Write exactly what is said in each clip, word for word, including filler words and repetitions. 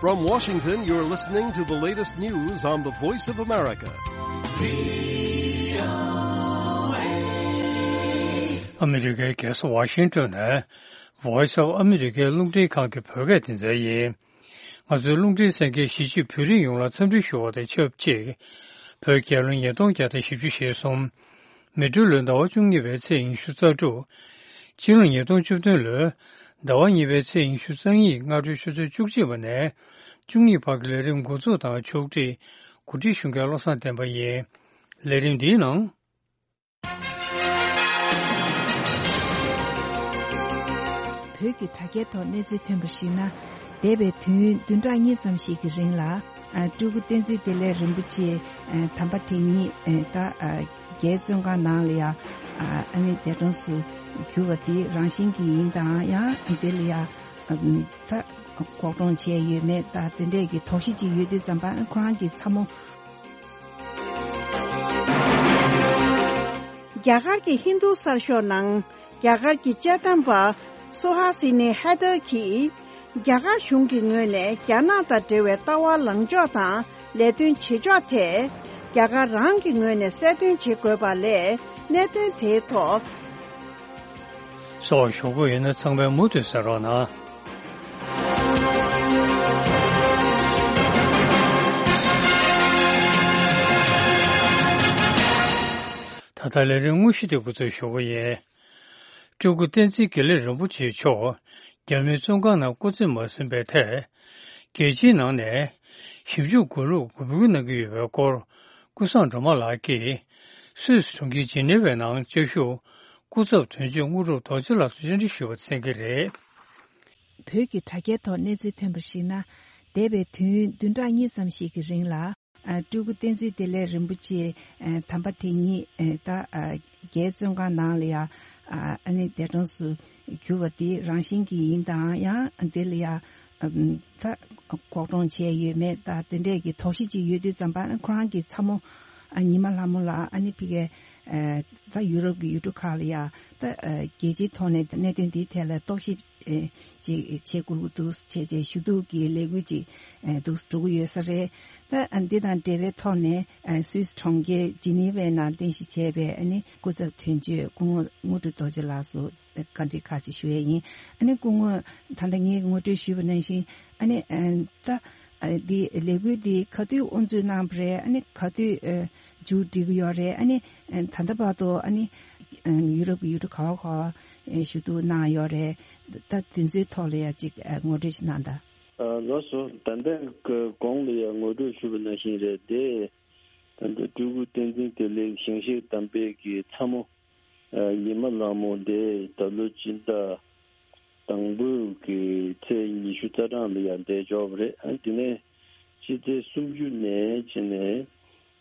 From Washington, you're listening to the latest news on the Voice of America. ཨ་མི་རི་ཀའི་རྒྱལ་ས་ཝ་ཤིང་ཏོན་ནས་Voice of America རླུང་འཕྲིན་ཁང་གི་བོད་སྐད་སྡེ་ཚན་ཡིན། ང་ཚོའི་རླུང་འཕྲིན་གསན་མཁན་གཞིས་བྱེས་བོད་རིགས་ཡོངས་ལ་འཚམས་འདྲི་ཞུ་བ་དང་ཆབས་ཅིག་བོད་རྒྱལ་ལོ་ཉིས་སྟོང་བརྒྱ་དང་བཞི་བཅུ་ཞེ་གསུམ། མེ་སྦྲུལ་ལོའི་ཟླ་བ་བཅུ་གཉིས་པའི་ཚེས་ཉི་ཤུ་རྩ་དྲུག་སྤྱི་ལོ་ཉིས་སྟོང་བཅུ་བདུན་ལོའི་ཟླ་བ་གཉིས་པའི་ཚེས་ཉི་ཤུ་རྩ་གཉིས་སྔ་དྲོའི་ཆུ་ཚོད་བཅུ་གཅིག་པ་ནས་བཅུ་གཉིས་བར་གྱི་ལས་རིམ་འགོ་འཛུགས་དང་ཕྱོགས་སྒྲིག་གོ་སྒྲིག་ཞུ་མཁན་བློ་བཟང་བསྟན་པ་ཡིན། ལས་རིམ་འདིའི་ནང་། བོད་ཀྱི་དྲ་རྒྱའི་ཐོག་གནས་ཚུལ་ཐོན་པར་གཞིགས་ན། འདས་པའི་དུས་ཡུན་བདུན་ཕྲག་གཉིས་ཙམ་ཞིག་གི་རིང་ལ། ཨ། སྤྲུལ་སྐུ་བསྟན་འཛིན་བདེ་ལེགས་རིན་པོ་ཆེ། ཨ། དམ་པ་དེ་ཉིད། ཨ། ད། ཨ། རྒྱའི་བཙོན་ཁང་ནང་ལ་ཡ། ཨ། ཨ་ནི་འདས་གྲོངས་སུ་གྱུར་བ་དེ་རང་བཞིན་གྱིས་ཡིན་དང་ཡང་དེ་ལ་ཡ། ཨ། ད་འགོག་སྲུང་བྱས་ཡོད་མེད་ད་དེ་འདྲས་ཀྱི་དོགས་གཞི་ཅིག་ཡོད་དུས་ཙམ་པ་ཁོ་རང་གི་ཚ་མོ། རྒྱ་གར་གྱི་ཧིན་རྡུ་གསར་ཤོག་ནང་རྒྱ་གར་གྱི་དཔྱད་གཏམ་པ་སུ་ཧ་སི་ནི་ཧེ་དར་གྱིས། རྒྱ་གར་གཞུང་གི་ངོས་ནས་རྒྱ་ནག་དང་འབྲེལ་བའི་ལྟ་བ་ལངས་ཕྱོགས་དང་ལས་དོན་བྱེད་ཕྱོགས་ཐད། རྒྱ་གར་རང་གི་ངོས་ནས་གསལ་སྟོན་བྱེད་དགོས་པ་ལས་གནད་དོན་དེའི་ཐོག་སོགས་ཞུ་དགོས་ཡོད་ན་ཚང་མས་མུ་མཐུད་གསན་རོགས་གནང་། ད་ལྟ་ལས་རིམ་དངོས་གཞི་དེ་འགོ་འཛུགས་ཞུ་གི་ཡིན། སྤྲུལ་སྐུ་བསྟན་འཛིན་དགེ་ལེགས་རིན་པོ་ཆེ་མཆོག་རྒྱ་མིའི་བཙོན་ཁང་ནང་སྐུ་ཚེ་མ་ཟིན་པའི་ཐད། རྒྱལ་སྤྱིའི་ནང་ནས་ཞིབ་འཇུག་དགོས་ལུགས་འབོད་སྐུལ་གནང་གི་ཡོད་པའི་སྐོར། ཀུན་བཟང་སྒྲོལ་མ་ལགས་ཀྱིས་སུད་སི་གྲོང་ཁྱེར་ཇི་ནི་ཝའི་ནང་བཅའ་བཞུགས་སྐུ་ཚབ་དོན་གཅོད་དངོས་གྲུབ་རྡོ་རྗེ་ལགས་སུ་བཅར་འདྲི་ཞུས་པ་གསན་གྱི་རེད། བོད་ཀྱི་དྲ་རྒྱའི་ཐོག་གནས་ཚུལ་ཐོན་པར་གཞིགས་ན། འདས་པའི་དུས་ཡུན་བདུན་ཕྲག་གཉིས་ཙམ་ཞིག་གི་རིང་ལ། ཨ། སྤྲུལ་སྐུ་བསྟན་འཛིན་བདེ་ལེགས་རིན་པོ་ཆེ། ཨ། དམ་པ་དེ་ཉིད། ཨ། ད། ཨ། རྒྱའི་བཙོན་ཁང་ནང་ལ་ཡ། ཨ། ཨ་ནི་འདས་གྲོངས་སུ་གྱུར་བ་དེ་རང་བཞིན་གྱིས་ཡིན་དང་ཡང་དེ་ལ་ཡ། ཨ། ད་འགོག་སྲུང་བྱས་ཡོད་མེད་ད་དེ་འདྲས་ཀྱི་དོགས་གཞི་ཅིག་ཡོད་དུས་ཙམ་པ་ཁོ་རང་གི་ཚ་མོ། ཨ། ཉི་མ་ལྷ་མོ་ལགས་ཨ་ནི་ཕ་གིའི། ཨ། ད་ཡུ་རོབ་ཀྱི་ཡུལ་གྲུ་ཁག་ལ་ཡ། ད། ཨ། རྒྱལ་སྤྱིའི་ཐོག་ནས་གནད་དོན་འདིའི་ཐད་ལ་རྟོག་ཞིབ། ཨེ། ཅིག་བྱེད་དགོས་ཀྱི་འདུག་བྱས་རྗེས་ཞུ་གཏུག་གི་ལས་འགུལ་ཅིག་ཨེ། འདུག་འགྲོ་གི་ཡོད་ས་རེད། ད་འདི་དང་འབྲེལ་བའི་ཐོག་ནས་ཨེ། སུད་སི་གྲོང་ཁྱེར་ཇི་ནི་ཝའི་ནང་རྟེན་གཞི་བྱས་པའི་ཨ་ནི་སྐུ་ཚབ་དོན་གཅོད་སྐུ་ངོ་དངོས་གྲུབ་རྡོ་རྗེ་ལགས་སུ་བཀའ་འདྲི་ཁག་ཅིག་ཞུ་ཡས་ཡིན། ཨ་ནི་སྐུ་ངོ་ད་ལྟ་ངས་ངོ་སྤྲོད་ཞུས་པ་ནང་བཞིན་ཨ་ནི་ཨེ། ད་ཨ། འདི་ལས་འགུལ་འདི་ག་དུས་དབུ་འཛུགས་གནང་བ་རེད། ཨ་ནི་ག་དུས་ཨེ། མཇུག་སྒྲིལ་གྱི་ཡོད་རེད། ཨ་ནི་ད་ལྟ་བར་དུ་ཨ་ནི་ཡུ་རོབ་ཀྱི་ཡུལ་གྲུ་ག་བ་ག་བ་ཞུ་གཏུག་གནང་ཡོད་རེད། ད་དེ་ཚོའི་ཐོག་ལ་ཡང་ཅིག་ངོ་སྤྲོད་ཅིག་གནང་དང་། ལགས་སོ། ད་ལྟ་གོང་ལ་ཡང་ངོ་སྤྲོད་ཞུས་པ་ནང་བཞིན་རེད་དེ། ད་ལྟ་སྤྲུལ་སྐུ་བསྟན་འཛིན་བདེ་ལེགས་ཞིང་གཤེགས་དམ་པའི་གི་ཚ་མོ། ཉི་མ་ལྷ་མོ་དེ་ད་ལོ་སྤྱི་ཟླ་དང་པོའི་གི་ཚེས་ཉི་ཤུ་རྩ་གྲངས་ལ་ཡང་འདས་ཆོག་པ་རེད། ཨ། དེ་ནས་སྤྱི་ཚེས་སུམ་ཅུ་ནས་བྱས་ནས་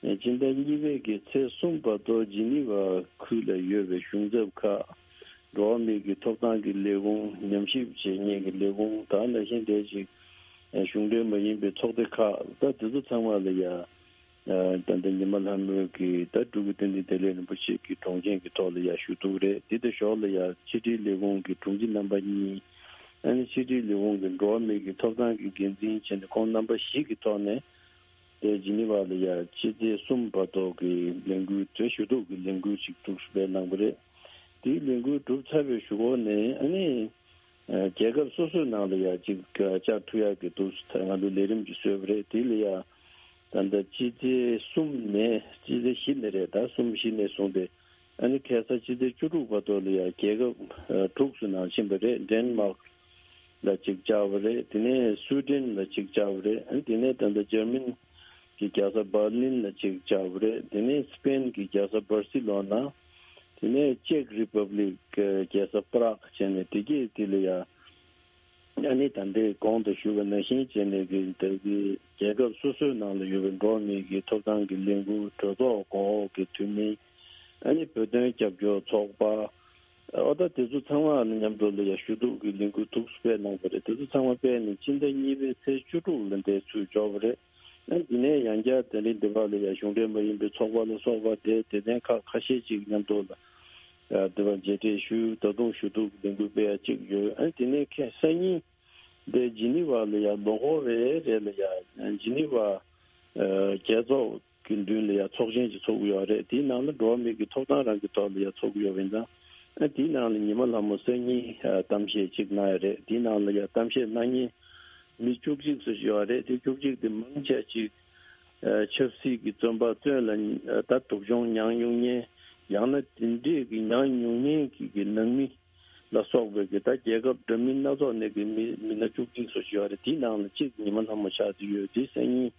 སྤྱི་ཟླ་གཉིས་པའི་གི་ཚེས་གསུམ་བར་དུ་ཇི་ནི་ཝ་ཁུལ་ལ་ཡོད་པའི་གཞུང་ཚབ་ཁག་འགྲོ་བ་མིའི་གི་ཐོབ་ཐང་གི་ལས་ཁུངས། ཉམས་ཞིབ་བྱེད་མཁན་གྱི་ལས་ཁུངས་དང་ནང་བཞིན་དེ་ཅིག་གཞུང་འབྲེལ་མ་ཡིན་པའི་ཚོགས་སྡེ་ཁག་ད་དེ་ཚོ་ཚང་མ་ལ་ཡང་། ད་ལྟ་ཉི་མ་ལྷ་མོའི་གི་ད་སྤྲུལ་སྐུ་བསྟན་འཛིན་བདེ་ལེགས་རིན་པོ་ཆེ་གི་དྲུང་ཆེན་གྱི་ཐོག་ལ་ཡ་ཞུ་གཏུག་རེད། དེ་དང་ཞོར་ལ་ཡ་ཕྱི་དྲིལ་ལས་ཁུངས་ཀྱི་དྲུང་ཆེ་རྣམ་པ་གཉིས། ཨ་ནི་ཕྱི་དྲིལ་ལས་ཁུངས་ཀྱི་འགྲོ་བ་མིའི་གི་ཐོབ་ཐང་གི་འགན་འཛིན་བྱས་ནས་ཁོང་རྣམ་པ་བཞི་གི་ཐོག་ནས་དེ་ཇི་ནི་ཝ་ལ་ཡ་ཕྱི་ཚེས་གསུམ་བར་དུ་གི་ལས་འགུལ་དེ་ཞུ་གཏུག་གི་ལས་འགུལ་ཅིག་འདུག་སྤེལ་གནང་བ་རེད། དེའི་ལས་འགུལ་གྲུབ་ཚར་བའི་གཞུག་གུ་ནས་ཨ་ནི། རྒྱལ་ཁབ་སོ་སོའི་ནང་ལ་ཡ་གཅིག་བཅར་ཐུབ་ཡག་གི་འདུག་ང་ཚོ་ལས་རིམ་གྱི་བཟོས་པ་རེད། དེ་ལ་ཡ་ད་ལྟ་སྤྱི་ཚེས་གསུམ་ནས་སྤྱི་ཚེས་བཞི་ནས་རེད། ད་གསུམ་བཞི་ནས་བཟུང་སྟེ་ཨ་ནི་ཁ་སང་སྤྱི་ཚེས་བཅུ་དྲུག་བར་དུ་ལ་ཡ་རྒྱལ་ཁབ་དྲུག་སུ་ནང་ཕྱིན་པ་རེད། ཌེན་མཱག་ལ་གཅིག་བཅར་བ་རེད། དེ་ནས་སུའུ་ཌེན་ལ་གཅིག་བཅར་བ་རེད། ཨ་ནི་དེ་ནས་ད་ལྟ་འཇར་མན་གྱི་རྒྱལ་ས་འབར་ལིན་ལ་གཅིག་བཅར་བ་རེད། དེ་ནས་སི་པེན་གྱི་རྒྱལ་ས་འབར་སི་ལོ་ན། དེ་ནས་ཅེག་རི་པབ་ལིག་གི་རྒྱལ་ས་པ་རག་བྱས་ནས་དེ་གས་དེ་ལ་ཡ། ཨ་ནི་ད་ལྟའི་གོང་དུ་ཞུས་པ་ནང་བཞིན་བྱས་ནས་ཀྱི་ད་གི་རྒྱལ་ཁབ་སོ་སོའི་ནང་ལ་ཡོད་པའི་འགྲོ་བ་མིའི་གི་ཐོབ་ཐང་གི་ལས་འགུལ། གྲོས་ཚོགས་གོང་འོག་གི་འཐུས་མི། ཨ་ནི་བོད་དོན་རྒྱབ་སྐྱོར་ཚོགས་པ། ཨོ་ད་དེ་ཚོ་ཚང་མ་ལ་མཉམ་དུ་ལ་ཡ་ཞུ་གཏུག་གི་ལས་འགུལ་འདུག་སྤེལ་གནང་བ་རེད། དེ་ཚོ་ཚང་མ་སྤེལ་ནས་སྤྱི་ཟླ་གཉིས་པའི་ཚེས་བཅུ་དྲུག་ལ་འདས་ཚུལ་འབྱོར་བ་རེད། ཨ་དེ་ནས་ཡང་བསྐྱར་དེ་རིང་འདི་བར་ལ་ཡ་གཞུང་འབྲེལ་མ་ཡིན་པའི་ཚོགས་པ་ལ་སོགས་པ་དེ་སྡེ་ཚན་ཁག་ཁ་ཤས་ཅིག་མཉམ་དུ་ལ་ཡ་འདི་བར་མཇལ་འཕྲད་ཞུས། ད་དུང་ཞུ་གཏུག་གི་ལས་འགུལ་སྤེལ་ཡ་ཅིག་ཡོད། ཨ་དེ་ནས་ཁ་སང་ཉིན་ དེ་ཇི་ནི་ཝ་ལ་ཡ་ལོ་འཁོར་རེ་རེ་ལ་ཡ་ཇི་ནི་ཝ་རྒྱལ་ཚོགས་ཀྱི་མདུན་ལ་ཡ་ཚོགས་ཆེན་ཅིག་ཚོགས་ཀྱི་ཡོད་རེད། དེའི་ནང་ལ་འགྲོ་བ་མི་གི་ཐོབ་ཐང་རང་གི་ཐོག་ལ་ཡ་ཚོགས་ཀྱི་ཡོད་པ་ཡིན་ཙང་། ཨ་དེའི་ནང་ལ་ཉི་མ་ལྷ་མོ་སང་ཉིན་ཨ་གཏམ་བཤད་ཅིག་གནང་ཡ་རེད། དེའི་ནང་ལ་ཡ་གཏམ་བཤད་གནང་མཁན་མི་བཅུ་གཅིག་ཙམ་ཞིག་ཡོད་རེད། དེ་བཅུ་གཅིག་དེ་མང་ཆེ་ཅིག་ཨ་ཆབ་སྲིད་ཀྱི་བཙོན་པ་བཙོན་ལ་ཨ་ད་སྡུག་སྦྱོང་མྱངས་མྱོང་མཁན། ཡང་ན་དེ་འདྲས་ཀྱི་མྱངས་མྱོང་མཁན་གྱི་གི་ནང་མི་ལ་སོགས་པའི་གི་ད་རྒྱལ་ཁབ་འདྲ་མིན་སྣ་ཚོགས་ནས་ཀྱི་མི་མི་སྣ་བཅུ་གཅིག་ཙམ་ཞིག་ཡོད་རེད། དེའི་ནང་ལ་གཅིག་ཉི་མ་ལྷ་མོ་ཆགས་ཀྱི་ཡོད། དེ་སང་ཉིན་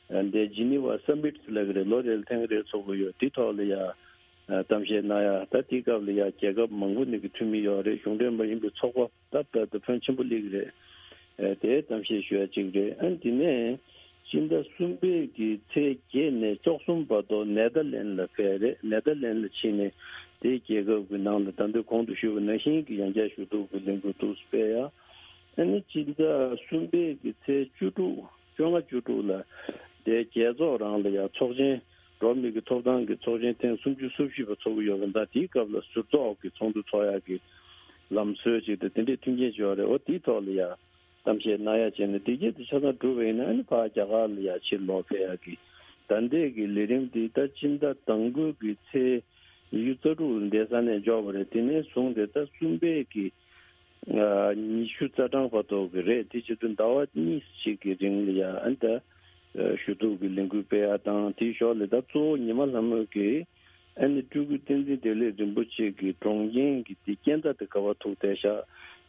ཨ་འདི་ཇི་ནི་ཝ་སམ་མིཊ་ལབ་ཀྱི་རེད། ལོ་རེ་ལ་ཐེངས་རེ་ཚོགས་ཀྱི་ཡོད། དེ་ཐོག་ལ་ཡ་ཨ་གཏམ་བཤད་གནང་ཡ། ད་དེའི་སྐབས་ལ་ཡ་རྒྱལ་ཁབ་མང་པོ་ནས་ཀྱི་འཐུས་མི་ཡོད་རེད། གཞུང་འབྲེལ་མ་ཡིན་པའི་ཚོགས་པ་ད་ལྟ་དུ་ཕོན་ཆེན་པོ་སླེབས་ཀྱི་རེད། ཨ་དེ་གཏམ་བཤད་ཞུ་ཡ་གཅིག་རེད། ཨ་དེ་ནས་སྤྱི་ཟླ་གསུམ་པའི་གི་ཚེས་བརྒྱད་ནས་བཅུ་གསུམ་བར་དུ་ནེ་དར་ལེན་ལ་ཕེབས་རེད། ནེ་དར་ལེན་ལ་ཕྱིན་ནས་དེའི་རྒྱལ་ཁབ་ཀྱི་ནང་ལ་ད་ལྟ་གོང་དུ་ཞུས་པ་ནང་བཞིན་གྱི་ཡང་བསྐྱར་ཞུ་གཏུག་གི་ལས་འགུལ་འདུག་སྤེལ་ཡ། ཨ་ནི་སྤྱི་ཟླ་གསུམ་པའི་གི་ཚེས་བཅུ་དྲུག་བཅོ་ལྔ་བཅུ་དྲུག་ལ་དེ་རྒྱལ་ཚོགས་རང་ལ་ཡང་ཚོགས་ཆེན་འགྲོ་བ་མི་གི་ཐོབ་ཐང་གི་ཚོགས་ཆེན་ཐེངས་སུམ་ཅུ་སོ་བཞི་པ་ཚོགས་ཀྱི་ཡོད་པ་འདྲ། དེའི་སྐབས་ལ་ཟུར་ཚོགས་ཀྱི་ཚོགས་འདུ་ཚོགས་ཡག་གི་ལམ་སྲོལ་ཅིག་དང་དེ་འདྲའི་མཐུན་རྐྱེན་ཅིག་ཡོད་རེད། འོ་དེའི་ཐོག་ལ་ཡང་གཏམ་བཤད་གནང་ཡག་བྱས་ནས་དེ་གྱད་དུ་ཆ་ཚང་གྲུབ་པ་ཡིན་ན་ཨ་ནི་ཕར་རྒྱ་གར་ལ་ཡང་ཕྱིར་ལོག་ཕེབས་ཡག་གི་ད་ལྟའི་གི་ལས་རིམ་འདི་ད་སྤྱི་ཟླ་དང་པོའི་གི་ཚེས་ཉི་ཤུ་རྩ་དྲུག་ལ་འདས་ས་ནས་འཇོག་པ་རེད། དེ་ནས་བཟུང་སྟེ་ད་གསུམ་པའི་གི་ཨ་ཉི་ཤུ་རྩ་གྲངས་བར་དུ་གི་རེད། དེ་བྱེད་དུས་ཟླ་བ་གཉིས་ཤིག་གི་རིང་ལ་ཡ་ཨ་ནི་ད་ཞུ་གཏུག་གི་ལས་འགུལ་སྤེལ་ཡ་དང་། དེའི་ཞོར་ལ་ད་གཙོ་བོ་ཉི་མ་ལྷ་མོ་གི་ཨ་ནི་སྤྲུལ་སྐུ་བསྟན་འཛིན་བདེ་ལེགས་རིན་པོ་ཆེ་གི་གྲོངས་རྐྱེན་གྱི་དེ་རྐྱེན་ད་དེ་ག་བ་ཐུག་བསྡད་ཤག་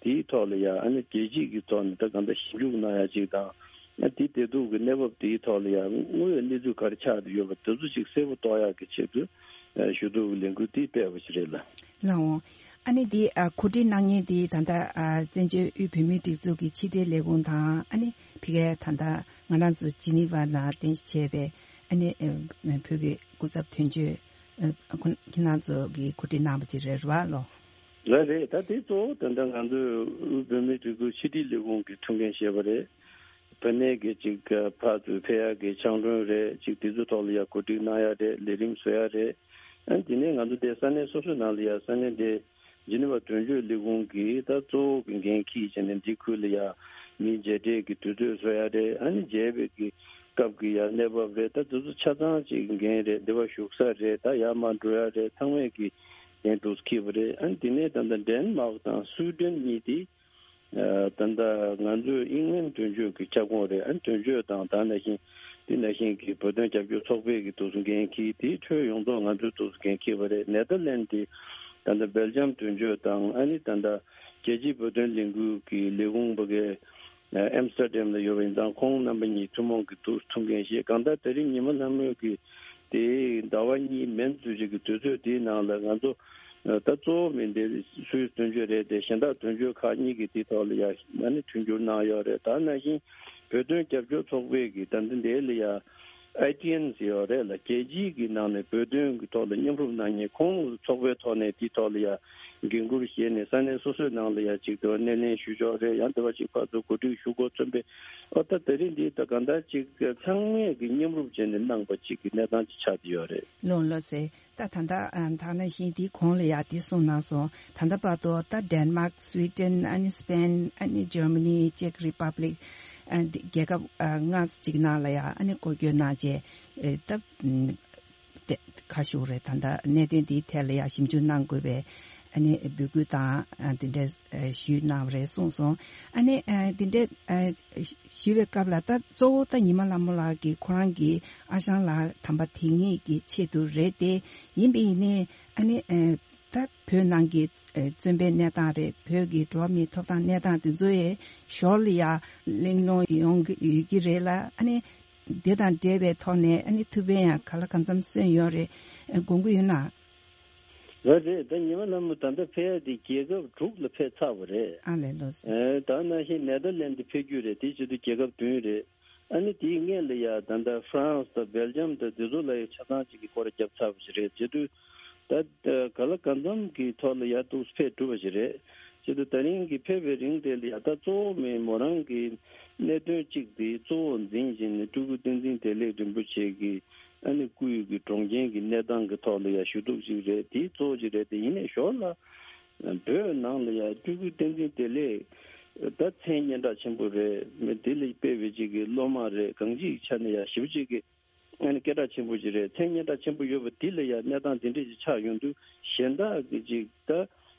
དེའི་ཐོག་ལ་ཡ་ཨ་ནི་རྒྱལ་སྤྱི་གི་ཐོག་ནས་ད་གང་ལྟར་ཞིབ་འཇུག་གནང་ཡ་ཅིག་དང་། ཨ་དེ་བདེ་སྡུག་གི་གནས་བབ་དེའི་ཐོག་ལ་ཡ་དངོས་ཡོད་གནས་ཚུལ་ག་རེ་ཆགས་བསྡད་ཡོད་པ་དེ་ཚོ་ཅིག་གསལ་པོ་རྟོགས་ཡག་གི་ཆེད་དུ་ཞུ་གཏུག་གི་ལས་འགུལ་དེ་སྤེལ་བ་ཞིག་རེད་ལ། ལགས་འོང་། ཨ་ནི་དེ་ཨ་གོ་སྒྲིག་གནང་མཁན་དེ་ད་ལྟ་ཨ་བཙན་བྱོལ་དབུས་བོད་མིའི་སྒྲིག་འཛུགས་ཀྱི་ཕྱི་དྲིལ་ལས་ཁུངས་དང་། ཨ་ནི་ཕ་གིའི་ད་ལྟ་ང་རང་ཚོ་ཇི་ནི་ཝ་ནང་རྟེན་གཞི་བྱས་པའི་ཨ་ནི་ཨ་བོད་ཀྱི་སྐུ་ཚབ་དོན་གཅོད་ཨ་ཁོ་ཁྱེད་རང་ཚོ་གིས་གོ་སྒྲིག་གནང་བ་ཅིག་རེད་རེད་བ་ལོ། ལགས་རེད། ད་དེ་གཙོ་བོ་ད་ལྟ་ང་ཚོའི་དབུས་བོད་མིའི་སྒྲིག་འཛུགས་ཕྱི་དྲིལ་ལས་ཁུངས་ཀྱི་ཐུགས་འགན་བཞེས་པ་རེད། བོད་གནས་ཀྱི་ཅིག་ཕར་ཚུར་ཕེབས་ཡག་གི་ཕྱག་མགྲོན་རེད། ཅིག་དེ་ཚོའི་ཐོག་ལ་ཡ་གོ་སྒྲིག་གནང་ཡག་རེད། ལས་རིམ་བཟོ་ཡག་རེད། ཨ་དེ་ནས་ང་ཚོ་དེ་ས་གནས་སོ་སོའི་ནང་ལ་ཡ་ས་གནས་དེ་ཇི་ནི་ཝ་དོན་གཅོད་ལས་ཁུངས་ཀྱིས་ད་གཙོ་བོ་གི་འགན་འཁྱེར་བྱས་ནས་འདི་ཁུལ་ལ་ཡ་མི་མཇལ་འཕྲད་ཀྱི་དུས་ཚོད་བཟོ་ཡག་རེད། ཨ་ནི་མཇལ་བའི་གི་སྐབས་ཀྱི་ཡ་གནས་བབ་རེད། ད་དེ་ཚོ་ཆ་ཚང་ཅིག་འགན་རེད། འདི་བ་བཞུགས་ས་རེད། ད་ཡར་མར་འགྲོ་ཡག་རེད། ཚང་མས་ཀྱི་འགན་འདུག་འཁྱེར་བ་རེད། ཨ་ནི་དེ་ནས་ད་ལྟ་ཌེན་མཱག་དང་སུའུ་ཌེན་གཉིས་དེ། ཨ་ད་ལྟ་ང་ཚོའི་ཨིང་ལན་དོན་གཅོད་ཀྱི་ཁྱབ་ཁོངས་རེད། ཨ་དོན་གཅོད་དང་ད་ནང་བཞིན་དེ་ནང་བཞིན་གྱི་བོད་དོན་རྒྱབ་སྐྱོར་ཚོགས་པས་ཀྱི་དུས་སུ་འགན་འཁྱེར། དེའི་ཁྲོད་ཡོངས་རྫོགས་ང་ཚོའི་དུས་སུ་འགན་འཁྱེར་བ་རེད། ནེ་དར་ལན་དེ་ད་ལྟ་སྦེལ་ཇམ་དོན་གཅོད་དང་། ཨ་ནི་ད་ལྟ་རྒྱལ་སྤྱིའི་བོད་དོན་ལས་འགུལ་གྱི་ལས་ཁུངས་པ་གའི་ཨེམ་སི་ཊར་ཌེམ་ལ་ཡོད་པ་ཡིན་ཙང་། ཁོང་རྣམ་པ་གཉིས་ཐུན་མོང་གི་དུས་སུ་ཐུགས་འགན་བཞེས། གང་ལྟར་དེ་རིང་ཉི་མ་ལྷ་མོ་གི་དེ་ཟླ་བ་གཉིས་མན་ཙམ་ཞིག་གི་དུས་ཚོད་དེའི་ནང་ལ་ང་ཚོ་ད་གཙོ་བོ་མི་འདི་སུད་སི་དོན་གཅོད་རེད་དེ། གཞན་དག་དོན་གཅོད་ཁག་གཉིས་ཀྱིས་དེའི་ཐོག་ལ་ཡ་ཨ་ནི་མཐུན་འགྱུར་གནང་ཡོད་རེད། ད་ནང་བཞིན་བོད་དོན་རྒྱབ་སྐྱོར་ཚོགས་པས་ཀྱི་ད་ལྟ་འདི་ལ་ཡ་ཨའི་ཊི་ཨེན་ཟེར་ཡོད་རེད་ལ། རྒྱལ་སྤྱིའི་གི་ནང་ནས་བོད་དོན་གྱི་ཐོག་ལ་མཉམ་རུབ་གནང་མཁན་ཁོང་ཚོ་ཚོགས་པའི་ཐོག་ནས་དེའི་ཐོག་ལ་ཡ་འགན་འཁུར་བཞེས་ནས་ས་གནས་སོ་སོའི་ནང་ལ་ཡ་ཅིག་དེ་བ་སྣེ་ལེན་ཞུ་ཆོག་རེད། ཡང་དེ་བ་ཅིག་ཕར་ཚུར་གོ་སྒྲིག་ཞུ་དགོས་ཚུལ་སྦེ། ཨོ་ད་དེ་རིང་འདི་ད་གང་ལྟར་ཅིག་ཚང་མས་ཀྱི་མཉམ་རུབ་བྱས་ནས་གནང་པ་ཅིག་གི་གནས་སྟངས་ཅིག་ཆགས་ཀྱི་ཡོད་རེད། ལོ་ལོ་ཟེར། ད་ད་ལྟ་ཨ་ད་ནང་བཞིན་དེའི་གོང་ལ་ཡ་དེ་གསུངས་གནང་སོང་། ད་ལྟ་བར་དུ་ད་ཌེན་མཱག་སུའི་ཌེན། ཨ་ནི་སི་པེན། ཨ་ནི་ཇར་མ་ནི། ཅེག་རི་པབ་ལིག། ཨ་འདི་རྒྱལ་ཁབ་ཨ་ལྔ་ཅིག་ནང་ལ་ཡ་ཨ་ནི་སྐོར་སྐྱོད་གནང་རྗེས་ཨེ་ད་ཨ་དེ་ཁ་ཤུགས་རེད། ད་ལྟ་གནད་དོན་འདིའི་ཐད་ལ་ཡ་ཞིབ་འཇུག་གནང་དགོས་པའི་ཨ་ནི་འབོད་སྐུལ་དང་ཨ་འདི་འདྲ་ཨ་ཞུས་གནང་བ་རེད་གསུངས་སོང་། ཨ་ནི་ཨ་འདི་འདྲ་ཨ་ཞུས་པའི་སྐབས་ལ་ད་གཙོ་བོ་ད་ཉི་མ་ལྷ་མོ་ལགས་ཀྱིས་ཁོ་རང་གི་ཨ་ཞང་ལགས་དམ་པ་དེ་ཉིད་ཀྱི་ཆེད་དུ་རེད་དེ། ཡིན་པ་ཡིན་ནའི་ཨ་ནི་ཨ་ད་བོད་ནང་གི་ཨ་བཙོན་པའི་གནས་སྟངས་རེད། བོད་ཀྱི་འགྲོ་བ་མིའི་ཐོབ་ཐང་གནས་སྟངས་དེ་ཚོ་ཡི་ཞོར་ལ་ཡ་གླེང་སློང་ཡོང་གི་ཡོད་ཀྱི་རེད་ལ། ཨ་ནི་དེ་དང་འབྲེལ་བའི་ཐོག་ནས་ཨ་ནི་ཐུགས་ཕན་ཡང་ག་ལ་གང་འཚམ་གསོས་ཡོད་རེད། ཨ་དགོངས་ཀྱི་ཡོད་ན། རེད་རེད། ད་ཉི་མ་ལྷ་མོ་ད་ལྟ་ཕེབས་ཡ་དེ་རྒྱལ་ཁབ་དྲུག་ལ་ཕེབས་ཚར་བ་རེད། ཨ་ལས་ལོ་ཟེར། ཨེ་ད་ནང་བཞིན་ནེ་དར་ལེན་ཌི་ཕེབས་རྒྱུ་རེད། དེ་བྱེད་དུས་རྒྱལ་ཁབ་བདུན་རེད། ཨ་ནི་དེའི་སྔོན་ལ་ཡ་ད་ལྟ་ཧྥ་རན་སི་དང་སྦེལ་ཇམ་དང་དེ་ཚོ་ལ་ཡ་ཆ་ཚང་གཅིག་གི་སྐོར་བརྒྱབ་ཚར་བ་ཞིག་རེད། བྱེད་དུས་ད་ག་ལ་གང་འཚམ་གྱི་ཐོག་ལ་ཡ་ཏོག་ཙམ་ཕེབས་གྲུབ་པ་ཞིག་རེད། བྱེད་དུས་ད་རིང་གི་ཕེབས་པའི་རིང་དེ་ལ་ཡ་ད་གཙོ་བོ་མི་མོ་རང་གི་གནད་དོན་གཅིག་དེ་གཙོ་བོ་འཛིན་བཞིན་ནས་སྤྲུལ་སྐུ་བསྟན་འཛིན་བདེ་ལེགས་རིན་པོ་ཆེ་གི་ཨ་ནི་སྐུའི་གི་གྲོངས་རྐྱེན་གྱི་གནས་སྟངས་ཀྱི་ཐོག་ལ་ཡ་ཞུ་གཏུག་ཅིག་རེད། དེ་གཙོ་བོ་ཅིག་རེད། དེ་ཡིན་ནའི་ཞོར་ལ་བོད་ནང་ལ་ཡ་སྤྲུལ་སྐུ་བསྟན་འཛིན་བདེ་ལེགས་ ད་མཚན་སྙན་གྲགས་ཆེན་པོ་རེད། མི་དེ་ལ་དཔེ་བའི་ཅིག་གི་སློབ་མ་རེད། གང་ཅིའི་ཆ་ནས་ཡ་ཞེ་པོ་ཅིག་གི་ཨ་ནི་སྐད་གྲགས་ཆེན་པོ་ཅིག་རེད། མཚན་སྙན་གྲགས་ཆེན་པོ་ཡོད་པ་དེ་ལ་ཡ་གནས་སྟངས་དེ་འདྲས་ཅིག་ཆགས་ཡོང་དུས་གཞན་དག་གི་ཅིག་ད་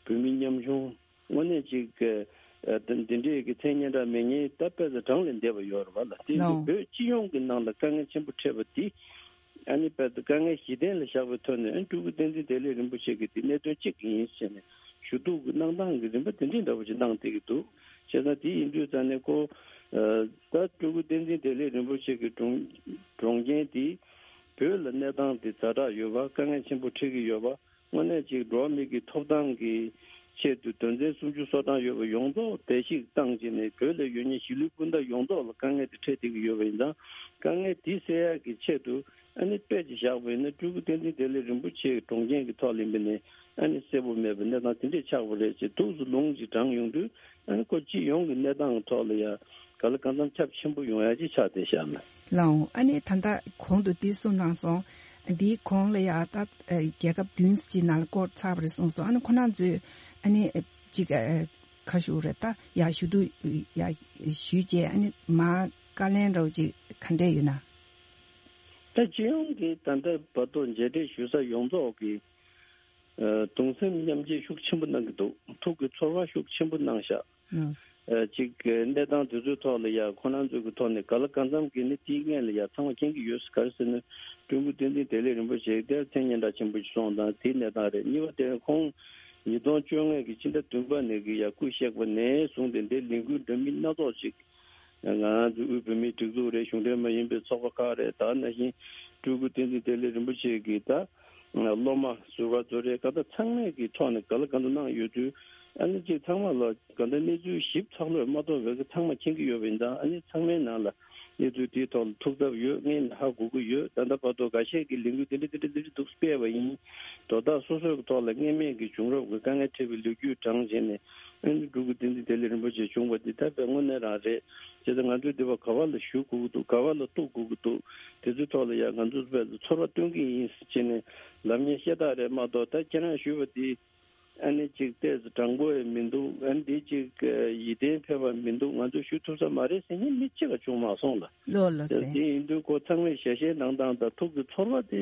བོད་མི་ཉམ་ཆུང་དངོས་གནས་ཅིག་གི་ཨ་དེ་འདྲས་ཀྱི་མཚན་སྙན་གྲགས་མེད་མཁན་ད་དཔེ་ཚོ་གྲངས་ལས་འདས་པ་ཡོད་རེད་བ་ལ། དེ་ཡིན་དུས་ལའོ། བོད་སྤྱི་ཡོངས་ཀྱི་ནང་ལ་དཀའ་ངལ་ཆེན་པོ་འཕྲད་པ་དེ། ཨ་ནི་དཔེ་དེ་དཀའ་ངལ་གཞི་རྟེན་ལ་བཞག་པའི་ཐོག་ནས་ཨ་ནི་སྤྲུལ་སྐུ་བསྟན་འཛིན་བདེ་ལེགས་རིན་པོ་ཆེ་གིས་དེ་གནད་དོན་གཅིག་ཡིན་ཟེར་ནས་ཞུ་གཏུག་གི་གནང་སྟངས་ཀྱི་རིམ་པ་དེ་འདྲའི་འདྲ་པོ་ཅིག་གནང་བསྡད་ཀྱི་འདུག་བྱས་ཙང་དེ་ཡིན་དུས་ཙང་ནས་ཁོ་ཨ་ད་སྤྲུལ་སྐུ་བསྟན་འཛིན་བདེ་ལེགས་རིན་པོ་ཆེ་གི་གྲོངས་གྲོངས་རྐྱེན་དེ་བོད་ལ་གནས་སྟངས་དེ་ཛ་དྲག་ཡོད་པ། དཀའ་ངལ་ཆེན་པོ་འཕྲད་ཀྱི་ཡོད་པ། དངོས་གནས་ཅིག་འགྲོ་བ་མི་གི་ཐོབ་ཐང་གི་ཆེད་དུ་དོན་ཚན་སུམ་ཅུ་སོ་གྲངས་ཡོད་པ་ཡོངས་རྫོགས་བརྡལ་བཤིག་བཏང་བྱས་ནས་བོད་ལ་ཡོད་མཁན་གཞིས་ལུས་སྤུན་ཟླ་ཡོངས་རྫོགས་ལ་དཀའ་ངལ་དེ་འཕྲད་བསྡད་ཀྱི་ཡོད་པ་ཡིན་ཙང་། དཀའ་ངལ་དེ་སེལ་ཡག་གི་ཆེད་དུ་ཨ་ནི་དཔེ་ཅིག་བཞག་པ་ཡིན་ན་སྤྲུལ་སྐུ་བསྟན་འཛིན་བདེ་ལེགས་རིན་པོ་ཆེའི་གྲོངས་རྐྱེན་གྱི་ཐོག་ལ་ཡིན་པ་ནས་ཨ་ནི་གསལ་པོ་མེད་པའི་གནས་སྟངས་དེ་འདྲས་ཆགས་པ་རེད་ཅེས་ཐུགས་སུ་ལུང་ཅིག་དྲངས་ཡོང་དུས། ཨ་ནི་ཁོ་སྤྱི་ཡོངས་ཀྱི་གནས་སྟངས་ཐོག་ལ་ཡ་ག་ལ་གང་འཚམ་ཁྱབ་ཆེན་པོ་ཡོང་ཡ་ཅིག་ཆགས་བསྡད་ཤག་ལ། ལའོ། ཨ་ནི་ད་ལྟ་གོང་དུ་འདི་གསུངས་གནང་སོང་། འདིའི་གོང་ལ་ཡ་ད་ཨ་རྒྱལ་ཁབ་བདུན་ཅིག་ནང་ལ་བསྐོར་ཚར་བ་རེད་གསུངས་སོང་། ཨ་ནི་ཁོ་རང་ཚོས་ཨ་ནི་ཅིག་ཨ་ཁ་ཤུ་རེད་ད་ཡ་ཞུ་གཏུག་ཡ་ཞུས་རྗེས་ཨ་ནི་མ་བཀའ་ལན་རོགས་ཅིག་ག་འདྲས་ཡོད་ན། ད་སྤྱི་ཡོངས་ཀྱི་ད་ལྟ་བར་དུ་མཇལ་འཕྲད་ཞུ་ས་ཡོངས་རྫོགས་ཀྱི་ཨ་གདུང་སེམས་མཉམ་སྐྱེད་ཤུགས་ཆེན་པོ་གནང་གི་འདུག་ཐུགས་ཀྱི་ཚོར་བ་ཤུགས་ཆེན་པོ་གནང་ཤག་ཨ་ཅིག་གནས་སྟངས་དེ་ཚོའི་ཐོག་ལ་ཡ་ཁོ་རང་ཚོའི་གི་ཐོག་ནས་ག་ལ་གང་འཚམ་གྱི་ནི་དེའི་སྔོན་ལ་ཡ་ཚང་མ་མཁྱེན་གྱི་ཡོད། ག་རེ་ཟེར་ན་སྤྲུལ་སྐུ་བསྟན་འཛིན་བདེ་ལེགས་རིན་པོ་ཆེ་དེ་མཚན་སྙན་གྲགས་ཆེན་པོ་ཞིག་སོང་དང་དེའི་གནས་སྟངས་རེད། གཉིས་པ་དེ་ཁོང་ཉིས་སྟོང་བཅོ་ལྔ་གི་ཕྱི་ཟླ་བདུན་པ་ནས་གི་ཡ་སྐུ་གཤེགས་པ་ནས་བཟུང་སྟེ་འདིར་ལས་འགུལ་འདྲ་མིན་སྣ་ཚོགས་ཤིག་ང་ཚོའི་དབུས་བོད་མིའི་སྒྲིག་འཛུགས་རེད། གཞུང་འབྲེལ་མ་ཡིན་པའི་ཚོགས་པ་ཁག་རེད། ད་ནང་བཞིན་སྤྲུལ་སྐུ་བསྟན་འཛིན་བདེ་ལེགས་རིན་པོ་ཆེ་གི་ད་སློབ་མ་ཟུར་པ་ཚོ་རེད། གང་ལྟར་ཚང་མས་ཀྱི་ཐོག་ནས་ག་ལ་གང་འཚམ་གནང་ཡོད་དུས་ཨ་ནི་ཅིག་ཚང་མ་ལ་གང་ལྟར་གནས་ཚུལ་ཞིབ་ཚགས་ལོས་མ་གཏོགས་བོད་ཀྱི་ཚང་མ་མཁྱེན་གྱི་ཡོད་པ་ཡིན་ཙང་། ཨ་ནི་ཚང་མའི་ནང་ལ་གནས་ཚུལ་དེའི་ཐོག་ལ་ཐུགས་འཚབ་ཡོད། ངས་ནི་ཧ་གོ་གི་ཡོད། ད་ལྟ་བར་དུ་འགའ་ཤས་ཀྱིས་ལས་འགུལ་དེ་འདྲ་དེ་འདྲ་དེ་འདྲ་འདུག་སྤེལ་བ་ཡིན། དོ་བདག་སོ་སོའི་ཐོག་ལ་སྔོན་མེད་ཀྱི་བྱུང་རབས་ཀྱི་དཀའ་ངལ་འཕྲད་པའི་ལོ་རྒྱུས་དྲངས་བྱས་ནས། ཨ་ནི་སྤྲུལ་སྐུ་བསྟན་འཛིན་བདེ་ལེགས་རིན་པོ་ཆེ་བྱུང་བ་འདི་ད་དཔེ་དངོས་གནས་རང་རེད། བྱས་ཙང་ང་ཚོས་འདི་བ་ག་བ་ལ་ཞུ་དགོས་ཀྱི་འདུག་ག་བ་ལ་གཏུག་དགོས་ཀྱི་འདུག་དེ་ཚོའི་ཐོག་ལ་ཡང་ང་ཚོས་དཔེ་ཚོར་བ་སྟོན་གྱི་ཡིན་ཟེར་བྱས་ནས་ལབ་མཁན་ཤ་སྟག་རེད་མ་གཏོགས། ད་ཁྱེད་རང་ཞུས་པ་འདི་ཨ་ནི་ཅིག་ཏོག་ཙམ་དྲང་པོ་ཡང་མི་འདུག་ཨ་ནི་འདི་ཅིག་ཡིད་བརྟན་ཕེབས་པ་མི་འདུག་ང་ཚོས་ཞུ་ཐུབ་ས་མ་རེད་ཟེར་མཁན་མི་གཅིག་ཀྱང་བྱུང་མ་སོང་ལ། ལོ་ལོ་ད་ཟེར། དེ་ཡིན་དུས་ཁོ་ཚང་མས་ཞལ་བཞེས་གནང་སྟངས་དང་ཐུགས་ཀྱི་ཚོར་བ་དེ་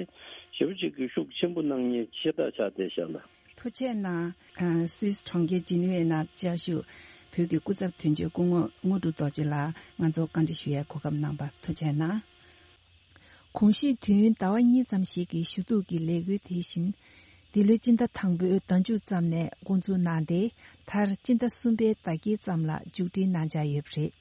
ཞེ་པོ་ཅིག་གི་ཤུགས་ཆེན་པོ་གནང་མཁན་ཤ་སྟག་ཆགས་བསྡད་ཤག་ལ། ཐུགས་རྗེ་གནང་། ཨ་སུད་སི་གྲོང་ཁྱེར་ཇི་ནི་ཝའི་ནང་བཅའ་བཞུགས་བོད་ཀྱི་སྐུ་ཚབ་དོན་གཅོད་སྐུ་ངོ་དངོས་གྲུབ་རྡོ་རྗེ་ལགས་ང་ཚོ་བཀའ་འདྲི་ཞུ་ཡའི་གོ་སྐབས་གནང་བར་ཐུགས་རྗེ་གནང་། གོང་ཞུས་དུས་ཡུན་ཟླ་བ་གཉིས་ཙམ་ཞིག་གི་ཞུ་གཏུག་གི་ལས་འགུལ་དེ་བཞིན་འདི་ལོའི་སྤྱི་ཟླ་དང་པོའི་ཟླ་མཇུག་ཙམ་ནས་འགོ་འཛུགས་གནང་སྟེ། མཐར་སྤྱི་ཟླ་གསུམ་པའི་ཟླ་དཀྱིལ་ཙམ་ལ་མཇུག་སྒྲིལ་གནང་འཆར་ཡོད་པ་རེད།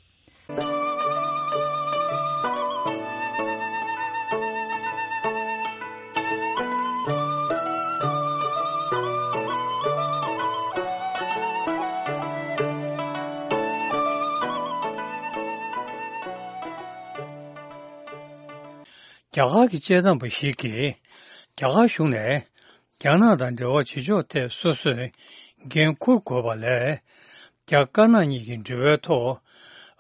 རྒྱ་གར་གྱི་དཔྱད་གཏམ་པ་ཞིག་གིས་རྒྱ་གར་གཞུང་ནས་རྒྱ་ནག་དང་འབྲེལ་བ་བྱེད་ཕྱོགས་ཐད་སོ་སོས་འགན་འཁུར་དགོས་པ་ལས། རྒྱ་དཀར་ནག་གཉིས་ཀྱི་འབྲེལ་བའི་ཐོག་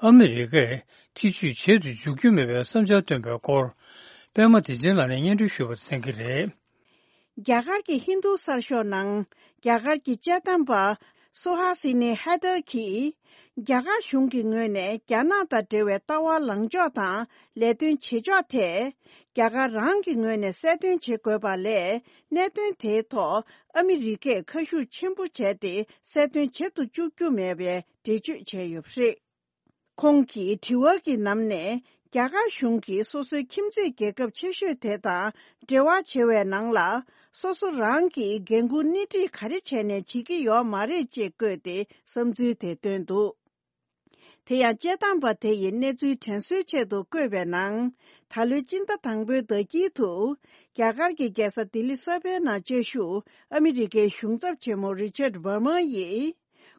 ཨ་མི་རི་ཀས་ཐེ་བྱུས་བྱེད་དུ་འཇུག་རྒྱུ་མེད་པའི་བསམ་འཆར་བཏོན་པའི་སྐོར། པད་མ་བདེ་ཆེན་ལགས་ནས་སྙན་སྒྲོན་ཞུས་པ་གསན་གྱི་རེད། རྒྱ་གར་གྱི་ཧིན་རྡུ་གསར་ཤོག་ནང་རྒྱ་གར་གྱི་དཔྱད་གཏམ་པ་སུ་ཧ་སི་ནི་ཧེ་དར་གྱིས། རྒྱ་གར་གཞུང་གི་ངོས་ནས་རྒྱ་ནག་དང་འབྲེལ་བའི་ལྟ་བ་ལངས་ཕྱོགས་དང་ལས་དོན་བྱེད་ཕྱོགས་ཐད། རྒྱ་གར་རང་གི་ངོས་ནས་གསལ་སྟོན་བྱེད་དགོས་པ་ལས། གནད་དོན་དེའི་ཐོག་ཨ་མི་རི་ཀས་ཁ་ཤུགས་ཆེན་པོ་བྱས་ཏེ་གསལ་སྟོན་བྱེད་དུ་བཅུག་རྒྱུ་མེད་པའི་འགྲེལ་བརྗོད་བྱས་ཡོད་པ་རེད། ཁོང་གིས་དྲི་བ་གི་ནང་ནས་རྒྱ་གར་གཞུང་གིས་སོ་སོའི་ཁྱིམ་མཚེས་རྒྱལ་ཁབ་ཆེ་ཤོས་དེ་དང་འབྲེལ་བ་བྱེད་པའི་ནང་ལ། སོ་སོ་རང་གི་འགན་འཁུར་སྣེ་ཁྲིད་ག་རེ་བྱས་ནས་བྱེད་ཀྱི་ཡོད་མ་རེད་ཅེས་བཀོད་དེ་བསམ་ཚུལ་དེ་བཏོན་འདུག་དེ་ཡང་དཔྱད་གཏམ་པ་དེ་ཡིས་གནས་ཚུལ་དྲན་གསོའི་ཆེད་དུ་བཀོད་པའི་ནང་། ད་ལོའི་སྤྱི་ཟླ་དང་པོའི་ཟླ་དཀྱིལ་དུ། རྒྱ་གར་གྱི་རྒྱལ་ས་ལྡི་ལི་གསར་པའི་ནང་བཅའ་བཞུགས་ཨ་མི་རི་ཀའི་གཞུང་ཚབ་ཆེན་མོ་རི་ཆར་ཝར་མ་ཡིས།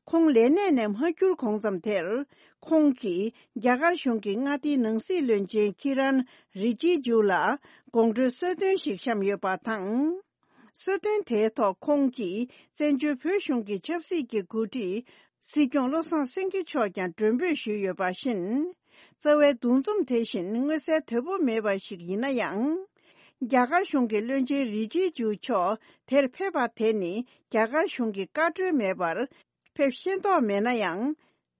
ཁོང་ལས་གནས་ནས་མ་འཁྱུར་གོང་ཙམ་དེར། ཁོང་གིས་རྒྱ་གར་གཞུང་གི་མངའ་སྡེའི་ནང་སྲིད་བློན་ཆེན་ཁི་རན་རི་ཇི་ཇུ་ལ་དགོང་དྲོའི་གསོལ་སྟོན་ཞིག་བཤམས་ཡོད་པ་དང་། གསོལ་སྟོན་དེའི་ཐོག་ཁོང་གིས་བཙན་བྱོལ་བོད་གཞུང་གི་ཆབ་སྲིད་ཀྱི་འགོ་ཁྲིད་སྲིད་སྐྱོང་བློ་བཟང་སེང་གེ་མཆོག་ཀྱང་མགྲོན་འབོད་ཞུས་ཡོད་པ་བཞིན། རྩ་བའི་འདུ་འཛོམས་དེ་བཞིན་མངོན་གསལ་དོད་པོ་མེད་པ་ཞིག་ཡིན་ན་ཡང་། རྒྱ་གར་གཞུང་གི་བློན་ཆེན་རི་ཇི་ཇུ་མཆོག་དེར་ཕེབས་པ་དེ་ནི་རྒྱ་གར་གཞུང་གི་བཀའ་འཁྲོལ་མེད་པར་ཕེབས་ཤེས་རྟོགས་མེད་ན་ཡང་།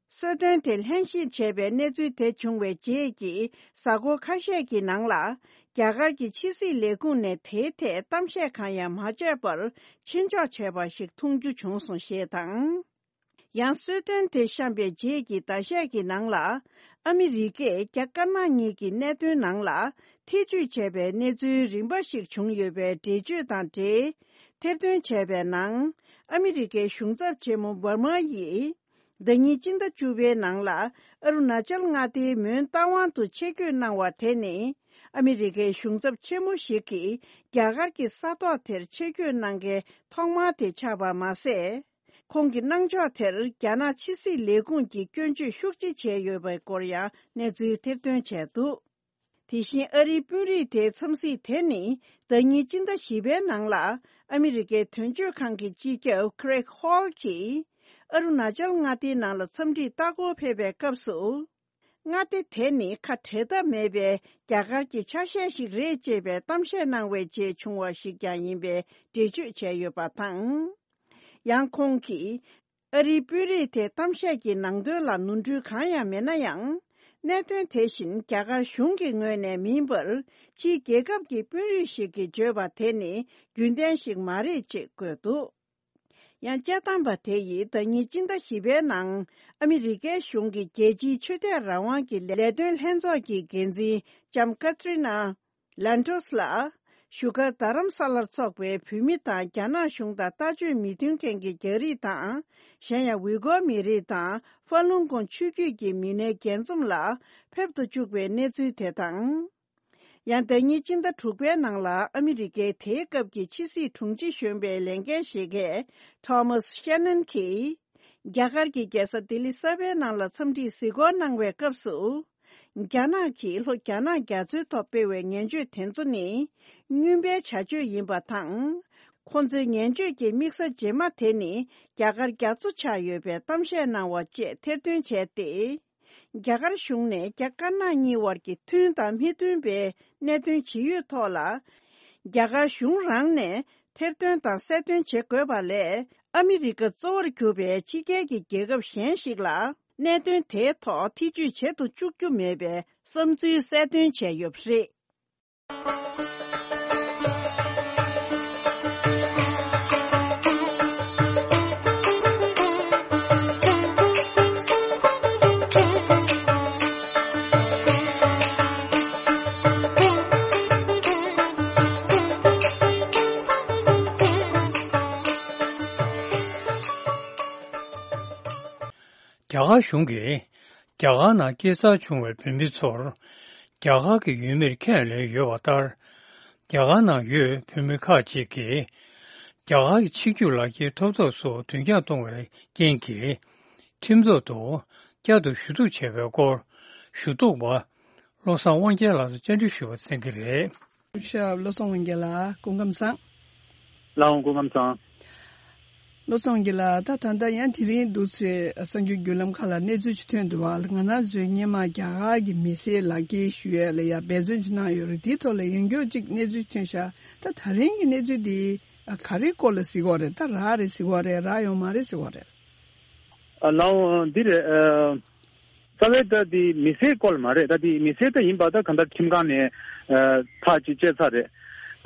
གསོལ་སྟོན་དེ་ལྷན་ཞུགས་བྱས་པའི་གནས་ཚུལ་དེ་བྱུང་བའི་རྗེས་ཀྱི་གཟའ་འཁོར་ཁ་ཤས་ཀྱི་ནང་ལ། རྒྱ་གར་གྱི་ཕྱི་སྲིད་ལས་ཁུངས་ནས་དེའི་ཐད་གཏམ་བཤད་གང་ཡང་མ་བྱས་པར་ཕྱིར་འཇོག་བྱས་པ་ཞིག་མཐོང་རྒྱུ་བྱུང་སོང་ཞེས་དང་། ཡང་གསོལ་སྟོན་དེ་བཤམས་པའི་རྗེས་ཀྱི་ཟླ་ཤས་ཀྱི་ནང་ལ། ཨ་མི་རི་ཀས་རྒྱ་དཀར་ནག་གཉིས་ཀྱི་གནད་དོན་ནང་ལ་ཐེ་ཇུས་བྱས་པའི་གནས་ཚུལ་རིམ་པ་ཞིག་བྱུང་ཡོད་པའི་འགྲེལ་བརྗོད་དང་འབྲེལ། ཐེར་འདོན་བྱས་པའི་ནང་། ཨ་མི་རི་ཀའི་གཞུང་ཚབ་ཆེན་མོ་འབར་མ་ཡིས། ཟླ་ཉིན་སྤྱི་ཟླ་བཅུ་པའི་ནང་ལ་ཨ་རུ་ན་ཅལ་མངའ་སྡེའི་མོན་རྟ་དབང་དུ་ཆེད་བསྐྱོད་གནང་བ་དེ་ནི། ཨ་མི་རི་ཀའི་གཞུང་ཚབ་ཆེན་མོ་ཞིག་གིས་རྒྱ་གར་གྱི་ས་ཐོག་དེར་ཆེད་བསྐྱོད་གནང་མཁན་ཐོག་མ་དེ་ཆགས་པ་མ་ཟད། ཁོང་གི་གནང་ཕྱོགས་དེར་རྒྱ་ནག་ཕྱི་སྲིད་ལས་ཁུངས་ཀྱིས་སྐྱོན་བརྗོད་ཤུགས་ཆེ་བྱས་ཡོད་པའི་སྐོར་ཡང་གནས་ཚུལ་ཐེར་འདོན་བྱས་འདུག་དེ་བཞིན་ཨ་རིའི་དཔོན་རིགས་དེའི་འཚམས་གཟིགས་དེ་ནི་ཟླ་ཉིན་སྤྱི་ཟླ་བཞི་པའི་ནང་ལ་ཨ་མི་རི་ཀའི་དོན་གཅོད་ཁང་གི་སྤྱི་ཁྱབ་Craig Hall གྱིས་ཨ་རུ་ན་ཅལ་མངའ་སྡེའི་ནང་ལ་འཚམས་འདྲིར་ལྟ་སྐོར་ཕེབས་པའི་སྐབས་སུ། མངའ་སྡེ་དེ་ནི་ཁ་བྲལ་ཐབས་མེད་པའི་རྒྱ་གར་གྱི་ཆ་ཤས་ཤིག་རེད་ཅེས་པའི་གཏམ་བཤད་གནང་བའི་རྗེས་བྱུང་བ་ཞིག་ཀྱང་ཡིན་པའི་འགྲེལ་བརྗོད་བྱས་ཡོད་པ་དང་། ཡང་ཁོང་གིས། ཨ་རིའི་དཔོན་རིགས་དེ་གཏམ་བཤད་ཀྱི་ནང་དོན་ལ་ནོར་འཁྲུལ་གང་ཡང་མེད་ན་ཡང་། གནད་དོན་དེ་བཞིན་རྒྱ་གར་གཞུང་གི་ངོས་ནས་མིན་པར། ཕྱིའི་རྒྱལ་ཁབ་ཀྱི་དཔོན་རིགས་ཤིག་གིས་བརྗོད་པ་དེ་ནི་རྒྱུན་ལྡན་ཞིག་མ་རེད་ཅེས་བཀོད་འདུག་ཡང་དཔྱད་གཏམ་པ་དེ་ཡིས་ཟླ་ཉིན་སྤྱི་ཟླ་བཞི་པའི་ནང་ཨ་མི་རི་ཀའི་གཞུང་གི་རྒྱལ་སྤྱིའི་ཆོས་དད་རང་དབང་གི་ལས་དོན་ལྷན་ཚོགས་ཀྱི་འགན་འཛིན་ལྕམ་ཀ་ཏྲི་ན། ལན་ཏོས་ལ། བཞུགས་སྒར་རྡ་རམ་ས་ལར་འཚོགས་པའི་བོད་མི་དང་རྒྱ་ནག་གཞུང་དང་ལྟ་སྤྱོད་མི་མཐུན་མཁན་གྱི་རྒྱ་རིགས་དང་། གཞན་ཡང་ཝི་གོ་མི་རིགས་དང་ཧྥ་ལུང་ཀོང་ཆུས་བརྒྱུད་ཀྱི་མི་སྣའི་རྒྱས་འཛོམས་ལ་ཕེབས་ཏུ་བཅུག་པའི་གནས་ཚུལ་དེ་དང་། ཡང་ཟླ་ཉིན་སྤྱི་ཟླ་དྲུག་པའི་ནང་ལ་ཨ་མི་རི་ཀའི་དེའི་སྐབས་ཀྱི་ཕྱི་སྲིད་དྲུང་ཆེ་གཞོན་པའི་ལས་འགན་བཞེས་མཁན་ཐོ་མཱས་ཤེ་ནན་གྱིས། རྒྱ་གར་གྱི་རྒྱལ་ས་ལྡི་ལི་གསར་པའི་ནང་ལ་འཚམས་འདྲིར་གཟིགས་སྐོར་གནང་བའི་སྐབས་སུ། རྒྱ་ནག་གིས་ལྷོ་རྒྱ་ནག་རྒྱ་མཚོའི་ཐོག་སྤེལ་བའི་ངན་བྱུས་དེ་ཚོ་ནི་རྔོན་པའི་བྱ་སྤྱོད་ཡིན་པ་དང་། ཁོ་ཚོའི་ངན་བྱུས་ཀྱི་དམིགས་ས་རྗེས་མ་དེ་ནི་རྒྱ་གར་རྒྱ་མཚོ་ཆགས་ཡོད་པའི་གཏམ་བཤད་གནང་བ་བཅས་ཐེར་འདོན་བྱས་ཏེ། རྒྱ་གར་གཞུང་ནས་རྒྱ་དཀར་ནག་གཉིས་བར་གྱི་མཐུན་དང་མི་མཐུན་པའི་གནད་དོན་ཇི་ཡོད་ཐོག་ལ། རྒྱ་གར་གཞུང་རང་ནས་ཐེར་འདོན་དང་གསལ་སྟོན་བྱེད་དགོས་པ་ལས། ཨ་མི་རི་ཀ་གཙོ་བོར་གྱུར་པའི་ཕྱི་རྒྱལ་གྱི་རྒྱལ་ཁབ་གཞན་ཞིག་ལ་གནད་དོན་དེའི་ཐོག་ཐེ་ཇུས་བྱེད་དུ་བཅུག་རྒྱུ་མེད་པའི་བསམ་ཚུལ་གསལ་སྟོན་བྱས་ཡོད་པ་རེད། རྒྱ་གར་གཞུང་གིས་རྒྱ་གར་ནང་སྐྱེས་འཚར་བྱུང་བའི་བོད་མི་ཚོར་རྒྱ་གར་གྱི་ཡུལ་མིར་ཁས་ལེན་ཡོད་པ་ལྟར། རྒྱ་གར་ནང་ཡོད་བོད་མི་ཁག་ཅིག་གིས་རྒྱ་གར་གྱི་ཆིག་སྒྱུར་ལག་འཁྱེར་ཐོབ་ཐང་སོགས་དོན་འཁྱོངས་གཏོང་བའི་རྐྱེན་གྱིས། ཁྲིམས་ཐོག་ཏུ་བསྐྱར་དུ་ཞུ་གཏུག་བྱས་པའི་སྐོར་ཞུ་གཏུག་པ་བློ་བཟང་དབང་རྒྱལ་ལགས་སུ་བཅར་འདྲི་ཞུ་བ་གསན་གྱི་རེད། སྐུ་ཞབས་བློ་བཟང་དབང་རྒྱལ་ལགས་སྐུ་ཁམས་བཟང་། ལགས་འོང་། སྐུ་ཁམས་བཟང་། བློ་བཟང་དབང་རྒྱལ་ལགས། ད་ད་ལྟ་ཡང་དེ་རིང་འདུག་སེ་གསར་འགྱུར་བརྒྱུད་ལམ་ཁག་ལ་གནས་ཚུལ་ཅིག་ཐོན་འདུག་བ། ང་རང་ཚོས་སྔོན་མ་རྒྱ་གར་གྱི་མི་སེར་ལག་འཁྱེར་ཞུ་ཡས་ལ་ཡ་འབད་བརྩོན་ཅིག་གནང་ཡོད་རེད། དེའི་ཐོག་ལ་ཡང་བསྐྱར་ཅིག་གནས་ཚུལ་ཐོན་ཤག་ད་ད་རིང་གི་གནས་ཚུལ་འདི་ག་རེའི་སྐོར་ལ་ཟེར་གྱི་ཡོད་རེད། ད་རག་རེད་ཟེར་གྱི་ཡོད་རེད། རག་ཡོད་མ་རེད་ཟེར་གྱི་ཡོད་རེད། ཨ་ལགས་འོང་། འདི་རེད། ཨ། རྩ་བའི་ད་འདི་མི་སེར་སྐོར་མ་རེད། ད་འདི་མི་སེར་ད་ཡིན་པ་ད་གང་ལྟར་ཁྲིམས་ཁང་ནས་ཨ་ཐག་ཅིག་བཅད་ཚར་རེད།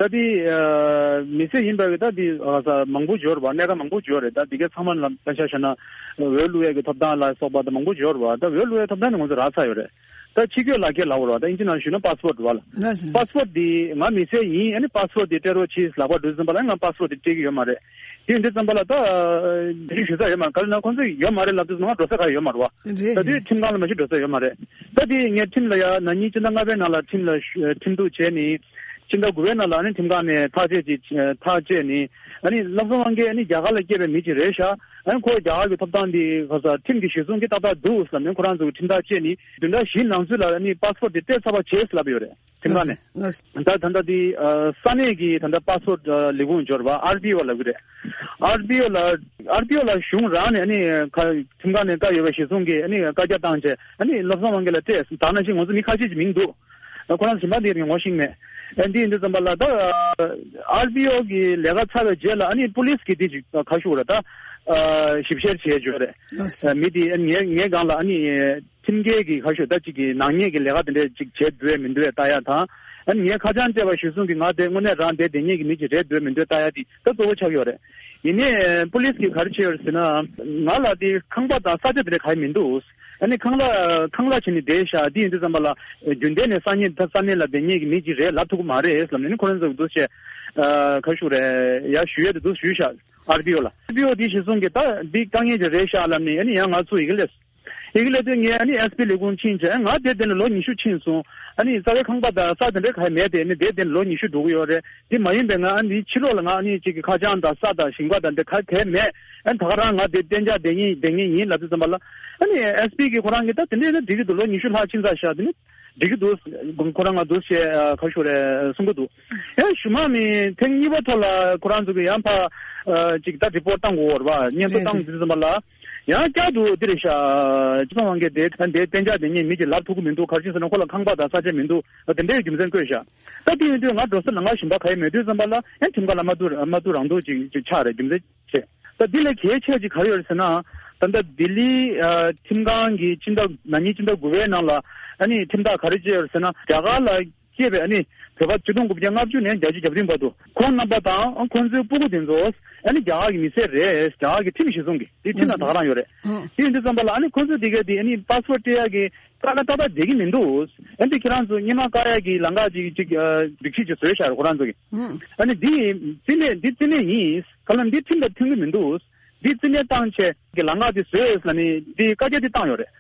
ད་འདི་ཨ་མི་སེར་ཡིན་པ་གི་ད་འདི་ཨ་ས་མང་པོ་ཡོད་རེད་པ། གནད་འགག་མང་པོ་ཡོད་རེད། ད་འདི་གའི་ཚང་མ་ལ་ད་ཆ་བཞག་ན་འོས་བླུག་ཡས་ཀྱི་ཐོབ་ཐང་ལ་སོགས་པ་ད་མང་པོ་ཡོད་རེད་པ། ད་འོས་བླུག་ཡས་ཐོབ་ཐང་ནི་ང་ཚོ་རག་ཚར་ཡོད་རེད། ད་ཕྱི་སྐྱོད་ལག་འཁྱེར་ལབ་དགོས་རེད་པ། ད་ཨིན་ཇི་ནང་ཞུས་ན་པཱ་སི་པོར་ཊི་རེད་པ་ལ། ལགས་སོ། པཱ་སི་པོར་ཊི་འདི་ང་མི་སེར་ཡིན། ཨ་ནི་པཱ་སི་པོར་ཊི་འདི་སྤྲད་རོགས་གྱིས་ལབ་པ་འགྲོ་ཙམ་པ་ལ་ང་པཱ་སི་པོར་ཊི་འདི་སྤྲད་ཀྱི་ཡོད་མ་རེད། དེ་ཡིན་དུས་ཙམ་པ་ལ་ད་འདི་ཞུ་ས་ཡོད་མ་རེད། ག་རེ་ན་ཁོང་ཚོས་ཡོད་མ་རེད་ལབ་དུས་ང་འགྲོ་ས་ག་ཡོད་མ་རེད་པ། རེད། ད་དུས་ཁྲིམས་ཁང་ལ་མ་གཞི་འགྲོ་ས་ཡོད་མ་རེད། ད་དེ་ངས་ཁྲིམས་ལ་ཡ་ན་ནིང་སྤྱི་ཟླ་ལྔ་པའི་ནང་ལ་ཁྲིམས་ལ་ཞུ་ཁྲིམས་གཏུག་བྱས་ནི། སྤྱི་ཟླ་དགུ་པའི་ནང་ལ་ཨ་ནི་ཁྲིམས་ཁང་ནས་ཐག་བཅད་ཅིག་ཐག་བཅད་ནི། ཨ་ནི་བློ་བཟང་དབང་རྒྱལ་ཨ་ནི་རྒྱ་གར་ལ་སྐྱེས་པའི་མི་ཅིག་རེད་ཤག་ཨ་ནི་ཁོ་རྒྱ་གར་གྱི་ཐོབ་ཐང་འདི་ཁ་ས་ཁྲིམས་ཀྱི་གཞི་བཟུང་གིས་ཏག་ཏག་འདུག་ལབ་ནས་ཁོ་རང་ཚོ་གི་ཁྲིམས་ཐག་བཅད་ནི་བདུན་ཕྲག་བཞིའི་ནང་ཚུད་ལ་ཨ་ནི་པཱ་སི་པོར་ཊི་དེ་སྤྲད་ཚར་བ་བྱས་ལབ་ཡོད་རེད། ཁྲིམས་ཁང་ནས། ལགས་སོ། ད་ད་ལྟ་འདི་ཨ་ས་གནས་ཀྱི་ད་ལྟ་པཱ་སི་པོར་ཊི་ཨ་ལས་ཁུངས་འབྱོར་བ་ཨར་ཊི་ཨོ་ལབ་ཀྱི་རེད། ཨར་ཊི་ཨོ་ལ་ཨར་ཊི་ཨོ་ལ་གཞུང་རང་ནས་ཨ་ནི་ཁ་ཁྲིམས་ཁང་ནས་བཀའ་ཡོད་པ་གཞི་བཟུང་གིས་ཨ་ནི་བཀའ་རྒྱ་བཏང་བྱས་ཨ་ནི་བློ་བཟང་དབང་རྒྱལ་ལ་སྤྲད། ད་ནང་བཞིན་ང་ཚོ་མི་ཁ་ཤས་ཀྱི་མིང་འདུག་ཁོ་རང་གཞན་པ་འདི་ངོ་ཤེས་མེད། ཨ་འདི་ཡིན་དུས་ཙམ་པ་ལ་ད་ཨར་ཊི་ཨོ་གི་ལས་ཀ་ཚར་བའི་རྗེས་ལ་ཨ་ནི་པུ་ལིས་ཀྱི་འདི་ཅིག་ཁ་ཤུགས་རེད། ད་ ཨ་ཞིབ་བཤེར་བྱས་ཡོད་རེད། ལགས་སོ། ཨ་མི་དེ་ཨ་ངའི་ངའི་སྒང་ལ་ཨ་ནི་ཁྲིམས་འགལ་གྱི་ཁ་ཤོ་ད་ཅིག་གི་ནག་ཉེས་ཀྱི་ལས་ཀ་དེ་འདྲས་ཅིག་བྱས་འདུག་མི་འདུག་ལྟ་ཡ་དང་། ཨ་ནི་ངའི་ཁ་བྱང་སྤྲད་པ་གཞིར་བཟུང་གིས་ང་དེ་དངོས་གནས་རང་དེ་དེ་ཉིད་ཀྱི་མི་ཅིག་རེད་འདུག་མི་འདུག་ལྟ་ཡ་དེ་ད་གཙོ་བོ་ཆགས་ཡོད་རེད། ཡིན་ནའི་པུ་ལིས་ཀྱིས་ག་རེ་བྱས་ཡོད་རེད་ཟེར་ན། ང་ལ་དེ་ཁང་པ་དང་ས་ཆ་དེ་འདྲས་ག་ཡེ་མི་འདུག་ཨ་ནི་ཁང་གླ་ཁང་གླ་བྱས་ནས་བསྡད་ཤག་དེ་ཡིན་དུས་ཙམ་པ་ལ་རྒྱུན་ལྡན་ནས་ས་གནས་ད་ས་གནས་ལ་བསྡད་མཁན་གྱི་མི་ཅིག་རེད་ལབ་ཐུབ་ཀྱི་མ་རེད་ལབ་ནས་ནི་ཁོ་རང་ཚོ་གི་འདུག་བྱས། ཨ་ག་རེ་ཞུ་དགོས་རེད། ཡར་ཞུ་ཡས་དེ་འདུག་ཞུས་ཤག་ཨར་པི་ཨོ་ལ། ཨར་པི་ཨོ་དེ་གཞིར་བཟུང་གིས་ད་འདི་དཀའ་ངལ་ཅིག་རེད་ཤག་ལབ་ནས་ཨ་ནི་ཡང་ང་ཚོ་ཡི་གེ་སླེབས། ཡི་གེ་སླེབས་དུས་ངས་ཨ་ནི་ཨེས་པི་ལས་ཁུངས་ཕྱིན་བྱས་ང་དེ་དེ་ནས་ལོ་ཉི་ཤུ་ཕྱིན་སོང་། ཨ་ནི་རྩ་བའི་ཁང་པ་དང་ས་དེ་འདྲ་ག་ཡེ་མེད་དེ་ཨ་ནི་དེ་དེ་ནས་ལོ་ཉི་ཤུ་འགྲོ་གི་ཡོད་རེད། དེ་མ་ཡིན་པའི་ང་ཨ་ནི་ཕྱི་ལོགས་ལ་ང་ཨ་ནི་གཅིག་གི་ཁ་བྱང་དང་ས་དང་ཞིང་པ་དང་དེ་ག་གས་མེད། ཨ་ནི་ད་ག་རང་ང་དེ་གཏན་འཇགས་བསྡད་ངེས་བསྡད་ངེས་ཡིན་ལབ་དུས་ཙམ་པ་ལ། ཨ་ནི་ཨེས་པི་གིས་ཁོ་རང་གིས་ད་དེ་འདྲས་ན་འགྲིག་གི་འདུག་ལོ་ཉི་ཤུ་ལྷག་ཕྱིན་ཚར་ཤག་དེ་ནི་འགྲིག་གི་འདུག་ཁོ་རང་ང་འདུག་བྱས་ཁ་ཤུ་རེ་གསུང་གི་འདུག་ཡང་ཞུ་མ་མི་ཐེངས་གཉིས་པ་ཐོག་ལ་ཁོ་རང་ཚོ་གིས་ཡང་ཕ་ཅིག་ད་རི་པོར་ཊི་བཏང་དགོས་རེད་བ། སྙན་ཐོ་རེད་བཏང་རེད། དུས་ཙམ་པ་ལ། ཡང་བསྐྱར་དུ་འདི་རེད་ཤག་སྤྱི་ཚོགས་དབང་གིས་དེ་དེ་གཏན་འཇགས་དེ་ཉིད་མི་གཅིག་ལབ་ཐུབ་ཀྱི་མི་འདུག་ག་རེ་ཕྱིན་ཟེར་ན་ཁོ་ལ་ཁང་པ་དང་ས་ཆ་མི་འདུག་དེ་འདྲའི་རྒྱུ་མཚན་བཀོད་ཤག་ད་དེ་ཡིན་དུས་ང་འགྲོ་ས་ལ་ང་ཞིང་པ་ག་ཡེ་མེད་དུས་ཙམ་པ་ལ་ཡང་ཁྲིམས་ཁང་ལ་མ་བསྡུ་མ་བསྡུ་རང་བསྡུ་ཅིག་ཅིག་ཆགས་རེད། རྒྱུ་མཚན་བྱས། ད་འདི་ལས་གལ་ཆེ་ཅིག་ག་རེ་ཡོད་རེད་ཟེར་ན། ད་ལྟ་ལྡི་ལི་ཨ་ཁྲིམས་ཁང་གི་སྤྱི་ཟླ་ན་ནིང་སྤྱི་ཟླ་དགུ་པའི་ནང་ལ་ཨ་ནི་ཁྲིམས་ཐག་ག་རེ་བཅད་ཡོད་རེད་ཟེར་ན། རྒྱ་གར་ལ་སྐྱེས་པའི་ཨ་ནི་བོད་པ་ཆིག་སྟོང་དགུ་བརྒྱ་ལྔ་བཅུ་ནས་བརྒྱད་ཅུ་གྱ་བདུན་བར་དུ་ཁོང་རྣམ་པ་དང་ཁོང་ཚོའི་སྤུ་གུ་དེ་ཚོ་ཨ་ནི་རྒྱ་གར་གྱི་མི་སེར་རེད། རྒྱ་གར་གྱི་ཁྲིམས་གཞིར་བཟུང་གི་དེ་ཁྲིམས་ལ་ད་ག་རང་ཡོད་རེད། ཨང་། དེ་ཡིན་དུས་ཙམ་པ་ལ་ཨ་ནི་ཁོང་ཚོ་དེ་གས་དེ་ཨ་ནི་པ་སི་པོར་ཊི་སྤྲད་ཡག་གི་དཀའ་ལས་ཏག་ཏག་བསྡད་ཀྱི་མི་འདུག་ཨ་ནི་དེ་ཁྱེད་རང་ཚོ་སྔོན་མ་བཀག་ཡག་གི་ལམ་ཁ་ཅིག་ཅིག་ཨ་སྒྲིག་གཞི་ཅིག་བཟོས་བཞག་རེད་ཁོ་རང་ཚོ་གིས། ཨང་། ཨ་ནི་འདི་རྩིས་མེད་འདི་རྩིས་མེད་ཡིན། ག་ལ་འདི་ཁྲིམས་དང་མཐུན་གྱི་མི་འདུག་འདི་རྩིས་མེད་བཏང་བྱས་ཀྱི་ལམ་ཁ་འདི་བཟོས་ལ་ནི་འདི་བཀའ་རྒྱ་འདི་བཏང་ཡོད་རེད།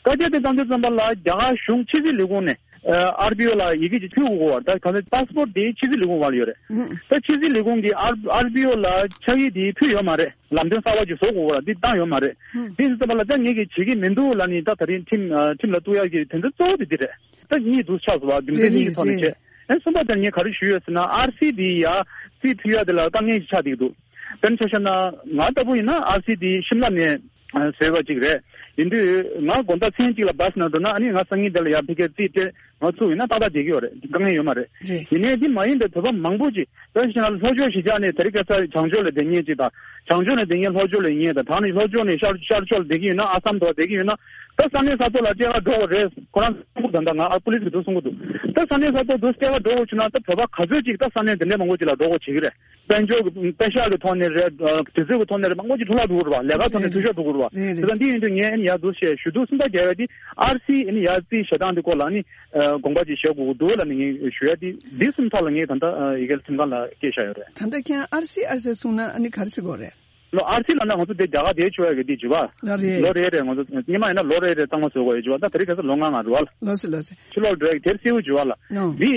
བཀའ་རྒྱ་འདི་བཏང་དུས་ཙམ་པ་ལ་རྒྱ་གར་གཞུང་ཕྱི་སྲིད་ལས་ཁུངས་ནས་ཨ་ཨར་པི་ཨོ་ལ་ཡི་གེ་ཅིག་ཕུལ་དགོས་པ་ད་ག་ཚོད་པ་སི་པོར་ཊི་འདི་ཕྱི་སྲིད་ལས་ཁུངས་བར་ལ་ཡོད་རེད། ཨང་། ད་ཕྱི་སྲིད་ལས་ཁུངས་ཀྱིས་ཨར་ཨར་པི་ཨོ་ལ་ཕྱག་ཡིག་འདི་ཕུལ་ཡོད་མ་རེད། ལམ་སྟོན་གསར་པ་ཅིག་བཟོ་དགོས་པ་འདི་བཏང་ཡོད་མ་རེད། ཨང་། དེ་ཡིན་ཙམ་པ་ལ་ད་ངེད་ཀྱིས་བྱེད་ཀྱི་མི་འདུག་ལབ་ནི་ད་ད་རིང་ཁྲིམས་ཨ་ཁྲིམས་ལ་གཏུག་ཡག་གི་དོན་ཚན་གཙོ་བོ་དེ་འདི་རེད། ད་གཉིས་འདུག་ཆགས་སོང་བ་རྒྱུ་མཚན་རེད་གཉིས་ཀྱི་རེད་ཐོག་ནས་རེད། བྱས། ཨེ་གསུམ་པ་དེར་ངས་ག་རེ་ཞུས་ཡོད་ཟེར་ན་ཨར་སི་དེ་ཡ་རྩིས་ཕུལ་ཡ་དེ་ལ་དཀའ་ངལ་ཞིག་ཆགས་བསྡད་ཀྱི་འདུག་དཔེར་ན་ཆ་བཞག་ན་ང་ལྟ་བུ་ཡིན་ན་ཨར་སི་དེ་ཤིམ་ལ་ནས་ཨ་བཟོས་པ་ཅིག་རེད། ཡིན་དུས་ང་དགོང་དག་མཚན་གཅིག་ལ་བྷ་སི་ནང་འགྲོ་ན་ཨ་ནི་ང་སང་ཉིན་དེ་ལ་ཡར་ཕ་གིར་རྩིས་སྤྲད་ང་ཚུགས་ཡིན་ན་ཏག་ཏག་བསྡད་ཀྱི་ཡོད་རེད། དཀའ་ངལ་ཡོད་མ་རེད། རེད། ཡིན་ནའི་འདི་མ་ཡིན་པའི་བོད་པ་མང་པོ་ཅིག་དཔེར་ན་ཆ་བཞག་ན་ལྷོ་ཕྱོགས་གཞིས་ཆགས་ནས་དེ་རིང་ཁ་སང་བྱང་ཕྱོགས་ལ་བསྡད་མཁན་ཅིག་དང་བྱང་ཕྱོགས་ནས་བསྡད་མཁན་ལྷོ་ཕྱོགས་ལ་ཡིན་ཡས་དང་དེ་ནས་ལྷོ་ཕྱོགས་ནས་ཤར་ཤར་ཕྱོགས་ལ་བསྡད་ཀྱི་ཡོད་ན་ཨ་སམ་དུ་བསྡད་ཀྱི་ཡོད་ན་ད་ས་གནས་གསར་གཏོད་ལ་སྤྲད་ག་འགྲོ་དགོས་རེད། ཁོ་རང་གསུང་གི་འདུག་ད་ལྟ་ང་ཨ་པུ་ལིས་ཀྱིས་འདུག་གསུང་གི་འདུག་ད་ས་གནས་གསར་གཏོད་འདུག་སྤྲད་ག་འགྲོ་དགོས་བྱུང་ན་ད་བོད་པ་ག་ཚོད་ཅིག་ད་ས་གནས་དེ་འདྲའི་མང་པོ་ཅིག་ལ་འགྲོ་དགོས་བྱེད་ཀྱི་རེད། དཔལ་འབྱོར་གྱི་དཔེ་ཤག་གི་ཐོག་ནས་རེད། དུས་ཚོད་ཀྱི་ཐོག་ནས་རེད། མང་པོ་ཅིག་འཕྲོ་བརླག་འགྲོ་གི་རེད་བ། ལས་ཀ་ཐོག་ནས་རེད་འཐུས་ཤོར་འགྲོ་གི་རེད་བ། རེད་རེད། དེ་ལ་འདི་ཡིན་དུས་ངས་ཨ་ནི་ཡར་འདུག་བཤད་ཞུ་གཏུག་གསུམ་པ་རྒྱག་ཡ་དེ་ཨར་སི་ཨ་ནི་ཡར་རྩིས་བྱེད་སྟངས་དེ་སྐོར་ལ་ཨ་ནི་དགོངས་པ་ཅིག་བཞེས་དགོས་ཀྱི་འདུག་ལབ་ནས་ངས་ཞུ་ཡ་དེ་འདི་གསུམ་ཐོག་ལ་ངས་ད་ལྟ་ཡི་གེ་ཁྲིམས་ཁང་ལ་སྐད་བཞག་ཡོད་རེད། ད་ལྟ་ཁྱེད་ཨར་སི་ཨར་སི་གསུངས་ན་ཨ་ནི་ག་རེ་ཟེར་དགོས་རེད། ལོ་ཨར་སི་ལབ་ན་ང་ཚོ་དེ་རྒྱ་གར་དེའི་ཆོས་ཡ་གི་དེ་བྱུས་པ། ལོ་རེ་རེ། ལོ་རེ་རེ་ང་ཚོ་སྔོན་མ་ཡིན་ན་ལོ་རེ་རེ་གཙང་མ་བཟོ་དགོས་ཡོད་བྱུས་པ། ད་དེ་རིང་ཁ་སང་ལོ་ལྔ་ལྔ་རེད་བ། ལོ་སི་ལོ་སི། ཕྱི་ལོགས་འགྲོ་ཡ་གི་དེར་སེའུ་བྱུས་པ་ལ། ལོ། འདི་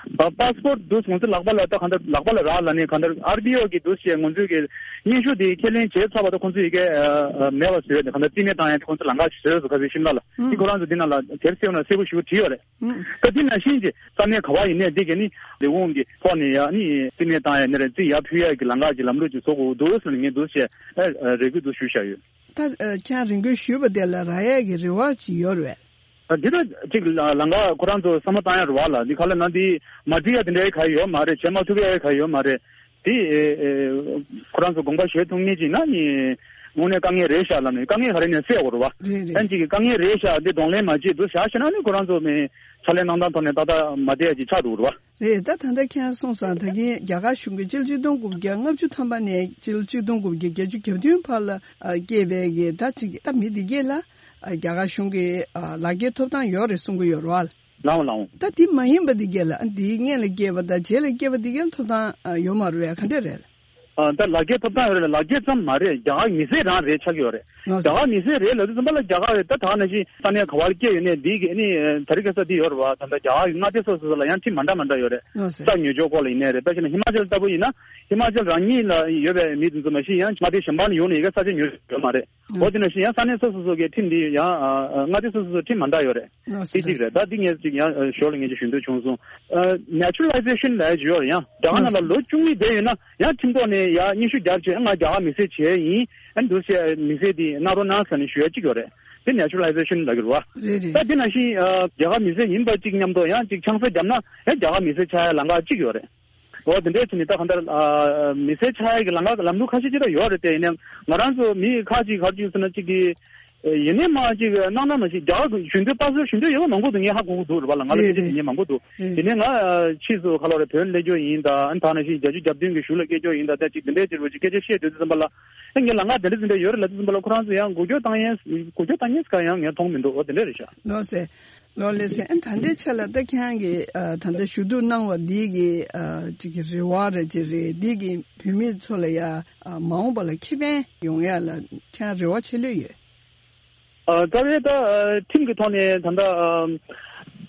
པ་སི་པོར་འདུག་ང་ཚོ་ལག་པ་ལ་ད་གང་ལྟར་ལག་པ་ལ་རག་ལ་ནས་གང་ལྟར་ཨར་པི་ཨོ་གི་འདུག་ཞེས་ང་ཚོས་ཀྱི་སྙན་ཞུ་དེ་ཁས་ལེན་བྱས་ཚར་བ་ད་ཁོང་ཚོས་ཡི་གེ་མེད་པ་བཟོས་ནས་གང་ལྟར་རྩིས་མེད་བཏང་ཡ་དེ་ཁོང་ཚོ་ལམ་ཁ་ཞིག་བཟོས་སོང་། ཁ་སང་ཤིམ་ལ་ལ་འདི་ཁོ་རང་ཚོ་འདི་ནང་ལ་དེར་སེའུ་ན་སེའུ་ཞུ་བྲིས་ཡོད་རེད། ད་འདི་ནང་བཞིན་གྱི་ས་གནས་ག་བ་ཡིན་ནའི་འདི་ག་ནི་ལས་ཁུངས་ཀྱི་ཐོག་ནས་ཡ་ནི་རྩིས་མེད་བཏང་ཡ་ནི་རེད། རྩིས་ཡར་ཕུལ་ཡ་གི་ལམ་ཁ་ཅིག་ལམ་ལུགས་ཅིག་བཟོ་དགོས་འདུག་ཟེར་ནས་ངས་འདུག་ཞེས་རེ་སྐུལ་འདུག་ཞུས་བཞག་ཡོད། ད་ཁྱེད་རང་རེ་སྐུལ་ཞུས་པ་དེ་ལ་རག་ཡ་གི་རེ་བ་ཅིག་ཡོད་རེད། ཨ་འདི་ད་ཅིག་ལ་ལམ་ཁ་ཁོ་རང་ཚོ་བསམ་བློ་བཏང་ཡ་རེད་བ་ལ། འདི་ག་ལ་ན་འདི་མ་འགྲིག་ཡ་དེ་འདྲའི་ག་ཡོད་མ་རེད། བྱེད་མ་ཐུབ་ཡ་ག་ཡོད་མ་རེད། དེ་ཨེ་ཨེ་ཁོ་རང་ཚོ་དགོངས་པ་བཞེས་ཐུབ་མཁན་ཅིག་ན་ནི་དངོས་གནས་དཀའ་ངལ་རེད་ཤག་ལབ་ནས་དཀའ་ངལ་ག་རེ་ནས་སེལ་དགོས་རེད་བ། རེད་རེད། ཨ་ཅིག་གི་དཀའ་ངལ་རེད་ཤག་འདི་གདོང་ལེན་མ་བྱེད་འདུག་བཞག་ཤེ་ན་ནི་ཁོ་རང་ཚོ་ནི་ཕྱག་ལས་གནང་སྟངས་ཐོག་ནས་ཏག་ཏག་མ་བསྡད་ཡ་ཅིག་ཆགས་འགྲོ་གི་རེད་བ། རེད། ད་ད་ལྟ་ཁྱེད་རང་གསུངས་སོང་། ད་གིན་རྒྱ་གར་གཞུང་གིས་སྤྱི་ལོ་ཆིག་སྟོང་དགུ་བརྒྱ་ལྔ་བཅུ་ཐམ་པ་ནས་སྤྱི་ལོ་ཆིག་སྟོང་དགུ་བརྒྱ་བརྒྱད་ཅུ་གྱ་བདུན་བར་ལ་ཨ་སྐྱེས་པའི་གི་ད་ཅིག་ད་མི་འདི་གས་ལ་ཨ་རྒྱ་གར་གཞུང་གིས་ཨ་ལག་འཁྱེར་ཐོབ་ཐང་ཡོད་རེད་གསུང་གི་ཡོད་རེད་བ། ལའོ་ལའོ། ད་འདི་མ་ཡིན་པ་འདི་གས་ལ་ཨ་འདིའི་སྔོན་ལ་སྐྱེས་པ་དང་རྗེས་ལ་སྐྱེས་པ་འདི་གས་ལ་ཐོབ་ཐང་ཨ་ཡོད་མ་རེད་བས། ག་འདྲས་རེད། ཨ་ད་ལག་འཁྱེར་ཐོབ་ཐང་ཡོད་རེད་ལ་ལག་འཁྱེར་ཙམ་མ་རེད། རྒྱ་གར་མི་སེར་རང་རེད་ཆགས་ཀྱི་ཡོད་རེད། ལགས་སོ། རྒྱ་གར་མི་སེར་རེད་ལབ་དུས་ཙམ་པ་ལ་རྒྱ་གར་རེད། ད་ད་ནང་བཞིན་ས་གནས་ག་བར་སྐྱེས་ཡོད་ནས་འདི་གི་ནི་ད་རེས་ཁ་སང་འདི་ཡོད་རེད་བ། ད་ལྟ་རྒྱ་གར་གྱི་མངའ་སྡེ་སོ་སོ་སོ་ལ་ཡང་ཁྲིམས་མ་འདྲ་མ་འདྲ་ཡོད་རེད། ལགས་སོ། ས་ཉོ་སྤྱོད་སྐོར་ལ་ཡིན་ནའི་རེད། དཔེ་བཞག་ན་ཧི་མ་ཅལ་ལྟ་བུ་ཡིན་ན་ཧི་མ་ཅལ་རང་ཉིད་ལ་ཡོད་པའི་མི་དེ་ཚོ་མ་གཞི་ཡང་མངའ་སྡེ་གཞན་པ་ནས་ཡོང་ནས་ཡི་གེ་ས་ཆ་ཉོ་ཡོད་མ་རེད། འོ་དེ་ནང་བཞིན་ཡང་ས་གནས་སོ་སོ་སོ་གའི་ཁྲིམས་འདི་ཡང་ཨ་ཨ་མངའ་སྡེ་སོ་སོ་སོ་ཁྲིམས་མ་འདྲ་ཡོད་རེད། ལགས་སོ། དེ་གཅིག་རེད། ད་འདི་ངས་ཅིག་ཡང་ཨ་ཞོར་ལ་ངས་ཅིག་ཞུ་འདོད་བྱུང་སོང་། ཨ་ནེ་ཅུ་ར་ལའི་ཟེ་ཤན་ལབ་ཡ་ཡོད་རེད། ཡང་རྒྱ་གར་ནང་ལ་ལོ་བཅུ་གཉིས་བསྡད་ཡོད་ན་ཡང་ཁྲིམས་ཐོག་ནས་ཡང་སྙན་ཞུ་རྒྱབ་བྱས་ང་རྒྱ་གར་མི་སེར་བྱས་ཡིན། ཨ་འདུག་སེ་མི་སེར་འདི་གནང་རོགས་གནང་ཟེར་ནས་ཞུ་ཡ་གཅིག་ཡོད་རེད། དེ་ནེ་ཅུ་ར་ལའི་ཟེ་ཤན་ལབ་ཀྱི་རེད་བ། རེད་རེད། ད་དེ་ནང་བཞིན་ཨ་རྒྱ་གར་མི་སེར་ཡིན་པ་གཅིག་མཉམ་དུ་ཡང་གཅིག་ཆང་ས་བརྒྱབ་ན་ཡང་རྒྱ་གར་མི་སེར་ཆགས་ཡ་ལམ་ཁ་གཅིག་ཡོད་རེད། འོ་དེ་འདྲས་བྱས་ནས་ད་གང་ལྟར་ཨ་མི་སེར་ཆགས་ཡག་གི་ལམ་ཁ་ལམ་ལུགས་ཁ་ཤས་ཅིག་ད་ཡོད་རེད་དེ། ཡིན་ནའང་ང་རང་ཚོ་མི་ཁག་ཅིག་ག་རེ་ཅིག་ཟེར་ན་ཅིག་གི་ཡིན་ནའི་མ་ཅིག་གནང་ན་མ་ཤེས། རྒྱ་གར་གཞུང་འབྲེལ་པ་སི་པོར་ཞུ་འདོད་ཡོད་པ་མང་པོ་འདུག་ངས་ཧ་གོ་གི་འདུག་རེད་པ་ལ། ང་ལ་རེད་སྐད་ཆ་དྲིས་རེད། མཁན་མང་པོ་འདུག་རེད། ཡིན་ནའི་ང་ཕྱིས་སུ་ག་ལ་རེད་བོད་སླེབས་རྒྱུ་ཡིན་ད། ཨ་ནི་ད་ནང་བཞིན་རྒྱ་ཆུ་རྒྱབ་མདུན་གྱི་གཞུང་ལ་སྐད་རྒྱུ་ཡིན་ད། ད་ཅིག་དེ་འདྲས་ཅིག་རེད་པ་ཅིག་སྐད་ཆ་བཤད་སྡོད་དུས་ཙམ་པ་ལ། ཨ་ངས་ལམ་ཁ་དེ་འདྲས་དེ་འདྲས་ཡོད་རེད་ལབ་དུས་ཙམ་པ་ལ་ཁོ་རང་ཚོ་ཡང་འགུལ་སྐྱོད་བཏང་ཡས་འགུལ་སྐྱོད་བཏང་ཡས་ག་ཡང་ངས་མཐོང་མི་འདུག་འོ་དེ་འདྲས་རེད་ཤག་ལགས་སེ། ལགས་ལགས་སེ། ཨ་ད་ལྟའི་ཆ་ལ་ད་ཁྱེད་རང་གིས་ཨ་ད་ལྟ་ཞུ་གཏུག་གནང་བ་འདི་གི་ཨ་ཅིག་གི་རེ་བ་རེད་ཅེས་རེད། འདི་གི་བོད་མི་ཚོ་ལ་ཡ་ཨ་མ་འོངས་པ་ལ་ཁེ་ཕན་ཡོང་ཡ་ལ་ཁྱེད་རང་རེ་བ་ཆེ་ལོས་ཡོད། ཨ་རྩ་བའི་ད་ཨ་ཁྲིམས་ཀྱི་ཐོག་ནས་ད་ལྟ་ཨ་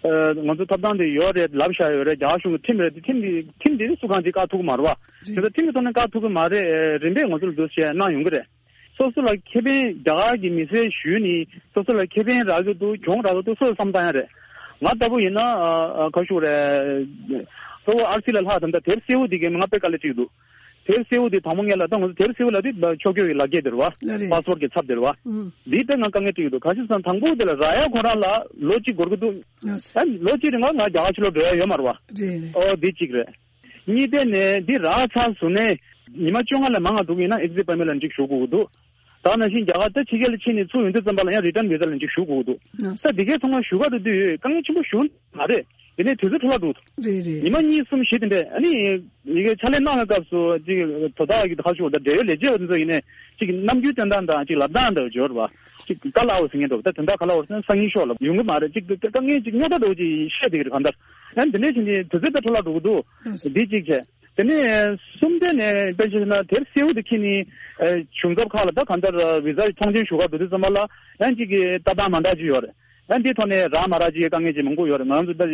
ཨ་ང་ཚོ་ཐོབ་ཐང་དེ་ཡོད་རེད་ལབ་བཞག་ཡོད་རེད། རྒྱ་གར་གཞུང་གི་ཁྲིམས་རེད་དེ། ཁྲིམས་དེ་ཁྲིམས་དེ་སུ་གང་ཅིག་བཀག་ཐུབ་ཀྱི་མ་རེད་པ། རེད། དེ་ད་ཁྲིམས་ཀྱི་ཐོག་ནས་བཀག་ཐུབ་ཀྱི་མ་རེད། རིམ་པས་ང་ཚོ་ལ་འདུག་བྱས་གནང་ཡོང་གི་རེད། སོ་སོ་ལ་ཁེ་ཕན། རྒྱ་གར་གྱི་མི་སེར་ཞུས་ནས་སོ་སོ་ལ་ཁེ་ཕན་རག་གི་འདུག་གྱོང་རག་གི་འདུག་སོ་སོས་བསམ་བཏང་ཡ་རེད། ང་ལྟ་བུ་ཡིན་ན་ཨ་ཨ་ག་ཞུ་རེད། གཙོ་བོ་ཨར་སི་ལ་ལྷག་ད་ལྟ་དེབ་སེར་པོ་དེ་གས་ང་དཔེ་དཀའ་ལས་ཁྲིད་ཀྱི་འདུག་དེབ་སེར་པོ་དེ་དང་པོ་ངས་ལ་ད་ང་ཚོ་དེབ་སེར་པོ་ལ་དེ་ཕྱོགས་སྐྱོད་ཀྱི་ལག་འཁྱེར་དེ་རེད་པ། ལགས་རེད། པ་སི་པོར་གྱི་ཚབ་དེ་རེད་པ། ཨུ། འདི་ལྟ་ང་དཀའ་ངལ་འཕྲད་ཀྱི་འདུག་ག་ཅི་ཟེར་ན་དང་པོ་དེ་ལ་རག་ཡ་ཁོ་རང་ལ་ལོ་གཅིག་འགོར་གྱི་འདུག་ལགས་སེ། ཨ་ལོ་གཅིག་རིང་ང་རྒྱ་གར་ཕྱི་ལོགས་འགྲོ་ཡ་ཡོད་མ་རེད་པ། རེད་རེད། ཨོ་འདི་གཅིག་རེད། གཉིས་དེ་ནས་འདི་རག་ཚར་སོང་ནས་ཉི་མ་བཅོ་ལྔ་ལས་མང་བ་འདུག་ཡིན་ན་ཨེག་ཛིཊ་པར་མིཊ་ལ་འགྲིག་ཞུ་དགོས་ཀྱི་འདུག་ད་ནང་བཞིན་རྒྱ་གར་ད་ཕྱི་རྒྱལ་ལ་ཕྱིན་ནས་ཚུར་ཡོང་དུས་ཙམ་པ་ལ་ཡང་རི་ཊན་བི་ཟ་ལ་འགྲིག་ཞུ་དགོས་ཀྱི་འདུག་ལགས་སེ། ད་འདི་གའི་ཚང་མ་ཞུ་ག་འགྲོ་དུས་དཀའ་ངལ་ཆེན་པོ་ཞུ་མ་རེད། ཡིན་ནའི་དུས་ཚོད་འཕྲོ་བརླག་འགྲོ་གི་འདུག་རེད་རེད། ཉི་མ་གཉིས་གསུམ་བཞི་དེ་འདྲས། ཨ་ནི་ཡི་གེ་ཕྱག་ལས་གནང་བའི་སྐབས་སུ་ཅིག་དོ་བདག་གི་ཁ་ཤོར་དང་འབྲེལ་ཡོད་ལས་བྱེད་པ་དེ་ཚོ་ཡིན་ནའི་ཅིག་ནམ་རྒྱུན་སྟོན་སྟངས་དང་ཅིག་ལབ་སྟངས་དང་འབྱོར་བ་ཅིག་དཀའ་ལས་ཁག་པོ་ཟེར་མཁན་འདུག་ད་དོན་དག་ག་ལ་བར་སོང་སང་ཉིན་ཤོག་ལ་ཡོང་གི་མ་རེད། ཅིག་དཀའ་ངལ་ཅིག་རྙོག་དྲ་འདྲ་བོ་ཅིག་བཤད་བསྡད་ཀྱི་རེད། གང་ལྟར་ཡང་འདི་འདྲས་བྱས་ནས་དུས་ཚོད་ད་འཕྲོ་བརླག་འགྲོ་གི་འདུག་འདི་གཅིག་བྱས། དེ་ནས་གསུམ་དེ་ནས་དཔེ་བྱས་ན་དེབ་སེར་པོ་དེ་ཁྱེར་ནས་ཨ་གཞུང་ཚབ་ཁག་ལ་ད་གང་ལྟར་བི་ཟ་ཐོངས་མཆན་ཞུ་ག་འགྲོ་དུས་ཙམ་པ་ལ་ཡང་གཅིག་གི་ལྟ་སྟངས་མ་འདྲ་ཅིག་ཡོད་རེད། ཡང་འདིའི་ཐོག་ནས་རག་མ་རག་ཅིག་དཀའ་ངལ་ཅིག་མང་པོ་ཡོད་རེད། ང་ཚོ་ད་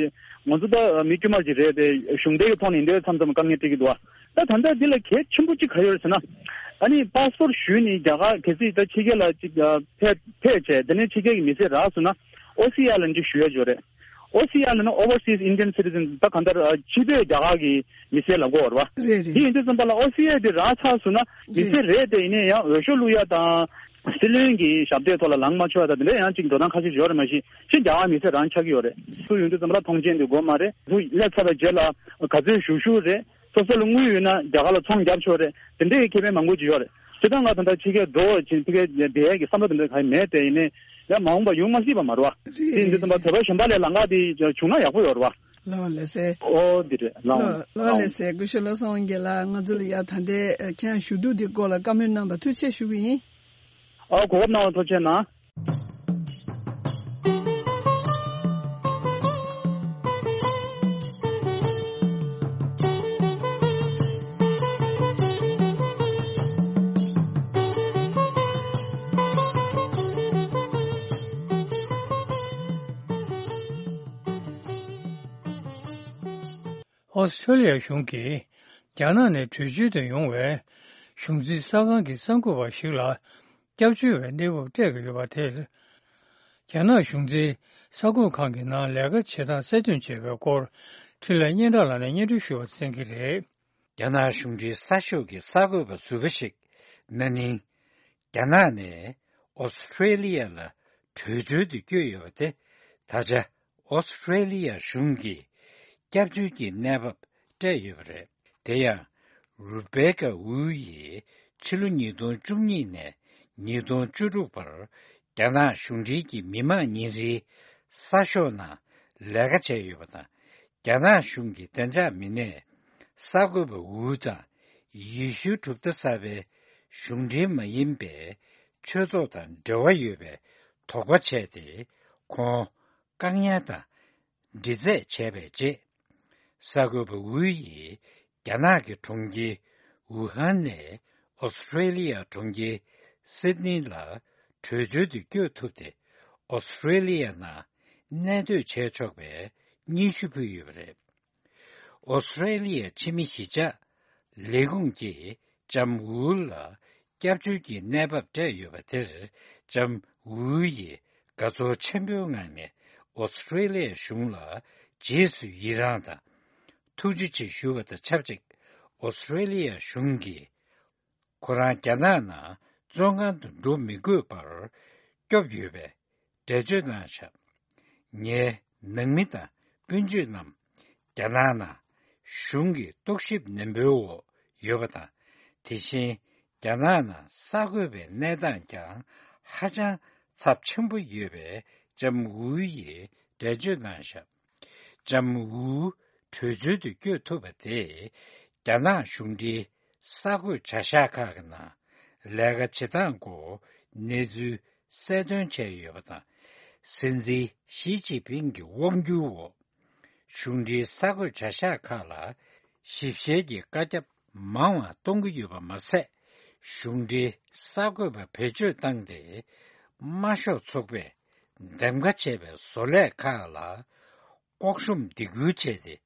ང་ཚོ་ད་མི་དཀྱུས་མ་ཅིག་རེད་དེ། གཞུང་འབྲེལ་གྱི་ཐོག་ནས་འདི་མཚམས་མཚམས་དཀའ་ངལ་འཕྲད་ཀྱི་འདུག་ད་ད་ལྟ་འདི་ལ་གལ་ཆེན་པོ་ཅིག་ག་ཡོད་རེད་ཟེར་ན། ཨ་ནི་པ་སི་པོར་ཞུས་ནས་རྒྱ་གར་གལ་སྲིད་ད་ཕྱི་རྒྱལ་ལ་ཅིག་ཕེབས་ཕེབས་བྱས་དེ་ནས་ཕྱི་རྒྱལ་གྱི་མི་སེར་རག་སོང་ན་ཨོ་སི་ཨའི་ལ་འདི་ཞུ་ཡ་ཅིག་ཡོད་རེད། ཨོ་སི་ཨའི་ལབ་ན་Overseas Indian Citizen། ད་གང་ལྟར་ཨ་ཕྱི་སྡོད་རྒྱ་གར་གྱི་མི་སེར་ལབ་དགོས་རེད་པ། རེད་རེད། དེ་ཡིན་དུས་ཙམ་པ་ལ་ཨོ་སི་ཨའི་དེ་རག་ཚར་སོང་ན་མི་སེར་རེད་དེ། ཡིན་ནའི་ཡང་འོས་ཤོག་བླུག་ཡ་དང་སྲིད་བློན་གྱི་ཞབས་སྟེགས་ཐོག་ལ་ལངས་མ་ཆོག་ཡ་དང་དེ་འདྲ་ཡང་ཅིག་འགྲོ་སྟངས་ཁ་ཤས་ཡོད་རེད། མ་གཞི་ཕྱི་རྒྱ་གར་མི་སེར་རང་ཆགས་ཀྱི་ཡོད་རེད། ཚུར་ཡོང་དུས་ཙམ་པ་ལ་ཐོངས་མཆན་དེ་དགོས་མ་རེད། ཚུར་སླེབས་ཚར་བའི་རྗེས་ལ་ག་ཚོད་ཞུ་ཞུ་རེད། སོ་སོ་ལ་དངུལ་ཡོད་ན་རྒྱ་གར་ལ་ཚོང་རྒྱབ་ཆོག་རེད། དེ་འདྲའི་ཁེ་ཕན་མང་པོ་ཅིག་ཡོད་རེད། སྤྱིར་བཏང་ང་ད་ལྟ་ཕྱི་རྒྱལ་འགྲོ་བ་ཅིག་ཕྱི་རྒྱལ་བསྡད་ཡས་ཀྱི་བསམ་བློ་དེ་འདྲ་གང་ཡང་མེད་དེ། ཡིན་ནའི་ཡང་མ་འོངས་པ་ཡོང་མ་སྲིད་པ་མ་རེད་པ། རེད་དེ་ཡིན་དུས་ཙམ་པ་བོད་པ་གཞན་པ་ལས་ལམ་ཁ་དེ་བྱུང་ན་ཡག་པོ་ཡོད་རེད་པ། ལགས་ལགས་སེ། ཨོ་འདི་རེད་ལགས། ལགས་ལགས་ལགས་སེ། སྐུ་ཞབས་བློ་བཟང་དབང་རྒྱལ་ལགས། ང་ཚོ་ལ་ཡ་ད་ལྟའི་ཁྱེད་རང་ཞུ་གཏུག་འདི་སྐོར་ལ་བཀའ་མོལ་གནང་བ་ཐུགས་རྗེ་ཆེ་ཞུ་གི་ཡིན། ཨོ་གོ་སྐབས་གནང་བ་ཐུགས་རྗེ་གནང་། ཨོ་སི་ཁྲེ་ལི་ཡ་གཞུང་གིས་རྒྱ་ནག་ནས་བྲོས་བྱོལ་དུ་ཡོང་བའི་གཞུང་འཛིན་གསར་ཁང་གི་གསར་འགོད་པ་ཞིག་ལ་སྐྱབས་བཅོལ་བའི་གནས་བབ་སྤྲད་ཀྱི་ཡོད་པ་དེར། རྒྱ་ནག་གཞུང་འཛིན་གསར་འགོད་ཁང་གི་ནང་ལས་ཀ་བྱེད་སྟངས་གསལ་སྟོན་བྱས་པའི་སྐོར་འཕྲིན་ལས་སྙན་གྲགས་ལགས་ནས་སྙན་སྒྲོན་ཞུ་བ་གསན་གྱི་རེད། རྒྱ་ནག་གཞུང་འབྲེལ་གསར་ཤོག་གི་གསར་འགོད་པ་ཟུར་པ་ཞིག་ན་ནིང་རྒྱ་ནག་ནས་ཨོ་སི་ཁྲེ་ལི་ཡ་ལ་བྲོས་བྱོལ་དུ་བསྐྱོད་ཡོད་པ་དེ་ད་ཆ་ཨོ་སི་ཁྲེ་ལི་ཡ་གཞུང་གིས་སྐྱབས་བཅོལ་གྱི་གནས་བབ་སྤྲད་ཡོད་པ་རེད། དེ་ཡང་རུ་བེ་ཀ་ཝུའུ་ཡིས་ཕྱི་ལོ་ཉིས་སྟོང་བཅུ་གཉིས་ནས་ཉིས་སྟོང་བཅུ་དྲུག་བར་རྒྱ་ནག་གཞུང་འབྲེལ་གྱི་མི་དམངས་ཉིན་རེའི་གསར་ཤོག་ནང་ལས་ཀ་བྱས་ཡོད་པ་དང་། རྒྱ་ནག་གཞུང་གི་བདེ་འཇགས་མི་སྣས་གསར་འགོད་པ་ཝུའུ་དང་ཡེ་ཤུའི་གྲུབ་མཐའ་གསར་པའི་གཞུང་འབྲེལ་མ་ཡིན་པའི་ཆོས་ཚོགས་དང་འབྲེལ་བ་ཡོད་པའི་དོགས་པ་བྱས་ཏེ། ཁོང་བཀག་ཉར་དང་འདྲི་རྩད་བྱས་པའི་རྗེས། གསར་འགོད་པ་ཝུའུ་ཡིས་རྒྱ་ནག་གི་གྲོང་ཁྱེར་ཝུ་ཧན་ནས་ཨོ་སི་ཁྲེ་ལི་ཡ་གྲོང་ཁྱེར་སིད་ནི་ལ་བྲོས་བྱོལ་དུ་བསྐྱོད་ཐུབ་སྟེ། ཨོ་སི་ཁྲེ་ལི་ཡ་ནང་གནས་སྡོད་བྱས་ཆོག་པའི་སྙན་ཞུ་ཕུལ་ཡོད་པ་རེད། ཨོ་སི་ཁྲེ་ལི་ཡའི་ཕྱི་མི་གཞིས་ཆགས་ལས་ཁུངས་ཀྱིས་ལྕམ་ཝུའུ་ལ་སྐྱབས་བཅོལ་གྱི་གནས་བབ་སྤྲད་ཡོད་པ་དེར། ལྕམ་ཝུའུ་ཡིས་དགའ་ཚོར་ཆེན་པོའི་ངང་ནས་ཨོ་སི་ཁྲེ་ལི་ཡའི་གཞུང་ལ་རྗེས་སུ་ཡི་རངས་དང་ཐུགས་རྗེ་ཆེ་ཞུ་བ་དང་ཆབས་ཅིག་ཨོ་སི་ཁྲེ་ལི་ཡའི་གཞུང་གིས་ཁོ་རང་རྒྱ་ནག་ནང་བཙོན་ཁང་དུ་འགྲོ་མི་དགོས་པར་སྐྱོབ་ཡོད་པའི་འགྲེལ་བརྗོད་གནང་བཞག་ངའི་ནང་མི་དང་སྤུན་མཆེད་རྣམས་རྒྱ་ནག་ནང་ གཞུང་གི་རྟོག་ཞིབ་ནན་པོའི་འོག་ཡོད་པ་དང་། དེ་བཞིན་རྒྱ་ནག་ནང་གསར་འགོད་པའི་གནས་སྟངས་ཀྱང་ཧ་ཅང་ཚབས་ཆེན་པོ་ཡོད་པས། ལྕམ་ཝུའུ་ཡིས་འགྲེལ་བརྗོད་གནང་བཞག་ལྕམ་ཝུའུ་བྲོས་བྱོལ་དུ་བསྐྱོད་ཐུབ་པ་དེས། རྒྱ་ནག་གཞུང་འབྲེལ་གསར་འགོད་བྱ་གཞག་ཁག་གི་ནང་ལས་ཀ་བྱེད་སྟངས་སྐོར་གནས་ཚུལ་གསལ་སྟོན་བྱས་ཡོད་པ་དང་། སྲིད་འཛིན་ཞི་ཅིན་ཕིང་གི་དབང་སྒྱུར་འོག་གཞུང་འབྲེལ་གསར་འགོད་བྱ་གཞག་ཁག་ལ་ཞིབ་བཤེར་གྱི་བཀའ་ཁྱབ་མང་བ་གཏོང་གི་ཡོད་པ་མ་ཟད། གཞུང་འབྲེལ་གསར་འགོད་པ་བེད་སྤྱོད་བཏང་སྟེ། དམར་ཤོག་ཚོགས་པས་འདེམས་ཀ་བྱས་པའི་བཟོ་ལས་ཁག་ལ་ལྐོག་ཤོམ་སྡིགས་སྐུལ་བྱས་ཏེ།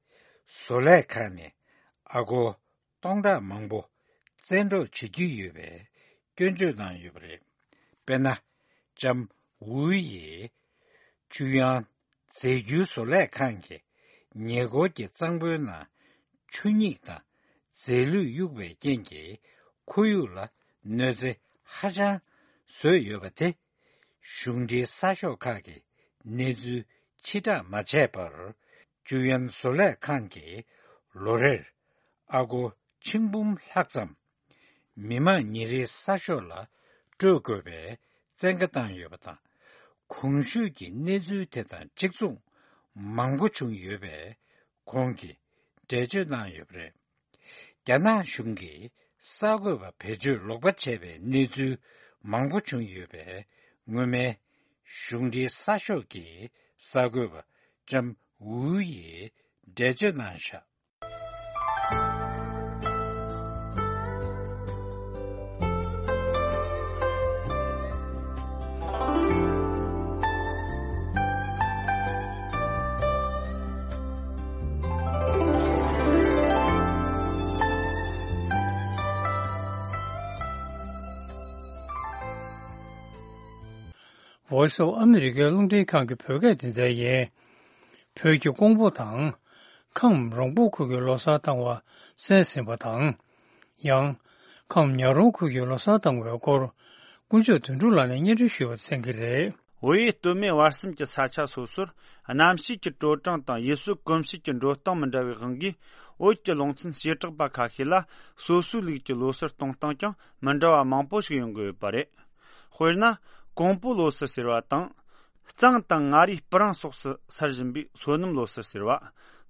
བཟོ་ལས་ཁག་ནས་ཨ་སྒོར་སྟོང་ཕྲག་མང་པོ་བཙན་འཕྲོག་བྱེད་ཀྱི་ཡོད་པའི་སྐྱོན་བརྗོད་གནང་ཡོད་པ་རེད། དཔེར་ན། ལྕམ་ཝུའུ་ཡིས་ཅུ་ཡང་རྫས་འགྱུར་བཟོ་ལས་ཁང་གི་ཉེ་འཁོར་གྱི་གཙང་པོའི་ནང་ཆུ་སྙིགས་དང་རྫས་ལུད་གཡུགས་པའི་རྐྱེན་གྱིས་ཁོར་ཡུག་ལ་གནོད་འཚེ་ཧ་ཅང་བཟོས་ཡོད་པ་དེ། གཞུང་འབྲེལ་གསར་ཤོག་ཁག་གིས་གནས་ཚུལ་ཕྱིར་བསྒྲགས་མ་བྱས་པར། ཅུ་ཡན་བཟོ་ལས་ཁང་གིས་ལོ་རེར་ཨ་སྒོར་ཆིག་འབུམ་ལྷག་ཙམ་མི་མང་ཉིན་རེའི་གསར་ཤོག་ལ་སྤྲོད་དགོས་པའི་བཙན་བཀའ་བཏང་ཡོད་པ་དང་། གོང་ཞུས་ཀྱི་གནས་ཚུལ་དེ་དང་གཅིག་མཚུངས་མང་པོ་བྱུང་ཡོད་པས། ཁོང་གིས་འགྲེལ་བརྗོད་གནང་ཡོད་པ་རེད། རྒྱ་ནག་གཞུང་གིས་གསར་འགོད་པ་བེད་སྤྱོད་ལོག་པ་བྱས་པའི་གནས་ཚུལ་མང་པོ་བྱུང་ཡོད་པས། སྔོན་མའི་གཞུང་འབྲེལ་གསར་ཤོག་གི་གསར་འགོད་པ་ལྕམ་ཝུའུ་ཡིས་འགྲེལ་བརྗོད་གནང་བཞག Voice of America རླུང་འཕྲིན་ཁང་གི་བོད་སྐད་སྡེ་ཚན་ཡིན། བོད་ཀྱི་ཀོང་པོ་དང་། ཁམས་རོང་པོ་ཁུལ་གྱི་ལོ་གསར་བཏང་བ་གསན་ཟིན་པ་དང་། ཡང་། ཁམས་ཉག་རོང་ཁུལ་གྱི་ལོ་གསར་བཏང་བའི་སྐོར། དཀོན་མཆོག་དོན་གྲུབ་ལགས་ནས་སྙན་སྒྲོན་ཞུས་པ་གསན་གྱི་རེད། བོད་ཡུལ་སྟོད་སྨད་བར་གསུམ་གྱི་ས་ཆ་སོ་སོར། གནམ་གཤིས་ཀྱི་དྲོ་གྲང་དང་ཡུལ་སྲོལ་གོམས་གཤིས་ཀྱི་འགྲོ་སྟངས་མི་འདྲ་བའི་དབང་གིས། བོད་ཀྱི་ལུང་ཚན་བྱེ་བྲག་པ་ཁ་ཤས་ལ། སོ་སོའི་ལུགས་ཀྱི་ལོ་གསར་གཏོང་སྟངས་ཀྱང་མི་འདྲ་བ་མང་པོ་ཞིག་ཡོང་གི་ཡོད་པ་རེད། དཔེར་ན། ཀོང་པོ་ལོ་གསར་ཟེར་བ་དང་། གཙང་དང་མངའ་རིས་སྤུ་རིང་སོགས་སུ་གསར་བཞིན་པའི་སོ་ནམ་ལོ་གསར་ཟེར་བ།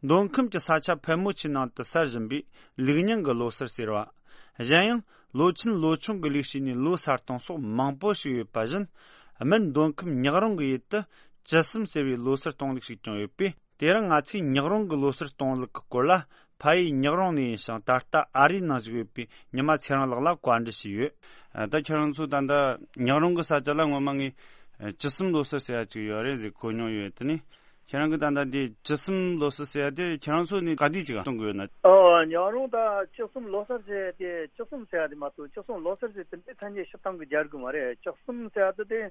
མདོ་ཁམས་ཀྱི་ས་ཆ་ཕལ་མོ་ཆེའི་ནང་དུ་གསར་བཞིན་པའི་ལུག་རྙིང་གི་ལོ་གསར་ཟེར་བ། གཞན་ཡང་། ལོ་ཆེན་ལོ་ཆུང་གི་ལུགས་ཤིག་ནས་ལོ་གསར་གཏོང་སོགས་མང་པོ་ཞིག་ཡོད་པ་བཞིན། སྨད་མདོ་ཁམས་ཉག་རོང་གི་ཡུལ་དུ་བཅུ་གསུམ་ཟེར་བའི་ལོ་གསར་གཏོང་ལུགས་ཤིག་ཀྱང་ཡོད་པས། དེ་རིང་ང་ཚོས་ཉག་རོང་གི་ལོ་གསར་གཏོང་ལུགས་ཀྱི་སྐོར་ལ། ཕ་ཡུལ་ཉག་རོང་ནས་ཡིན་ཞིང་། ད་ལྟ་ཨ་རིའི་ནང་བཞུགས་ཡོད་པའི་ཉི་མ་ཚེ་རིང་ལགས་ལ་བཀའ་འདྲི་ཞུས་ཡོད། ད་ཁྱེད་རང་ཚོ་ད་ལྟ་ཉག་རོང་གི་ས་ཆ་ལ་སྔོན་མ་ངས་བཅུ་གསུམ་ལོ་གསར་ཟེར་ཡ་ཅིག་ཡོད་རེད་ཟེར་གོ་མྱོང་ཡོད། དེ་ནས་ཁྱེད་རང་གི་ད་ལྟ་འདི་བཅུ་གསུམ་ལོ་གསར་ཟེར་ཡ་དེ་ཁྱེད་རང་ཚོ་ནས་ག་དུས་ཅིག་གཏོང་གི་ཡོད་ན། ཨོ། ཉག་རོང་ད་བཅུ་གསུམ་ལོ་གསར་ཟེར་ཡ་དེ། བཅུ་གསུམ་ཟེར་ཡ་དེ་མ་གཏོགས་བཅུ་གསུམ་ལོ་གསར་ཟེར་དེ་འདྲའི་ཐ་སྙད་སྤྱིར་བཏང་གི་སྦྱར་གི་མ་རེད། བཅུ་གསུམ་ཟེར་ཡ་དེ་དེ།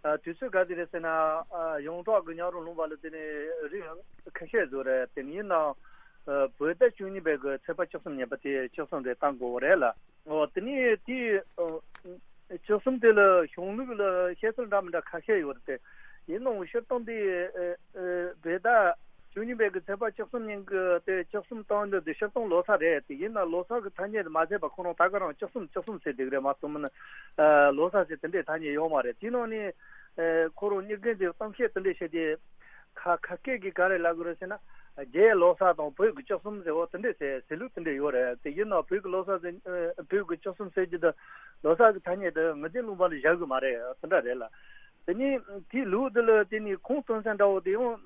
ཨ། དུས་ཚོད་ག་དུས་རེད་ཟེར་ན། ཨ། ཡོངས་གྲགས་ཀྱི་ཉག་རོང་ལུང་པ་ལ་དེ་ནི་རིགས་ཁ་ཤས་ཡོད་རེད། དེ་ནི་ཡིན་ནའང་། ཨ། བོད་ཟླ་བཅུ་གཉིས་པའི་གི་ཚེས་པ་བཅུ་གསུམ་ཉིན་པ་དེ་བཅུ་གསུམ་རེད་བཏང་དགོས་པ་རེད་ལ། འོ། དེ་ནི་དེ། ཨ། བཅུ་གསུམ་དེ་ལ་གཞུང་ལུགས་ལ་བཤད་ཚུལ་འདྲ་མི་འདྲ་ཁ་ཤས་ཡོད་རེད་དེ། ཡིན་ནའང་སྤྱིར་བཏང་དེ། ཨ། ཨ། བོད་ཟླ་བཅུ་གཉིས་པའི་གི་ཚེས་པ་བཅུ་གསུམ་ཉིན་གི་དེ་བཅུ་གསུམ་བཏང་འདི་དེ་སྤྱིར་བཏང་ལོ་གསར་རེད་དེ། ཡིན་ན་ལོ་གསར་གི་ཐ་སྙད་དེ་མ་བརྩིས་པ་ཁོ་རང་ད་ག་རང་བཅུ་གསུམ་བཅུ་གསུམ་ཟེར་བསྡད་གི་རེད་མ་གཏོགས་མིན་ན། ཨ། ལོ་གསར་ཟེར་དེ་འདྲའི་ཐ་སྙད་ཡོད་མ་རེད། དེ་ནང་ནས། ཨ། ཁོ་རང་གཉིས་ཀའི་གཏམ་བཤད་དེ་འདྲ་བྱས་ཏེ། ཁ་ཁ་སྐད་ཀྱིས་ག་རེ་ལབ་དགོས་རེད་ཟེར་ན། རྒྱའི་ལོ་གསར་དང་བོད་ཀྱི་བཅུ་གསུམ་ཟེར་བ་དེ་འདྲ་ཟེར་ཟེར་ལུགས་དེ་འདྲ་ཡོད་རེད་དེ། ཡིན་ནའང་བོད་ཀྱི་ལོ་གསར་ཟེར། ཨ། བོད་ཀྱི་བཅུ་གསུམ་ཟེར་རྒྱུ་དེ་ལོ་གསར་གྱི་ཐ་སྙད་དེ་ངེས་ཅན་ལུང་པ་ལ་བཞག་གི་མ་རེད། དེ་འདྲ་རེད་ལ། དེ་ནས་དེའི་ལུགས་དེ་ལ་དེ་ནས་ཁུངས་སྟོན་ས་འདྲ་བོ་དེ་ཡང་།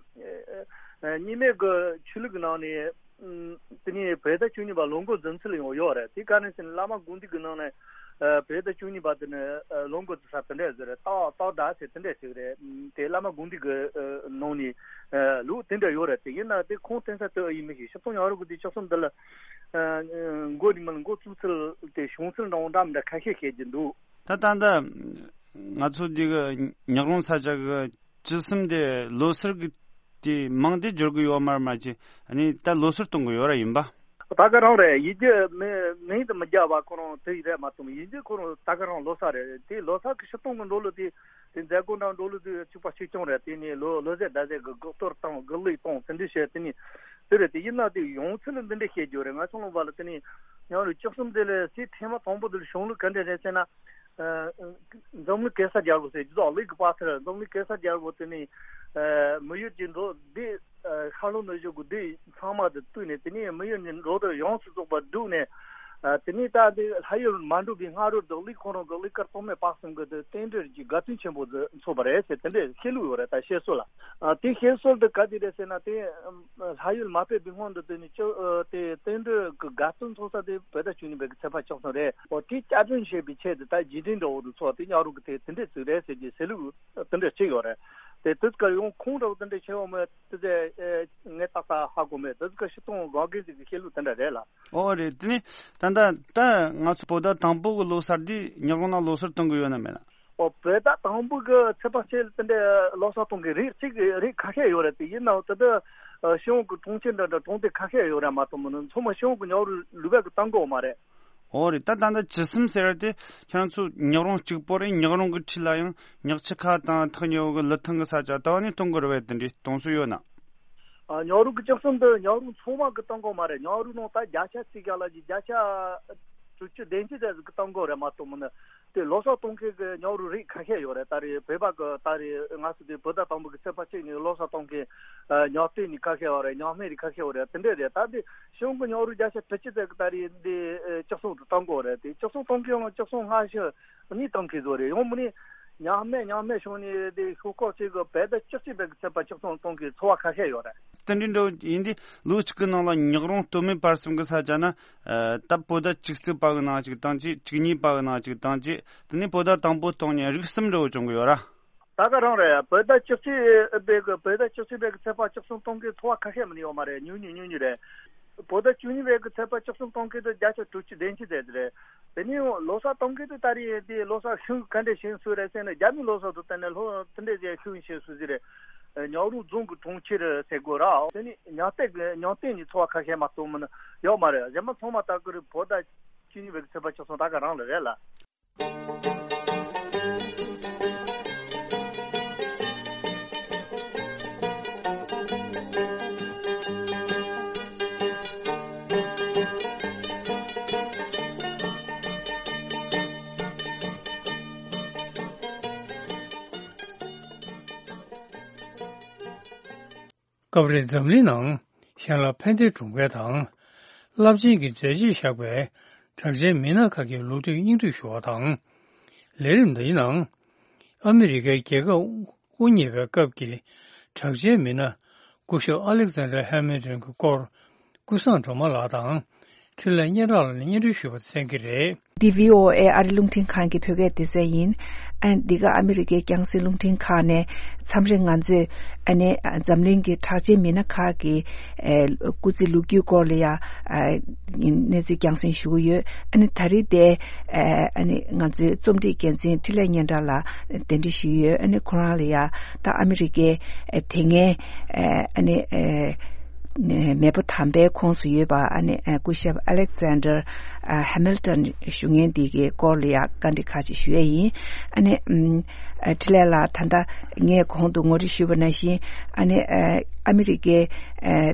ཨ། གཉིས་སྨན་གྱི་ཆོས་ལུགས་ཀྱི་ནང་ནས། ཨ། དེ་ནས་བོད་ཟླ་བཅུ་གཉིས་པ་ལོ་འགོ་འཛིན་ཚུལ་ཡང་ཡོད་རེད། དེ་ག་རེ་ཟེར་ན་བླ་མ་དགོངས་འདུས་ཀྱི་ནང་ནས། ཨ། བོད་ཟླ་བཅུ་གཉིས་པ་དེ་ནི། ཨ། ལོ་འགོ་འཛིན་ས་དེ་འདྲ་ཟེར་རེད། སྟག་སྟག་ཟླ་ཟེར་དེ་འདྲ་ཟེར་གི་རེད། དེ་བླ་མ་དགོངས་འདུས་ཀྱི། ཨ། ནང་ནས། ཨ། ལུགས་དེ་འདྲ་ཡོད་རེད་དེ། ཡིན་ན་དེ་ཁུངས་བསྟན་ས་དེ་ཨེ་ཡིན་མི་ཤེས། སྤྱིར་བཏང་ཉག་རོང་གི་དེ་བཅུ་གསུམ་དེ་ལ། ཨ། འགོ་རིང་མིན་འགོ་བཙུགས་ཚུལ་དེ་བྱུང་ཚུལ་འདྲ་བོ་འདྲ་མི་འདྲ་ཁ་ཤས་བཤད་ཀྱི་འདུག་ད་ད་ལྟ་ང་ཚོ་འདི་གི་ཉག་རོང་ས་ཆ་གི་བཅུ་གསུམ་དེ་ལོ་གསར་གི་དེ་མིང་དེ་འབྱོར་གི་ཡོད་མ་རེད། མ་གཞི་ཨ་ནི་ད་ལོ་གསར་གཏོང་གི་ཡོད་ར་ཡིན་པ། ད་ག་རང་རེད། ཡིན་རྒྱུ་མི་མིང་དུ་མི་རྒྱག་པ་ཁོ་རང་དེ་ཡི་རེད་མ་གཏོགས། ཡིན་རྒྱུ་ཁོ་རང་ད་ག་རང་ལོ་གསར་རེད། དེ་ལོ་གསར་གི་སྤྱིར་བཏང་གི་འགྲོ་ལུགས་དེ། དེ་མཛད་སྒོ་འདྲ་འགྲོ་ལུགས་དེ་གཅིག་པ་གཅིག་རྐྱང་རེད། དེ་ནས་ལོ་ལོ་ཟས་ཟླ་ཟས་གི་དགག་གཏོར་བཏང་དགག་ལུགས་བཏང་དེ་འདྲ་བྱས། དེ་ནས་ དེ་རེད། དེ་ཡིན་ན་དེ་ཡོང་ཚུལ་ལ་འདི་འདྲ་བཤད་རྒྱུ་རེད། ང་ཚོ་ལུང་པ་ལ་དེ་ནས་ཉང་རུ་བཅུ་གསུམ་དེ་ལ་སའི་ཐེངས་མ་དང་པོ་དེ་ལ་གཞུང་ལུགས་ག་འདྲ་རེད་ཟེར་ན། ཨ། འཛམ་གླིང་གེ་སར་རྒྱལ་པོ་ཟེར་རྒྱུ་དང་ལིག་གི་པ་ཐར་འཛམ་གླིང་གེ་སར་རྒྱལ་པོ་དེ་ནས། ཨ། མི་ཡུལ་གྱི་འགྲོ་འདི། ཨ། ཤར་ལྷོ་ནུབ་བྱང་གི་འདི་ཚང་མ་དེ་བཏུས་ནས་དེ་ནས་མི་ཡུལ་གྱི་འགྲོ་དོན་ཡོངས་སུ་རྫོགས་པ་བསྒྲུགས་ནས། ཨ། དེ་ནས་ད་འདི་ལྷ་ཡུལ་མ་འགྲོ་བའི་སྔ་རོལ་དུ་ལིག་ཁོ་རང་གི་ལིག་དཀར་ཐོགས་མེད་དཔག་བསམ་གྱི་དེ་རྟེན་འབྲེལ་གྱི་དགའ་སྟོན་ཆེན་པོ་དེ་འཚོགས་པ་རེད་ཟེར་དེ་འདྲའི་བཤད་ལུགས་ཡོད་རེད། ད་བཤད་སྲོལ་ལ། ཨ། དེ་བཤད་སྲོལ་དེ་ག་དེ་རེད་ཟེར་ན། དེ་ལྷ་ཡུལ་མ་ཕེབས་པའི་སྔོན་དུ་དེ་ནི་ཅོ་ཨ། དེ་རྟེན་འབྲེལ་གྱི་དགའ་སྟོན་འཚོགས་ས་དེ་བོད་ཟླ་བཅུ་གཉིས་པའི་གི་ཚེས་པ་བཅུ་གསུམ་རེད། འོ། དེ་བསྐྱར་སྐྲུན་བྱས་པའི་ཆེད་དུ་ད་རྗེས་དྲན་འདྲ་བོ་དེ་འཚོགས། དེ་ཉག་རོང་གི་དེ་དེ་འདྲས་ཅིག་རེད་ཟེར་གྱི་ཟེར་ལུགས་དེ་འདྲས་ཅིག་ཡོད་རེད། དེ་དེ་ག་ཡོང་ཁུངས་འདྲ་བོ་དེ་འདྲས་བྱས་ཡོད་མེད་དེ་ཚེ་ངས་ཏག་ཏག་ཧ་གོ་མེད། དེ་ག་སྤྱིར་བཏང་དགོན་སྡེ་ཟིག་གི་བཤད་ལུགས་དེ་འདྲ་རེད་ལ། ཨོ་རེད། དེ་ནི་ད་ལྟ་ད་ང་ཚོ་བོད་ཟླ་དང་པོ་གི་ལོ་གསར་འདི་ཉག་རོང་ནང་ལོ་གསར་གཏོང་གི་ཡོད་ན་མེད་ན། ཨོ། བོད་ཟླ་དང་པོ་གི་ཚེས་པ་གཅིག་ལ་དེ་འདྲའི་ལོ་གསར་གཏོང་གི་རིགས་གཅིག་རིགས་ཁ་ཤས་ཡོད་རེད། དེ་ཡིན་ནའང་དེ་དག་ཨ། ཕྱི་ཡོང་གི་གྲོང་ཁྱེར་འདྲ་འདྲ་གྲོང་སྡེ་ཁ་ཤས་ཡོད་རེད་མ་གཏོགས་མིན་ན་ཚང་མ་ཕྱི་ཡོང་གི་ཉག་རོང་ལུང་པ་གི་གཏོང་གི་ཡོད་མ་རེད། ཨོ་རེད། ད་ད་ལྟ་བཅུ་གསུམ་ཟེར་དེ་ཁྱེད་རང་ཚོ་ཉག་རོང་གཅིག་པོ་རེད། ཉག་རོང་གི་འཁྲིས་ལ་ཡང་ཉག་ཆུ་ཁ་དང་ཐག་ཉེ་བོ་གི་ལི་ཐང་གི་ས་ཆ་དེ་བ་ནས་གཏོང་གི་རེད་པས། དེ་འདྲའི་གཏོང་སྲོལ་ཡོད་ན། ཨ། ཉག་རོང་གི་བཅུ་གསུམ་དེ་ཉག་རོང་ཚང་མ་གི་གཏོང་གི་ཡོད་མ་རེད། ཉག་རོང་ནང་ད་བརྒྱ་ཆ་གཅིག་ག་ལ་ཅིག་བརྒྱ་ཆ་དྲུག་ཅུ་བདུན་ཅུ་ཙམ་ཟིག་གི་གཏོང་གི་ཡོད་རེད་མ་གཏོགས་མིན་ན། དེ་ལོ་གསར་གཏོང་མཁན་གྱི་ཉག་རོང་རིགས་ཁ་ཤས་ཡོད་རེད། ད་རེས་བོད་པ་གི་ད་རེས་ང་ཚོ་དེ་བོད་ཟླ་དང་པོ་གི་ཚེས་པ་གཅིག་ནས་ལོ་གསར་གཏོང་མཁན། ཨ། ཉག་སྟེང་ནས་ཁ་ཤས་ཡོད་རེད། ཉག་སྨད་ནས་ཁ་ཤས་ཡོད་རེད། དེ་འདྲས་རེད། ད་དེ་ཕྱི་ཡོང་གི་ཉག་རོང་བརྒྱ་ཆ་དྲུག་ཅུ་ཙམ་གི་ད་རེས་འདི་ཨ། བཅུ་གསུམ་དུ་གཏོང་གི་ཡོད་རེད། དེ་བཅུ་གསུམ་གཏོང་མཁན་ཡང་བཅུ་གསུམ་སྔ་ཕྱི་གཉིས་གཏོང་མཁན་ཚོ་རེད། ཡང་མིན་ནས་ཉག་སྨད་ཉག་སྨད་ཕྱོགས་ནས་དེ་ཤོག་ཁག་ཅིག་གི་བོད་ཟླ་བཅུ་གཅིག་པའི་གི་ཚེས་པ་བཅུ་གསུམ་གཏོང་མཁན་ཚོ་བ་ཁ་ཤས་ཡོད་རེད། དེ་འདྲའི་འགྲོ་ཡིན་དུས་ལོ་གཅིག་གི་ནང་ལ་ཉག་རོང་སྟོད་སྨད་བར་གསུམ་གི་ས་ཆ་ན། ཨ། ད་བོད་ཟླ་བཅུ་གཅིག་པ་གི་ནང་གཅིག་བཏང་བྱས། བཅུ་གཉིས་པ་གི་ནང་གཅིག་བཏང་བྱས། དེ་ནས་བོད་ཟླ་དང་པོ་གཏོང་མཁན་རིགས་གསུམ་འདྲ་བོ་བྱུང་གི་ཡོད་ར། ད་ག་རང་རེད། བོད་ཟླ་བཅུ་གཅིག་པའི་གི་བོད་ཟླ་བཅུ་གཅིག་པའི་གི་ཚེས་པ་བཅུ་གསུམ་གཏོང་མཁན་ཚོ་བ་ཁ་ཤས་མིན་ནས་ཡོད་མ་རེད། ཉུང་ཉུང་ཉུང་ཉུང་རེད། བོད་ཟླ་བཅུ་གཉིས་པའི་གི་ཚེས་པ་བཅུ་གསུམ་གཏོང་མཁན་དེ་བརྒྱ་ཆ་དྲུག་ཅུ་བདུན་ཅུ་ཙམ་དེ་རེད། དེ་ནས་ལོ་གསར་གཏོང་མཁན་དེ་ད་རེས་དེ་ལོ་གསར་ཤིང་ག་འདྲ་ཤིང་སུ་རེད་ཟེར་ན། རྒྱ་མིའི་ལོ་གསར་དུ་བལྟས་ན་ལྷོ་དེ་འདྲ་ཟེར་ཤིང་ཤིང་སུ་ཟེར་རེད། ཉག་རོང་རྫོང་གི་གྲོང་ཁྱེར་ཟེར་དགོས་ར། དེ་ནས་ཉག་སྟེང་གི་ཉག་སྟེང་ནས་ཚོ་བ་ཁ་ཤས་མ་གཏོགས་མིན་ན་ཡོད་མ་རེད། གཞན་པ་ཚང་མ་ད་གི་རེད། བོད་ཟླ་བཅུ་གཉིས་པའི་གི་ཚེས་པ་བཅུ་གསུམ་ད་ག་རང་ལ་རེད་ལ། སྐབས་རེ་འཛམ་གླིང་ནང་གཞན་ལ་ཕན་བདེ་སྒྲུབ་མཁན་དང་། རླབས་ཆེན་གྱི་མཛད་རྗེས་བཞག་པའི་གྲགས་ཅན་མི་སྣ་ཁག་གི་ལོ་རྒྱུས་སྙིང་བསྡུས་ཞུ་བ་དང་། ལས་རིམ་འདིའི་ནང་ཨ་མི་རི་ཀའི་རྒྱལ་ཁབ་དབུ་བརྙེས་པའི་སྐབས་ཀྱི་གྲགས་ཅན་མི་སྣ་སྐུ་ཞབས་ཨ་ལེག་ཛན་ཌར་ཧེ་མིལ་ཏོན་གྱི་སྐོར། ཀུན་བཟང་སྒྲོལ་མ་ལགས་དང་འཕྲིན་ལས་སྙན་གྲགས་ལགས་ནས་སྙན་སྒྲོན་ཞུས་པ་གསན་གྱི་རེད། འདི་བྷི་ཨོ་ཨེ་ཨ་རི་རླུང་འཕྲིན་ཁང་གི་བོད་སྐད་སྡེ་ཚན་ཡིན། ཨ། འདི་ག་ཨ་མི་རི་ཀའི་རྒྱང་སྲིང་རླུང་འཕྲིན་ཁང་ནས་མཚམས་རེ་ང་ཚོས་ཨ་ནི་འཛམ་གླིང་གི་གྲགས་ཅན་མི་སྣ་ཁག་གི་ཨ། སྐུ་ཚེ་ལོ་རྒྱུས་སྐོར་ལ་ཡ། ཨ། གནས་ཚུལ་རྒྱང་སྲིང་ཞུ་གི་ཡོད། ཨ་ནི་ད་རེས་དེ་ཨ་ནི་ང་ཚོའི་རྩོམ་སྒྲིག་འགན་འཛིན་འཕྲིན་ལས་སྙན་གྲགས་ལགས་གདན་འདྲེན་ཞུས་ཡོད། ཨ་ནི་ཁོ་རང་ལ་ཡ་ད་ཨ་མི་རི་ཀའི་ཨ། དེ་སྔའི་ཨ། ཨ་ནི་ཨ། མེས་པོ་དམ་པའི་ཁོངས་སུ་ཡོད་པ་ཨ་ནི་ཨ། སྐུ་ཞབས་ཨ་ལེག་ཛན་ཌར་ཨ། ཧེ་མིལ་ཏོན་ཞུ་མཁན་འདི་གའི་སྐོར་ལ་ཡ་བཀའ་འདྲི་ཁག་ཅིག་ཞུ་ཡས་ཡིན། ཨ་ནི་ཨ། འཕྲིན་ལས་ལགས། ད་ལྟ་ངས་གོང་དུ་ངོ་སྤྲོད་ཞུས་པ་ནང་བཞིན་ཨ་ནི་ཨ། ཨ་མི་རི་ཀའི་ཨ།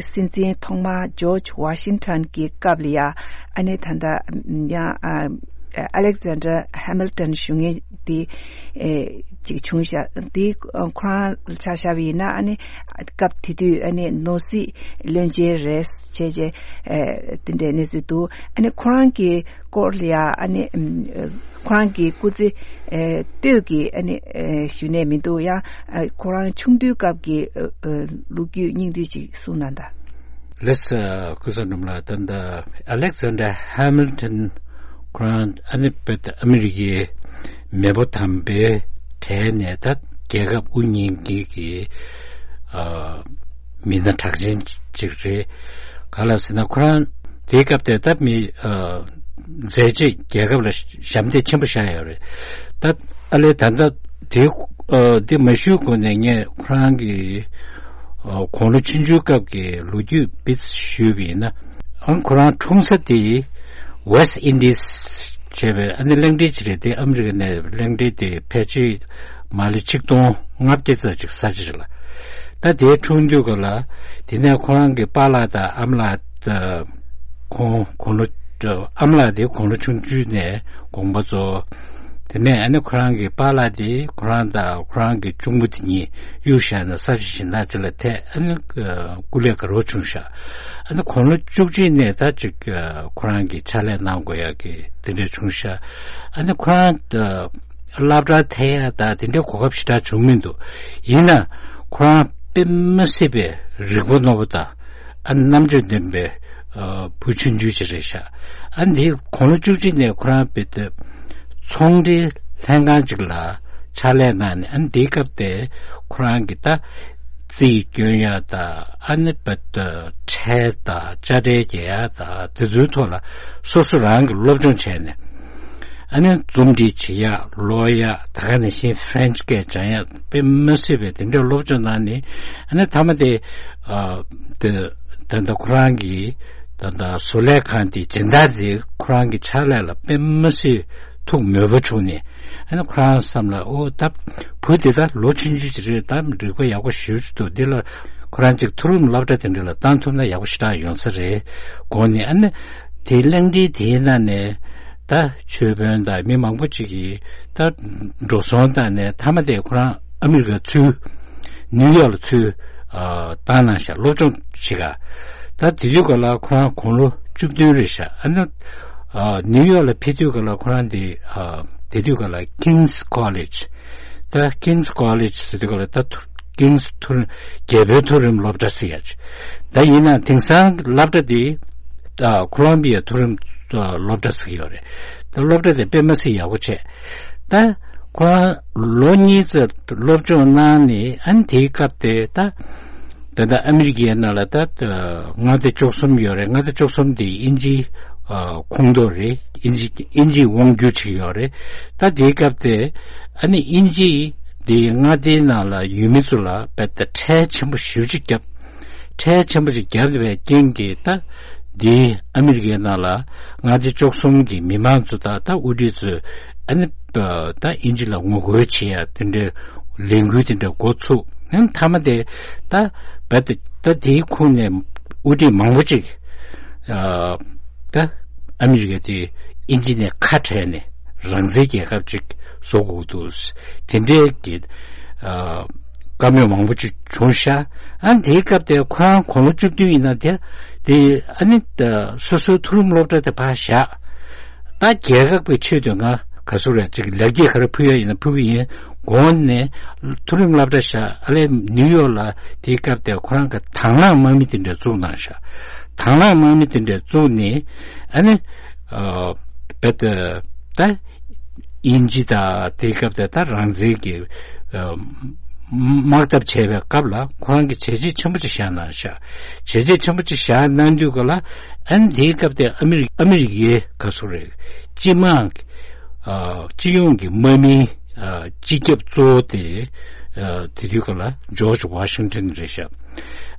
སྲིད་འཛིན་ཐོག་མ་ཇོརྗ་ཝ་ཤིང་ཊོན་གྱི་སྐབས་ལ་ཡ་ཨ་ནི་ད་ལྟ་ཡང་ཨ། ཨ་ལེག་ཛན་ཌར་ཧེ་མིལ་ཏོན་ཞུ་མཁན་དེ་ཨེ་ཅིག་བྱུང་ཤག་དེ་ཁོ་རང་ཆ་བཞག་པ་ཡིན་ན་ཨ་ནི་སྐབས་དེ་དུས་ཨ་ནི་ནོར་སྲིད་བློན་ཆེན་རེད་བྱས་བྱས་ཨེ་དེ་འདྲའི་གནས་ཚུལ་འདུག་ཨ་ནི་ཁོ་རང་གི་སྐོར་ལ་ཡ་ཨ་ནི་ཁོ་རང་གི་སྐུ་ཚེ་ཨེ་སྟོད་ཀྱི་ཨ་ནི་ཨེ་ཞུ་ནས་མི་འདུག་ཡང་ཨ་ཁོ་རང་ཆུང་དུས་སྐབས་ཀྱི་ཨེ་ཨེ་ལོ་རྒྱུས་སྙིང་བསྡུས་ཅིག་གསུངས་གནང་དང་། ལགས་སོ། ཀུན་བཟང་སྒྲོལ་མ་ལགས། ད་ལྟ་ཨ་ལེག་ཛན་ཌར་ཧེ་མིལ་ཏོན་ཁོ་རང་ཨ་ནི་བོད་ཨ་མི་རི་ཀའི་མེས་པོ་དམ་པའི་གྲས་ནས་ད་རྒྱལ་ཁབ་དབུ་བརྙེས་མཁན་གྱི་ཨ་མི་སྣ་གྲགས་ཅན་ཅིག་རེད། ག་ལ་ཟེར་ན་ཁོ་རང་དེའི་སྐབས་དེ་ད་མི་ཨ་མཛད་རྗེས་རྒྱལ་ཁབ་ལ་ཞབས་འདེགས་ཆེན་པོ་བཞག་ཡོད་རེད། ད་ཨ་ལེ་ད་ལྟ་དེ་ཨ་དེ་མ་ཞུས་གོང་ནས་ངས་ཁོ་རང་གི་ཨ་དགུང་ལོ་ཆུང་ཆུང་སྐབས་ཀྱི་ལོ་རྒྱུས་སྤེལ་ཞུས་པ་ཡིན་ན། ཨང་ཁོ་རང་འཁྲུངས་ས་དེ་ཝེ་སི་ཨིན་ཌི་སི་བྱས་པའི་ཨ་ནི་གླིང་ཕྲན་ཅིག་རེད། དེ་ཨ་མི་རི་ཀ་ནས་གླིང་ཕྲན་དེ་ཕལ་ཆེར་མ་ལེ་ཆིག་སྟོང་ལྔ་བརྒྱ་ཙམ་ཅིག་ས་ཆ་ཅིག་ལ། ད་དེའི་འཁྲུངས་དུས་སྐབས་ལ་དེ་ནས་ཁོ་རང་གི་པཱ་ལགས་དང་ཨ་མ་ལགས་དང་ཁོང་དགུང་ལོ་ཨ་མ་ལགས་དེ་དགུང་ལོ་ཆུང་ཆུང་ནས་དགོངས་པ་རྫོགས། དེ་ནས་ཨ་ནི་ཁོ་རང་གི་པཱ་ལགས་དེ་ཁོ་རང་དང་ཁོ་རང་གི་གཅུང་མོ་དེ་གཉིས་གཡུག་བཞག་ནས་ས་ཆ་གཞན་དག་ཅིག་ལ་ཐད། ཨ་ནི་སྐུ་ལས་ག་རོ་བྱུང་ཤག་ཨ་ནི་དགུང་ལོ་བཅུ་གཅིག་ནས་ད་ཅིག་ཁོ་རང་གི་ཕྱག་ལས་གནང་དགོས་ཡག་གི་དེ་འདྲ་བྱུང་ཤག་ཨ་ནི་ཁོ་རང་སློབ་གྲྭ་ཐད་ཡག་ད་དེ་འདྲའི་གོ་སྐབས་ཞེ་དྲག་བྱུང་མི་འདུག་ཡིན་ན་ཁོ་རང་དཔེ་མི་སྲིད་པའི་རིག་པ་རྣོ་པོ་དང་ཨ་རྣམ་དཔྱོད་ལྡན་པའི་བུ་ཆུང་ཆུང་ཅིག་རེད་ཤག་ཨ་འདི་དགུང་ལོ་བཅུ་གཅིག་ནས་ཁོ་རང་དཔེ་དེ་ཚོང་འབྲེལ་ལྷན་ཁང་ཅིག་ལ་ཕྱག་ལས་གནང་ནས། ཨ་འདིའི་སྐབས་དེ་ཁོ་རང་གི་ད་རྩིས་སྐྱོན་ཡག་དང་ཨ་ནི་དཔེ་དེ་ཁྲལ་དང་དཔྱ་ཁྲལ་རྒྱག་ཡག་དང་དེ་ཚོའི་ཐོག་ལ་སོ་སོ་རང་གི་སློབ་སྦྱོང་བྱས་ནས། ཨ་ནི་རྩོམ་སྒྲིག་བྱེད་ཡག་ཀློག་ཡག་ད་ག་ནང་བཞིན་French་སྐད་སྦྱང་ཡག་དཔེ་མི་སྲིད་པའི་དེ་འདྲའི་སློབ་སྦྱོང་གནང་ནས། ཨ་ནི་མཐའ་མ་དེ་ཨ་དེ་ད་ལྟ་ཁོ་རང་གི་ད་ལྟ་བཟོ་ལས་ཁང་དེ་སྦྱིན་བདག་ཅིག་ཁོ་རང་གི་ཕྱག་ལས་ལ་དཔེ་མི་སྲིད་ཐུགས་མོས་པ་བྱུང་ནས། ཨ་ནི་ཁོ་རང་བསམ་ལ་ཨོ་ད་བུ་དེ་ད་ལོ་ཆུང་ཆུང་ཅིག་རེད། ད་རིག་པ་ཡག་པོ་ཞེ་པོ་ཅིག་འདུག་འདི་ལ་ཁོ་རང་ཅིག་མཐོ་རིམ་སློབ་གྲྭ་དེ་འདྲ་ལ་བཏང་ཐུབ་ན་ཡག་པོ་ཞེ་དྲག་ཡོང་ས་རེད་དགོངས་ནས། ཨ་ནི་དེ་གླེང་སྟེགས་དེའི་ནང་ནས་ད་ཆོས་དཔོན་དང་མི་མང་པོ་ཅིག་གིས་ད་འགྲོ་སོང་བཏང་ནས་མཐའ་མ་དེ་ཁོ་རང་ཨ་མི་རི་ཀ་ཚུར་ནིའུ་ཡོག་ལ་ཚུར་ཨ་བཏང་གནང་ཤག་སློབ་སྦྱོང་བྱེད་ག་ད་དེ་དུས་སྐབས་ལ་ཁོ་རང་དགུང་ལོ་བཅུ་བདུན་རེད་ཤག་ཨ་ནི་ཨ་ནིའུ་ཡོག་ལ་ཕེབས་དུས་སྐབས་ལ་ཁོ་རང་དེ་ཨ་དེ་དུས་སྐབས་ལ་King's College། ད་King's College་ཟེར་དུས་སྐབས་ལ་ད་མཐོ་King's་མཐོ་རྒྱལ་པོའི་མཐོ་རིམ་སློབ་གྲྭ་ཟེར་ཡག་ཅིག་ད་ཡིན་ན་དེང་སང་སློབ་གྲྭ་དེ་ད་ཁོ་ལོམ་བི་ཡ་མཐོ་རིམ་སློབ་གྲྭ་ཟེར་གྱི་ཡོད་རེད། ད་སློབ་གྲྭ་དེ་དཔེ་མི་སྲིད་ཡག་པོ་བྱས། ད་ཁོ་རང་ལོ་གཉིས་ཙམ་སློབ་སྦྱོང་གནང་ནས། ཨ་ནི་དེའི་སྐབས་དེ་ད་ད་ལྟ་ཨ་མི་རི་ཀའི་ནང་ལ་ད་མངའ་སྡེ་བཅུ་གསུམ་ཡོད་རེད། མངའ་སྡེ་བཅུ་གསུམ་དེ་དབྱིན་ཇིའི་ཨ་ཁོངས་གཏོགས་རེད། དབྱིན་ཇི་དབྱིན་ཇིའི་དབང་སྒྱུར་བྱེད་ཀྱི་ཡོད་རེད། ད་དེའི་སྐབས་དེ་ཨ་ནི་དབྱིན་ཇི་དེའི་མངའ་སྡེའི་ནང་ལ་ཡུལ་མི་ཚོ་ལ་དཔེ་ད་ཁྲལ་ཆེན་པོ་ཞེ་པོ་ཅིག་བརྒྱབ། ཁྲལ་ཆེན་པོ་ཅིག་བརྒྱབ་པའི་རྐྱེན་གྱིས་ད་དེའི་ཨ་མི་རི་ཀའི་ནང་ལ་མངའ་སྡེ་བཅུ་གསུམ་གྱི་མི་མང་ཚོ་དང་ད་དབུ་ཁྲིད་ཚོས་ཨ་ནི་ད་དབྱིན་ཇི་ལ་ངོ་རྒོལ་བྱེད་ཡ་དེ་འདྲའི་ལས་འགུལ་དེ་འདྲ་འགོ་ཚུགས། ཨ་ནི་མཐའ་མ་དེ་ད་བད་ད་དེའི་ཁོངས་ནས་དབུ་ཁྲིད་མང་པོ་ཅིག་ཨ་ད་ཨ་མི་རི་ཀ་དེ་དབྱིན་ཇི་ནས་ཁ་བྲལ་ནས་རང་བཙན་རྒྱལ་ཁབ་ཅིག་བཟོ་དགོས་འདུག་དེ་འདྲའི་གི་ཨ་བཀའ་མོལ་མང་པོ་ཅིག་བྱུང་ཤག་ཨ་ནི་དེའི་སྐབས་དེ་ཁོ་རང་དགུང་ལོ་བཅུ་བདུན་ཡིན་ན་དེ་དེ་ཨ་ནི་ད་སོ་སོའི་མཐོ་རིམ་སློབ་གྲྭ་དེ་ཕར་བཞག་ད་རྒྱལ་ཁབ་ཀྱི་ཆེད་དུ་ང་ག་ཚོད་རེད་ཅིག་ལེགས་སྐྱེས་ག་རེ་ཕུལ་ཡ་ཡིན་ན་ཕུལ་གི་ཡིན་དགོངས་ནས། མཐོ་རིམ་སློབ་གྲྭ་བཞག་ཨ་ལས་ནིའུ་ཡོག་ལ་དེའི་སྐབས་དེ་ཁོ་རང་གི་དང་བླངས་དམག་མི་དེ་འདྲ་བཙུགས་གནང་ཤག་དང་བླངས་དམག་མི་དེ་འདྲ་བཙུགས་ནས་ཨ་ནི་ཨ་བད་ད་དབྱིན་ཇི་དང་དེའི་སྐབས་དེ་ད་རང་བཙན་གྱི་ཨ་དམག་འཐབ་བྱས་པའི་སྐབས་ལ་ཁོ་རང་གིས་བྱས་རྗེས་ཆེན་པོ་ཅིག་བཞག་གནང་ཤག་བྱས་རྗེས་ཆེན་པོ་ཅིག་བཞག་གནང་དུས་སྐབས་ལ་ཨ་ནི་དེའི་སྐབས་དེ་ཨ་མི་རི་ཨ་མི་རི་ཀའི་ག་ཚོད་རེད་སྤྱི་དམངས་ཨ་སྤྱི་ཡོངས་ཀྱི་དམག་མིའི་ཨ་སྤྱི་ཁྱབ་གཙོ་བོ་དེ་ཨ་དེ་དུས་སྐབས་ལ་ཇོརྗ་ཝ་ཤིང་ཏོན་རེད་ཤག་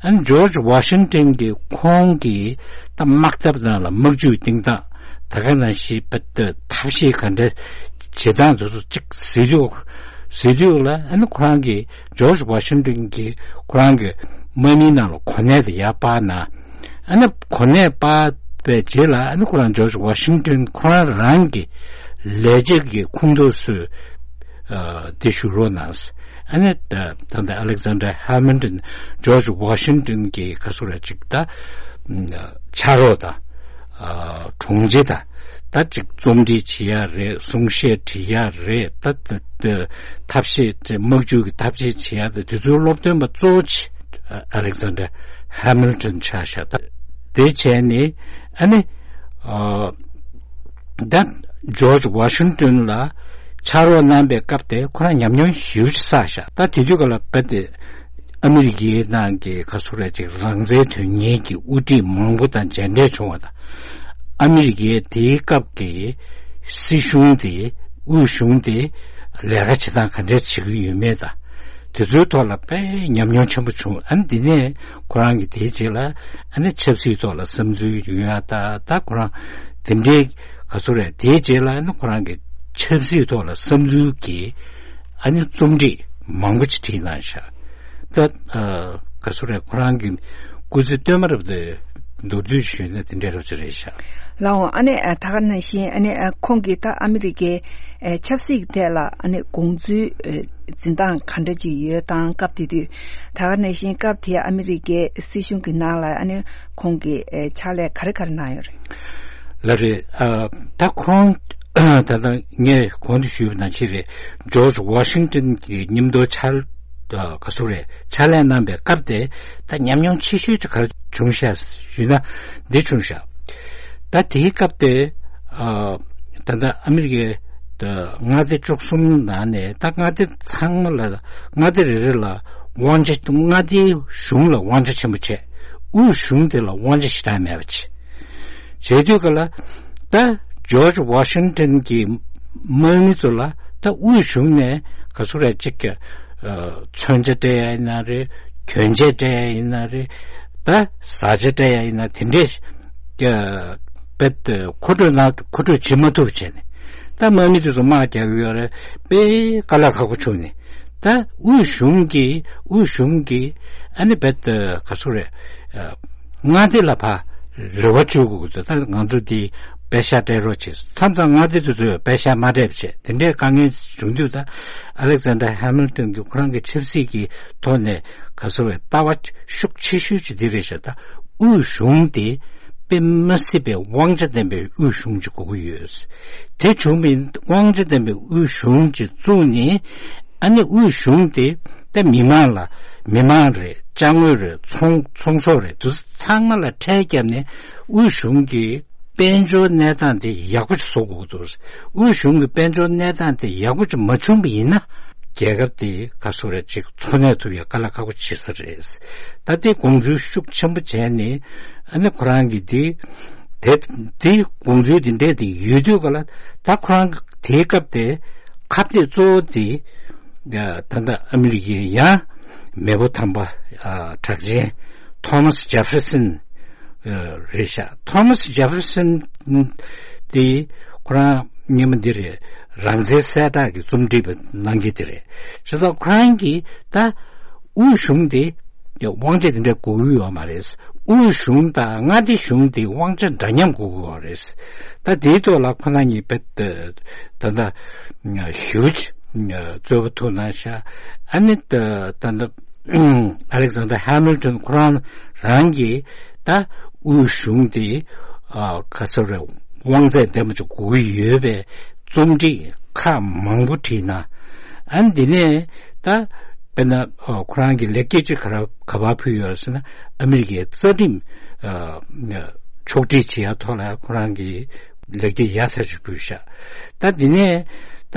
ཨ་ནི་ཇོརྗ་ཝ་ཤིང་ཏོན་གྱིས་ཁོང་གིས་ད་དམག་འཐབ་ནང་ལ་དམག་ཇུས་བཏིང་སྟངས་ད་ག་ནང་བཞིན་པ་ད་ཐབས་ཤེས་ག་འདྲ་བྱེད་སྟངས་དེ་ཚོ་གཅིག་གཟིགས་དུས་གཟིགས་དུས་ལ་ཨ་ནི་ཁོ་རང་གིས་ཇོརྗ་ཝ་ཤིང་ཏོན་གྱིས་ཁོ་རང་གི་དམག་མིའི་ནང་ལ་གོ་གནས་དེ་ཡར་སྤར་གནང་། ཨ་ནི་གོ་གནས་སྤར་བའི་རྗེས་ལ་ཨ་ནི་ཁོ་རང་ཇོརྗ་ཝ་ཤིང་ཏོན་ཁོ་རང་རང་གི་ལས་བྱེད་ཀྱི་ཁོངས་གཏོགས་ཚོས་ཨ་དེ་ཞུ་རོགས་གནང་། ཨ་ནི་ད་ད་ལྟ་ཨ་ལེག་ཛན་ཌར་ཧེ་མིལ་ཏོན་ཇོརྗ་ཝ་ཤིང་ཏོན་གྱི་ག་ཚོད་རེད་ཅིག་ད་ཕྱག་རོགས་དང་ཨ་དྲུང་ཆེ་དང་ད་ཅིག་རྩོམ་སྒྲིག་བྱེད་ཡ་རེད། གསུང་བཤད་འབྲི་ཡ་རེད། ད་ད་ད་ཐབས་ཤེས་དེ་དམག་ཇུས་ཀྱི་ཐབས་ཤེས་བྱེད་ཡ་དེ་དེ་ཚོའི་སློབ་སྟོན་པ་གཙོ་བོ་ཆེ་ཨ་ལེག་ཛན་ཌར་ཧེ་མིལ་ཏོན་ཆགས་ཤག་ད་དེ་བྱས་ནས་ཨ་ནི་ཨ་ད་ཇོརྗ་ཝ་ཤིང་ཏོན་ལ་ཕྱག་རོགས་གནང་པའི་སྐབས་དེ་ཁོ་རང་ཉམས་མྱོང་ཞེ་པོ་ཅིག་བསགས་ཤག་ད་དེ་དུས་སྐབས་ལ་དཔེ་དེ་ཨ་མི་རི་ཀའི་ནང་གི་ག་ཚོད་རེད་ཅིག་རང་བཙན་དོན་གཉེར་གྱི་དབུ་ཁྲིད་མང་པོ་དང་མཇལ་འཕྲད་བྱུང་བ་དང་། ཨ་མི་རི་ཀའི་དེའི་སྐབས་ཀྱི་སྲིད་གཞུང་དེ་དབུས་གཞུང་དེ་ལས་ཀ་བྱེད་སྟངས་ག་འདྲས་བྱེད་ཀྱི་ཡོད་མེད་དང་། དེ་ཚོའི་ཐོག་ལ་དཔེ་ཉམས་མྱོང་ཆེན་པོ་བྱུང་། ཨ་ནི་འདི་ནས་ཁོ་རང་གིས་དེའི་རྗེས་ལ་ཨ་ནི་ཆབ་སྲིད་ཐོག་ལ་བསམ་ཚུལ་ཡོད་ཡ་ད་ད་ཁོ་རང་དེ་འདྲའི་ག་ཚོད་རེད། དེའི་རྗེས་ལ་ཨ་ནི་ཁོ་རང་གིས་ཆབ་སྲིད་ཐོག་ལ་བསམ་ཚུལ་གྱི་ཨ་ནི་རྩོམ་སྒྲིག་མང་པོ་ཅིག་བྲིས་གནང་ཤག་ད་ཨ་ག་སུ་རེད། ཁོ་རང་གི་སྐུ་ཚེ་སྟོད་མ་རབ་ཏུ་མདོར་བསྡུས་ཞུས་ན་དེ་འདྲ་རབ་ཅིག་རེད་ཤག་ལའོ། ཨ་ནི་ཨ་ད་ག་ནང་བཞིན་ཨ་ནི་ཨ་ཁོང་གིས་ད་ཨ་མི་རི་ཀའི་ཨ་ཆབ་སྲིད་ཀྱི་ཐད་ལ་ཨ་ནི་དགོངས་ཚུལ་ཨ་འཛིན་སྟངས་ག་འདྲ་ཅིག་ཡོད་དང་། སྐབས་དེ་དུས་ད་ག་ནང་བཞིན་སྐབས་དེའི་ཨ་མི་རི་ཀའི་སྲིད་གཞུང་གི་ནང་ལ་ཨ་ནི་ཁོང་གིས་ཨ་ཕྱག་ལས་ག་རེ་ག་རེ་གནང་ཡོད་རེད། ལགས་རེད། ཨ་ད་ཁོང་ད་ལྟ་ངས་གོང་དུ་ཞུས་པ་ནང་བཞིན་རེད། ཇོརྗ་ཝ་ཤིང་ཏོན་གྱི་མཉམ་དུ་ཕྱག་ཨ་ག་ཟེར་རེད། ཕྱག་ལས་གནང་པའི་སྐབས་དེ་ད་ཉམས་མྱོང་ཆེ་ཤོས་ཅིག་ག་རེ་བྱུང་ཤག་ཞུས་ན་འདི་བྱུང་ཤག་ད་དེའི་སྐབས་དེ་ཨ་ད་ལྟ་ཨ་མི་རི་ཀའི་མངའ་སྡེ་བཅུ་གསུམ་ནང་ནས་ད་མངའ་སྡེ་ཚང་མ་ལ་མངའ་སྡེ་རེ་རེ་ལ་དབང་ཆ། མངའ་སྡེའི་གཞུང་ལ་དབང་ཆ་ཆེན་པོ་བྱས། དབུས་གཞུང་དེ་ལ་དབང་ཆ་ཞེ་དྲག་མེད་པ་བྱས། བྱེད་དུས་ག་ལ་ད་ཇོརྗ་ཝ་ཤིང་ཏོན་གྱི་དམག་མི་ཚོ་ལ་ད་དབུས་གཞུང་ནས་ག་ཚོད་རེད་ཅིག་གི་ཨ་མཚོན་ཆ་སྤྲད་ཡ་ཡིན་ན་རེད། གྱོན་ཆས་སྤྲད་ཡ་ཡིན་ན་རེད། ད་བཟའ་བཅའ་སྤྲད་ཡ་ཡིན་ན་དེ་འདྲས་ཀྱི་རྦད་དེ་མཁོ་སྤྲོད་གནང་། མཁོ་སྤྲོད་བྱེད་མ་ཐུབ་བྱས་ནས་ད་དམག་མི་དེ་ཚོ་དམག་རྒྱག་གི་ཡོད་རེད། དཔེ་དཀའ་ལས་ཁག་པོ་བྱུང་ནས་ད་དབུས་གཞུང་གིས་དབུས་གཞུང་གིས་ཨ་ནི་རྦད་དེ་ག་ཚོད་རེད། མངའ་སྡེ་ལ་ཕར་རེ་བ་བཅོལ་དགོས་ཀྱི་འདུག་ད་ང་ཚོ་འདི་པེ་ཤག་སྤྲད་རོགས་བྱེད། མཚམས་མཚམས་མངའ་སྡེ་དེ་ཚོས་པེ་ཤག་མ་སྤྲད་པ་བྱས། དེ་འདྲའི་དཀའ་ངལ་བྱུང་དུས་ད་ཨ་ལེག་ཛན་ཌར་ཧེ་མིལ་ཏོན་གྱིས་ཁོ་རང་གི་ཆབ་སྲིད་ཀྱི་ཐོག་ནས་ག་ཚོད་རེད། ལྟ་བ་ཤུགས་ཆེ་ཤོས་ཅིག་འདི་རེད་ཤག་ད་དབུས་གཞུང་དེ་དཔེ་མི་སྲིད་པའི་དབང་ཆ་ལྡན་པའི་དབུས་གཞུང་ཅིག་དགོས་ཀྱི་ཡོད། དེ་བྱུང་བའི་དབང་ཆ་ལྡན་པའི་དབུས་གཞུང་ཅིག་བཙུགས་ནས། ཨ་ནི་དབུས་གཞུང་དེ་ད་མི་མང་ལ། མི་མང་རེད། ཅ་དངོས་རེད། ཚོང་ཚོང་ཟོག་རེད། དེ་ཚང་མ་ལ་ཁྲལ་བརྒྱབ་ནས་དབུས་གཞུང་གི་དཔལ་འབྱོར་གནས་སྟངས་དེ་ཡག་པོ་ཞིག་བཟོ་དགོས་འདུག་དབུས་གཞུང་གི་དཔལ་འབྱོར་གནས་སྟངས་དེ་ཡག་པོ་ཅིག་མ་བྱུང་བ་ཡིན་ན་རྒྱལ་ཁབ་དེ་ག་ཚོད་རེད་ཅིག་འཚོ་གནས་ཐུབ་ཡ་དཀའ་ལས་ཁག་པོ་བྱེད་ས་རེད། ད་དེ་དགོངས་ཚུལ་ཤུགས་ཆེན་པོ་བྱས་ནས་ཨ་ནི་ཁོ་རང་གིས་དེ་དེ་དེ་དགོངས་ཚུལ་དེ་འདྲས་དེ་ཡོད་དུས་ག་ལ་ད་ཁོ་རང་དེའི་སྐབས་དེ་ཁ་གཏད་གཙོ་བོ་དེ་ད་ལྟ་ཨ་མི་རི་ཀའི་ཡང་མེས་པོ་དམ་པ་གྲགས་ཅན་ཐོ་མཱས་ཇེ་ཧྥེར་སན་རེད་ཤག་ཐོ་མཱས་ཇེ་ཧྥེར་སན་དེ་ཁོ་རང་སྔོན་མ་འདི་རེད། རང་བཙན་གསལ་བསྒྲགས་ཀྱི་རྩོམ་སྒྲིག་པ་གནང་མཁན་དེ་རེད། བྱས་ཙང་ཁོ་རང་གིས་ད་དབུས་གཞུང་དེ་དབང་ཆ་དེ་འདྲ་དགོས་ཀྱི་ཡོད་མ་རེད། དབུས་གཞུང་དང་མངའ་སྡེ་གཞུང་དེ་དབང་ཆ་འདྲ་མཉམ་དགོས་ཀྱི་ཡོད་རེད། ད་དེའི་ཐོག་ལ་ཁོ་རང་གཉིས་དཔེ་ད་ལྟ་ཞུ་རྩོད་པ་ཐུག་གནང་ཤག་ཨ་ནི་ད་ད་ལྟ་ཨ་ལེག་ཛན་ཌར་ཧེ་མིལ་ཏོན་ཁོ་རང་རང་གིས་ད་དབུས་གཞུང་དེ་ག་ཚོད་རེད། དབང་ཚད་ལྡན་པ་ཅིག་དགོས་ཀྱི་ཡོད་པའི་རྩོམ་སྒྲིག་ཁག་མང་པོ་བྲིས་གནང་། ཨ་ནི་འདི་ནས་ད་དཔེར་ན་ཁོ་རང་གིས་ལེགས་སྐྱེས་ཅིག་ག་ར་ག་པར་ཕུལ་ཡོད་ཟེར་ན་ཨ་མི་རི་ཀའི་རྩ་ཁྲིམས་ཕྱོགས་སྒྲིག་བྱེད་ཡ་ཐོག་ལ་ཁོ་རང་གིས་ལེགས་སྐྱེས་ཡག་ཐག་ཆོད་ཕུལ་ཤག་ད་འདི་ནས་ད་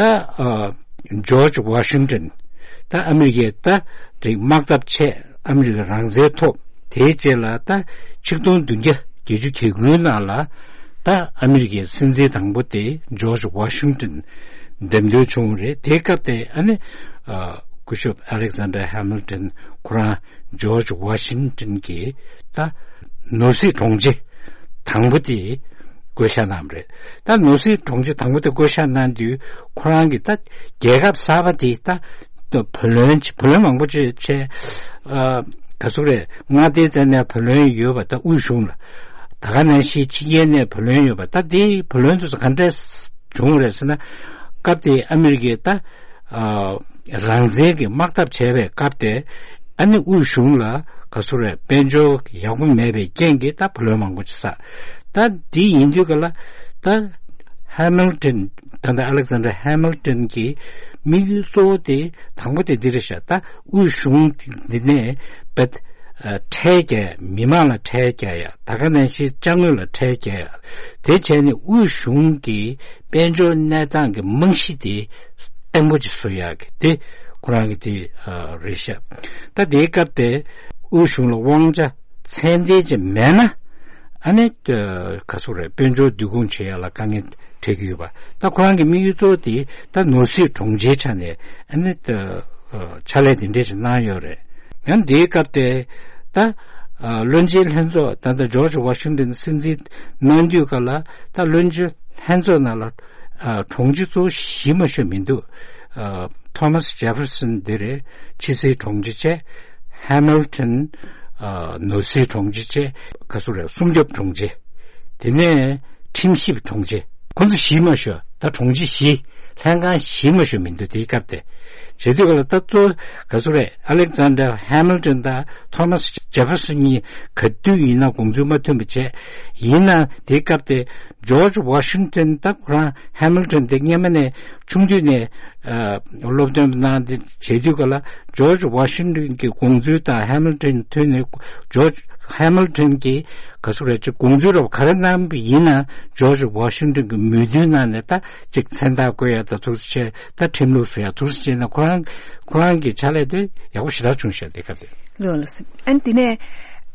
ཇོརྗ་ཝ་ཤིང་ཏོན་ད་ཨ་མི་རི་ཀའི་ད་རིགས་དམག་འཐབ་ཆེད་ཨ་མི་རི་ཀ་རང་བཙན་ཐོབ། དེའི་རྗེས་ལ་ད་ཆིག་སྟོང་བདུན་བརྒྱ་བརྒྱད་ཅུ་གྱ་དགུའི་ནང་ལ་ད་ཨ་མི་རི་ཀའི་སྲིད་འཛིན་དང་པོ་དེ་ཇོརྗ་ཝ་ཤིང་ཏོན་འདེམས་ཐོན་བྱུང་བ་རེད། དེའི་སྐབས་དེ་ཨ་ནི་སྐུ་ཞབས་ཨ་ལེག་ཛན་ཌར་ཧེ་མིལ་ཏོན་ཁོ་རང་ཇོརྗ་ཝ་ཤིང་ཏོན་གྱི་ད་ནོར་སྲིད་དྲུང་ཆེ་དང་པོ་དེ་བསྐོ་བཞག་གནང་བ་རེད། ད་ནོར་སྲིད་དྲུང་ཆེ་དང་པོ་དེ་བསྐོ་བཞག་གནང་དུས་ཁོ་རང་གིས་ད་རྒྱལ་ཁབ་གསར་པ་དེ་ད་བུ་ལོན་བུ་ལོན་མང་པོ་བྱས་བྱས་ག་ཚོད་རེད། མངའ་སྡེའི་རྩ་ནས་བུ་ལོན་ཡོད་པ་ད་དབུས་གཞུང་ལ་ད་ག་ནང་བཞིན་ཕྱི་རྒྱལ་ནས་བུ་ལོན་ཡོད་པ་ད་དེའི་བུ་ལོན་དེ་ཚོ་ག་འདྲས་བྱུང་བ་རེད་ཟེར་ན། སྐབས་དེ་ཨ་མི་རི་ཀས་ད་རང་བཙན་གྱི་དམག་འཐབ་བྱས་པའི་སྐབས་དེ་ཨ་ནི་དབུས་གཞུང་ལ་ག་ཚོད་རེད། དཔལ་འབྱོར་ཡག་པོ་མེད་པའི་རྐྱེན་གྱིས་ད་བུ་ལོན་མང་པོ་ཅིག་བསགས། ད་འདི་ཡིན་དུས་ག་ལ་ད་ཧེ་མིལ་ཏོན་ད་ལྟ་ཨ་ལེག་ཛན་ཌར་ཧེ་མིལ་ཏོན་གྱི་དམིགས་ཡུལ་གཙོ་བོ་དེ་དང་པོ་དེ་འདི་རེད་ཤག་ད་དབུས་གཞུང་འདི་ནས་བེད་ཁྲལ་རྒྱག་མི་མང་ལ་ཁྲལ་རྒྱག་ཡ། ད་ག་ནང་བཞིན་ཅ་དངོས་ལ་ཁྲལ་རྒྱག་ཡ། དེ་བྱས་ནས་དབུས་གཞུང་གི་དཔལ་འབྱོར་གནས་སྟངས་ཀྱི་རྨང་གཞི་དེ་བརྟན་པོ་ཅིག་བཟོ་ཡག་གི་དེ་ཁོ་རང་གི་དེ་རེད་ཤག་ད་དེའི་སྐབས་དེ་དབུས་གཞུང་ལ་དབང་ཆ་ཚད་ལྡན་ཅིག་མེད་ན་ཨ་ནི་ག་ཚོད་རེད། དཔལ་འབྱོར་བསྡུ་སྐོང་བྱེད་ཡག་ལ་དཀའ་ངལ་འཕྲད་ཀྱི་ཡོད་པ། ད་ཁོ་རང་གི་དམིགས་ཡུལ་གཙོ་བོ་དེ་ད་ནོར་སྲིད་དྲུང་ཆེའི་ཆ་ནས་ཨ་ནི་ཕྱག་ལས་དེ་འདྲས་ཞིག་གནང་ཡོད་རེད། ཡང་དེའི་སྐབས་དེ་ད་བློན་ཆེན་ལྷན་ཚོགས་ད་ལྟ་ཇོརྗ་ཝ་ཤིང་ཏོན་སྲིད་འཛིན་གནང་དུས་ག་ལ་ད་བློན་ཆེན་ལྷན་ཚོགས་ནང་ལ་དྲུང་ཆེ་གཙོ་བོ་གཞི་མ་ཤོར་མི་འདུག་ཐོ་མཱས་ཇེ་ཧྥེར་སན་དེ་རེད། ཕྱི་སྲིད་དྲུང་ཆེ་བྱས། ཧེ་མིལ་ཊོན། ཨ། ནོར་སྲིད་དྲུང་ཆེ་བྱས། ག་ཟེར་རེད། སྲུང་སྐྱོབ་དྲུང་ཆེ། དེ་ནས་ཁྲིམས་ཞིབ་དྲུང་ཆེ། ཁོང་ཚོ་བཞི་མ་ཤོད། ད་དྲུང་ཆེ་བཞི། ལྷན་ཁང་བཞི་མ་ཤོད་མི་འདུག་དེའི་སྐབས་དེ། བྱེད་དུས་ག་ལ་ད་གཙོ་ག་ཟེར་རེད། ཨ་ལེག་ཛན་ཌར་ཧེ་མིལ་ཊོན་དང་ཐོ་མཱ་སི་ཇེ་ཧྥེར་སོན་གཉིས་ག་དུས་ཡིན་ན་དགོངས་ཚུལ་མ་མཐུན་པ་བྱས། ཡིན་ན་དེའི་སྐབས་དེ་ཇོར་ཇི་ཝ་ཤིང་ཊོན། ད་ཁོ་རང་ཧེ་མིལ་ཊོན་དེ་སྔོན་མ་ནས་ཆུང་དུས་ནས། ཨ། སློབ་སྟོན་གནང་སྟེ་བྱེད་དུས་ག་ལ་ཇོར་ཇི་ཝ་ཤིང་ཊོན་གྱི་དགོངས་ཚུལ་དང་ཧེ་མིལ་ཊོན་མཐུན་ནས། ཇོར་ཇི་ཧེ་མིལ་ཊོན་གྱིས་ག་ཟེར་རེད། ཅིག་དགོངས་ཚུལ་རབ་ག་རེ་གནང་བ་ཡིན་ན་ཇོར་ཇི་ཝ་ཤིང་ཊོན་གྱིས་མོས་མཐུན་གནང་ནས། ད་ཅིག་མཚན་རྟགས་བཀོད་ཡ་དང་ཐུགས་རྗེ་ཆེ། ད་ཁྲིམས་ལུགས་བཟོ་ཡ་ཐུགས་རྗེ་ཆེ་ན། ཁོ་རང་ཁོ་རང་གི་ཕྱག་ལས་དེ་ཡག་པོ་ཞེ་དྲག་བྱུང་ཤག་དེ་སྐབས་དེ། ལགས་ལགས་སོ། ཨ་ནི་དེ་ནས།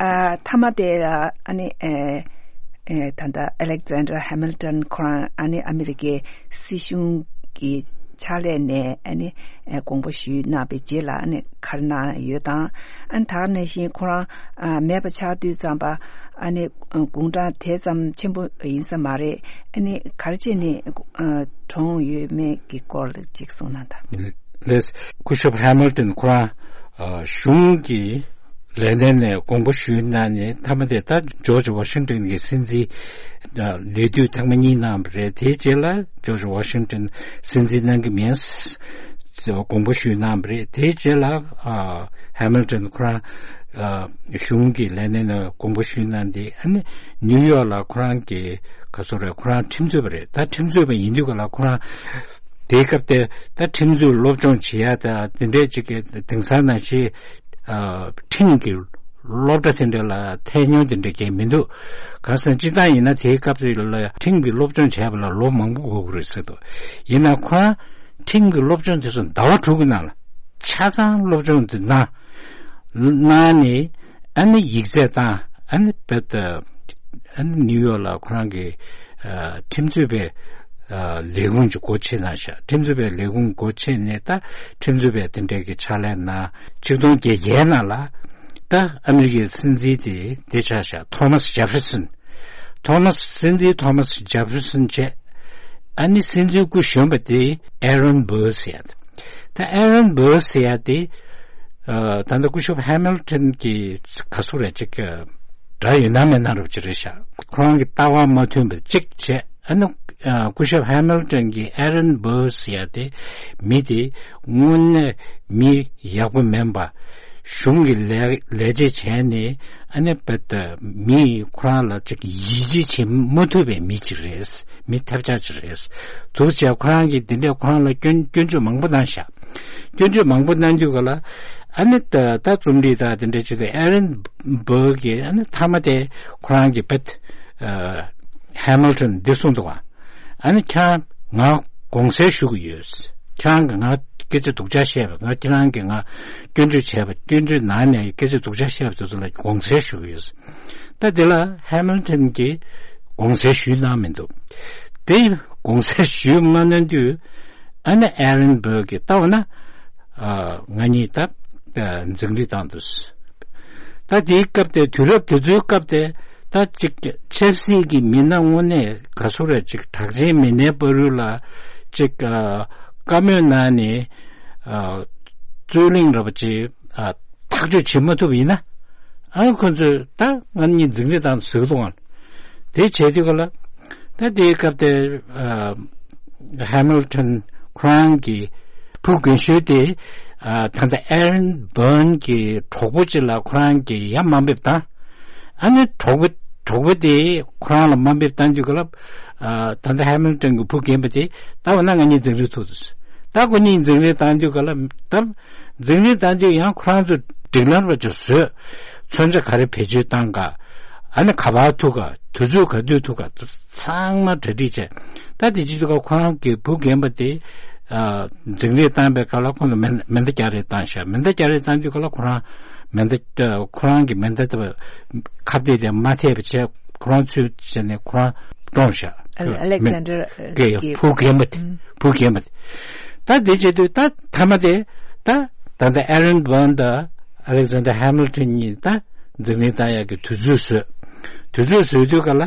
ཨ། མཐའ་མ་དེ་ལ་ཨ་ནི། ཨེ། ཨེ། ད་ལྟ་ཨ་ལེག་ཛན་ཌར་ཧེ་མིལ་ཊོན་ཁོ་རང་ཨ་ནི་ཨ་མི་རི་ཀའི་སྲིད་གཞུང་གི་ཕྱག་ལས་ནས་ཨ་ནི། ཨེ། དགོངས་པ་ཞུས་གནང་བའི་རྗེས་ལ་ཨ་ནི་ག་རེ་གནང་ཡོད་དང་། ཨ་ནི་ད་ག་ནང་བཞིན་ཁོ་རང་ཨ་མེད་པ་ཆགས་དུས་ཙམ་པ་ཨ་ནི་དགུང་གྲངས་དེ་ཙམ་ཆེན་པོ་ཡིན་ས་མ་རེད། ཨ་ནི་ག་རེ་བྱས་ནས་ཨ་གྲོངས་ཡོད་མེད་ཀྱི་སྐོར་ལ་ཅིག་གསུངས་གནང་དང་། ལགས། སྐུ་ཞབས་ཧེ་མིལ་ཊོན་ཁོ་རང་ཨ་གཞུང་གི་ལས་སྣེ་ནས་དགོངས་པ་ཞུས་གནང་ནས། མཐའ་མ་དེ་ད་ཇོར་ཇི་ཝ་ཤིང་ཊོན་གྱི་སྲིད་འཛིན་ལས་དུས་ཐེངས་མ་གཉིས་གནང་བ་རེད། དེའི་རྗེས་ལ་ཇོར་ཇི་ཝ་ཤིང་ཊོན་སྲིད་འཛིན་གནང་གི་མིན་དགོངས་པ་ཞུས་གནང་བ་རེད། དེའི་རྗེས་ལ་ཨ་ཧེ་མིལ་ཊོན་ཁོ་རང་ཨ་གཞུང་གི་ལས་སྣེ་ནས་དགོངས་པ་ཞུས་གནང་སྟེ། ཨ་ནི་ནིའུ་ཡོག་ལ་ཁོ་རང་གི་ག་ཟེར་རེད། ཁོ་རང་ཁྲིམས་རྩོད་པ་རེད། ད་ཁྲིམས་རྩོད་པ་ཡིན་དུས་ག་ལ་ཁོ་རང་དེའི་སྐབས་དེ་ད་ཁྲིམས་རྩོད་སློབ་སྦྱོང་བྱེད་ཡ་ད་དེ་འདྲས་ཅིག་གི་དེང་སང་ནང་བཞིན་ཨ་ཁྲིམས་ཀྱི་སློབ་གྲྭ་དེ་འདྲ་ལ་ཐད་མྱོང་དེ་འདྲ་གང་མི་འདུག་གང་ཟེར་ན་སྤྱིར་བཏང་ཡིན་ན་དེའི་སྐབས་དེ་ལ་ཁྲིམས་ཀྱི་སློབ་སྦྱོང་བྱས་པ་ལ་ལོ་མང་པོ་འགོར་གི་རེད་ཟེར་འདུག་ཡིན་ན་ཁོ་རང་ཁྲིམས་ཀྱི་སློབ་སྦྱོང་དེ་ཚོ་ཟླ་བ་དྲུག་གི་ནང་ལ་ཆ་ཚང་སློབ་སྦྱོང་དེ་གནང་གནང་ནས། ཨ་ནི་ཡིག་ཚད་བཏང་། ཨ་ནི་བེད། ཨ་ནི་ནིའུ་ཡོག་ལ་ཁོ་རང་གི་ཨ་ཁྲིམས་རྩོད་པའི་ཨ་ལས་ཁུངས་ཅིག་སྒོ་ཕྱེ་གནང་ཤག་ཁྲིམས་རྩོད་པའི་ལས་ཁུངས་སྒོ་ཕྱེ་ནས་ད་ཁྲིམས་རྩོད་པའི་དེ་འདྲའི་གི་ཕྱག་ལས་གནང་། ཆིག་སྟོང་བརྒྱད་བརྒྱའི་ནང་ལ་ད་ཨ་མི་རི་ཀའི་སྲིད་འཛིན་དེ་དེ་ཆགས་ཤག་ཐོ་མཱ་སི་ཇེ་ཧྥེར་སོན། ཐོ་མཱ་སི། སྲིད་འཛིན་ཐོ་མཱ་སི་ཇེ་ཧྥེར་སོན་བྱས། ཨ་ནི་སྲིད་འཛིན་སྐུ་གཞོན་པ་དེ་ཨེ་རོན་བྷར་ཟེར་ཡ་དེ། ད་ཨེ་རོན་བྷར་ཟེར་ཡ་དེ། ཨ། ད་ལྟ་སྐུ་ཞབས་ཧེ་མིལ་ཊོན་གྱི་ག་ཟེར་རེད། ཅིག་གི་འདྲ་ཡོད་ན་མེད་ན་རབ་ཅིག་རེད་ཤག་ཁོ་རང་གི་ལྟ་བ་མ་མཐུན་པ་ཅིག་བྱས། ཨ་ནི། ཨ། སྐུ་ཞབས་ཧེ་མིལ་ཊོན་གྱིས་ཨེ་རོན་བྷར་ཟེར་ཡ་དེ་མི་དེ་དངོས་གནས་མི་ཡག་པོ་མིན་པ། གཞུང་གི་ལས་ལས་བྱེད་བྱས་ནས། ཨ་ནི་བེད་མི་ཁོ་རང་ལ་ཅིག་ཡིད་ཆེས་བྱེད་མ་ཐུབ་པའི་མི་ཅིག་རེད། མི་ཐབས་ཆག་ཅིག་རེད། འདུག་བྱས་ཁོ་རང་གིས་འདི་འདྲས་ཁོ་རང་ལ་སྐྱོན་སྐྱོན་བརྗོད་མང་པོ་གནང་ཤག་སྐྱོན་བརྗོད་མང་པོ་གནང་དུས་ག་ལ། ཨ་ནི་ད་ད་རྩོམ་སྒྲིག་དང་དེ་འདྲས་བྱེད་དུས་ཨེ་རོན་བྷར་གྱིས་ཨ་ནི་མཐའ་མ་དེ་ཁོ་རང་གི་བེད། ཨ། ཧེ་མིལ་ཊོན་འདི་གསུངས་འདུག་ག་ཨ་ནི་ཁྱེད་རང་ང་དགོངས་སེལ་ཞུ་གི་ཡོད། ཁྱེད་རང་གིས་ང་སྐད་ཆ་སྡུག་ཅག་བཤད་པ། ང་ཁྱེད་རང་གིས་ང་སྐྱོན་བརྗོད་བྱས་པ། སྐྱོན་བརྗོད་གནང་ནས་སྐད་ཆ་སྡུག་ཅག་བཤད་པ་དེ་ཚོ་ལ་དགོངས་སེལ་ཞུ་གི་ཡོད། ད་དེ་ལ་ཧེ་མིལ་ཊོན་གྱིས་དགོངས་སེལ་ཞུས་གནང་མི་འདུག་དེ་དགོངས་སེལ་ཞུས་མ་གནང་དུས། ཨ་ནི་ཨེ་རོན་བྷར་གྱིས་ལྟ་བ་ན། ཨ། ང་གཉིས་ད་ཨ་འཛིང་རེས་བཏང་འདུག་ད་དེའི་སྐབས་དེ། དུས་རབས་དེ་ཚོའི་སྐབས་དེ། ད་ཅིག་ཆབ་སྲིད་ཀྱི་མི་སྣ་དངོས་གནས་ག་ཟེར་རེད། ཅིག་གྲགས་ཅན་མི་སྣའི་བར་དུ་ལ་ཅིག་ཨ་བཀའ་མོལ་གནང་ནས། ཨ། རྩོད་གླེང་འདྲ་པོ་ཅིག་ཨ་ཐག་གཅོད་བྱེད་མ་ཐུབ་པ་ཡིན་ན། ཨ། ཁོ་ཚོས་ད་ང་གཉིས་འཛིང་རེས་བཏང་ཟེར་གི་འདུག་ག་དེ་བྱས་དུས་ག་ལ། ད་དེའི་སྐབས་དེ། ཨ། ཧེ་མིལ་ཊོན་ཁོ་རང་གི་བུ་རྒན་ཤོས་དེ། ཨ། ད་ལྟ་ཨེ་རོན་བྷར་གྱི་གྲོགས་པོ་ཅིག་ལ་ཁོ་རང་གིས་ཡར་དམའ་འབེབས་བཏང་། ཨ་ནི་གྲོགས་པོ་གྲོགས་པོ་དེ་ཁོ་རང་ལ་དམའ་འབེབས་བཏང་དུས་ག་ལ། ཨ། ད་ལྟ་ཧེ་མིལ་ཊོན་གྱི་བུ་རྒན་པ་དེ་ལྟ་བ་ན་ང་གཉིས་འཛིང་རེས་ཐུག་འདུག་ད་ཁོ་གཉིས་འཛིང་རེས་བཏང་དུས་ག་ལ། ད་འཛིང་རེས་བཏང་དུས་ཡང་ཁོ་རང་ཚོ་སྒྲིག་ལམ་ར་ཅིག་བཟོས། མཚོན་ཆ་ག་རེ་བེད་སྤྱོད་བཏང་ག་ཨ་ནི་ག་པར་ཐུག་ག་དུས་ཚོད་ག་དུས་ཐུག་ག་ཚང་མ་གྲ་སྒྲིག་བྱས། ད་དེ་བྱེད་དུས་ག་ཁོ་རང་གི་བུ་རྒན་པ་དེ། ཨ། འཛིང་རེས་བཏང་པའི་སྐབས་ལ་ཁོང་ལ་མེ་མེ་མདའ་རྒྱག་རེས་བཏང་ཤག་མེ་མདའ་རྒྱག་རེས་བཏང་དུས་ག་ལ་ཁོ་རང་མེ་མདའ། ཁོ་རང་གི་མེ་མདའ་དེ་ཁ་གཏད་དེ་མ་ཐེབས་པ་བྱས། ཁོ་རང་ཚུད་བྱས་ནས་ཁོ་རང་གྲོངས་ཤག་ཨ་ལེག་ཟན་ཌར་གི་གི་བུ་རྒན་པ་དེ། ཨུམ། བུ་རྒན་པ་དེ། ད་དེ་བྱེད་དུས་ད་མཐའ་མ་དེ། ད་ད་ལྟ་ཨེ་རོན་བྷར་དང་ཨ་ལེག་ཟན་ཌར་ཧེ་མིལ་ཊོན་གཉིས་ད་འཛིང་རེས་བཏང་ཡག་གི་དུས་ཚོད་བཟོས། དུས་ཚོད་བཟོས་དུས་ག་ལ།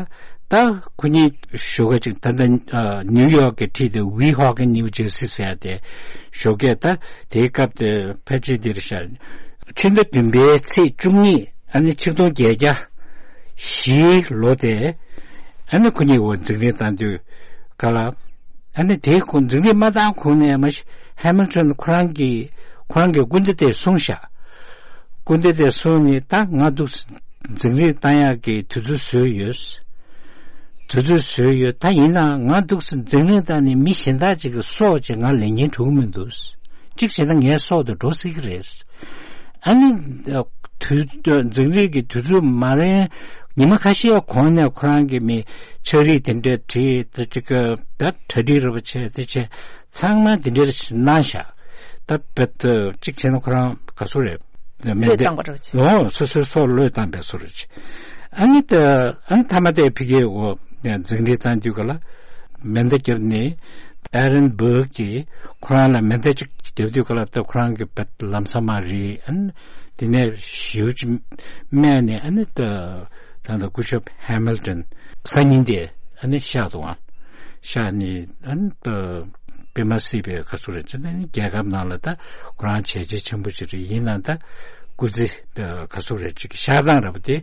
ད་ཁོ་གཉིས་ཞོགས་ཀ་ཅིག་ད་ལྟ་ཨ་ནིའུ་ཡོག་གི་འཁྲིས་དེ་ཝི་ཧོ་ཀན་ནིའུ་ཇར་སི་ཟེར་ཡ་དེ། ཞོགས་ཀས་ད་དེའི་སྐབས་དེ་ཕལ་ཆེར་འདིར་ཤར། ཕྱི་ཟླ་བདུན་པའི་ཚེས་བཅུ་གཉིས། ཨ་ནི་ཆིག་སྟོང་བརྒྱད་བརྒྱ་བཞིའི་ལོ་དེ། ཨ་ནི་ཁོ་གཉིས་འོ་འཛིང་རེས་བཏང་དུས་ག་ལ། ཨ་ནི་དེའི་ཁོ་འཛིང་རེས་མ་བཏང་གོང་ནས་མ་གཞི་ཧེ་མིལ་ཊོན་ཁོ་རང་གི་ཁོ་རང་གི་སྐུ་ཟླ་དེ་གསུངས་ཤག་སྐུ་ཟླ་དེ་གསུངས་ནས་ད་ང་འདུག་འཛིང་རེས་བཏང་ཡག་གི་དུས་ཚོད་བཟོས་ཡོད། དུས་ཚོད་བཟོས་ཡོད། ད་ཡིན་ནའང་ང་འདུག་སེ་འཛིང་རེས་བཏང་ནས་མི་གཞན་དག་ཅིག་གི་སྲོག་ཅིག་ང་ལེན་གྱིན་འགྲོ་གི་མི་འདུག་གཅིག་བྱས་ན་ངའི་སྲོག་དེ་འགྲོ་སྲིད་ཀྱི་རེད། ཨ་ནི། དུས། འཛིང་རེས་ཀྱི་དུས་ཚོད་མ་རན། ཉི་མ་ཁ་ཤས་གོང་ནས་ཁོ་རང་གི་མི་ཕྱག་བྲིས་དེ་འདྲ་བྲིས་དེ་ཅིག་ད་གྲ་སྒྲིག་རེད་པ་བྱས་དེ་བྱས་ཚང་མ་དེ་འདྲ་གནང་ཤག་ད་བེད་གཅིག་བྱས་ན་ཁོ་རང་ག་སུ་རེད། མེ་བློས་མདའ། བཏང་བ་རེད་བྱས། ཨོ་སོ་སོའི་སྲོག་བློས་བཏང་པའི་སུ་རེད་བྱས། ཨ་ནི་ད་ཨ་ནི་མཐའ་མ་དེ་ཕི་གེ་འོ་འཛིང་རེས་བཏང་དུས་ག་ལ། མེ་མདའ་བརྒྱབ་ནས་ཨེ་རན་སྦུག་གིས་ཁོ་རང་ལ་མེ་མདའ་གཅིག་བརྒྱབ་དུས་ག་ལ་ད་ཁོ་རང་གི་བེད་ལམ་སང་མ་རེད། ཨ་ནི་དེ་ནས་ཞེའུ་ཅིག་སྨས་ནས་ཨ་ནི་ད་ད་ད་སྐུ་ཞབས་ཧེ་མིལ་ཊོན་སང་ཉིན་དེ་ཨ་ནི་གཤེགས་འདུག་ཨང་། གཤེགས་ནས་ཨ་ནི་ད་དཔེ་མ་སྲིད་པའི་ག་ཚོད་རེད་ཅེ་ན་རྒྱལ་ཁབ་ནང་ལ་ད་ཁོ་རང་བྱས་རྗེས་ཆེན་པོ་ཞིག་རེད། ཡིན་ནའང་ད་སྐུ་ཚེ་ག་ཚོད་རེད་ཅིག་གཤེགས་སྟངས་རེད་པ་དེ་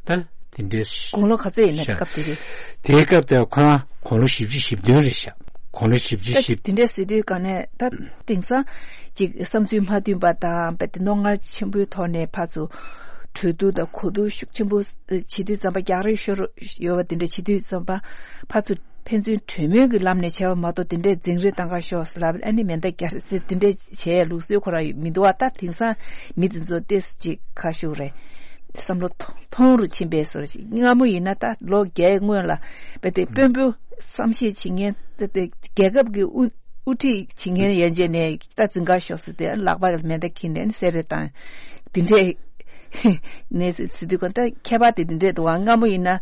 ད་དེ་འདྲའི་དགུང་ལོ་ག་ཚོད་ཡིན་ན་གཤེགས། སྐབས་དེ་རེད། དེའི་སྐབས་དེ་ཁོ་རང་དགུང་ལོ་བཞི་བཅུ་ཞེ་བདུན་རེད་ཤག་དགུང་ལོ་བཞི་བཅུ་ད་ཞེ་དེ་འདྲ་ཟེར་དུས་ག་ནས་ད་དེང་སང་ཅིག་བསམ་ཚུལ་མ་མཐུན་པ་དང་རྦད་དེ་རྣོ་ངར་ཆེན་པོའི་ཐོག་ནས་ཕར་ཚུར་གྲོས་བསྡུར་དང་གོ་བསྡུར་ཤུགས་ཆེན་པོ་བྱེད་དུས་ཙམ་པ། རྒྱག་རེས་ཤོར་ཡོད་པ་དེ་འདྲ་བྱེད་དུས་ཙམ་པ་ཕར་ཚུར་ཕན་ཚུན་གྲོས་མོལ་གྱི་ལམ་ནས་བྱས་པ་མ་གཏོགས་དེ་འདྲའི་འཛིང་རེས་བཏང་ག་ཤོག་ཟེར་ལབ། ཨ་ནི་མེ་མདའ་རྒྱག་རེས་ཟེར་དེ་འདྲའི་བྱས་ལུགས་སྲོལ་ཁོ་རང་མི་འདུག་བ། ད་དེང་སང་མི་དེ་ཚོ་ཏོག་ཙམ་ཅིག་ཁ་ཤུགས་རེད། བསམ་བློ་ཐོང་ཐོང་རུ་ཕྱིན་པའི་བཟོ་འདྲ་ཞིག་སྔ་མོ་ཡིན་ན་ད་ལོ་བརྒྱད་སྔོན་ལ་རྦད་དེ་དཔོན་པོ་བསམ་ཤེས་བྱེད་མཁན་ད་དེ་རྒྱལ་ཁབ་ཀྱི་དབུ་དབུ་ཁྲིད་བྱེད་མཁན་ཡན་ཆད་ནས་ད་འཛིང་ག་ཤོག་ཟེར་ཏེ་ལག་པ་མེ་མདའ་འཁྱེར་ནས་བསད་རེས་བཏང་། དེ་འདྲས་ནས་ཟེར་དུས་ག་ད་ཁྱད་པར་དེ་དེ་འདྲས་འདུག་བ། སྔ་མོ་ཡིན་ན་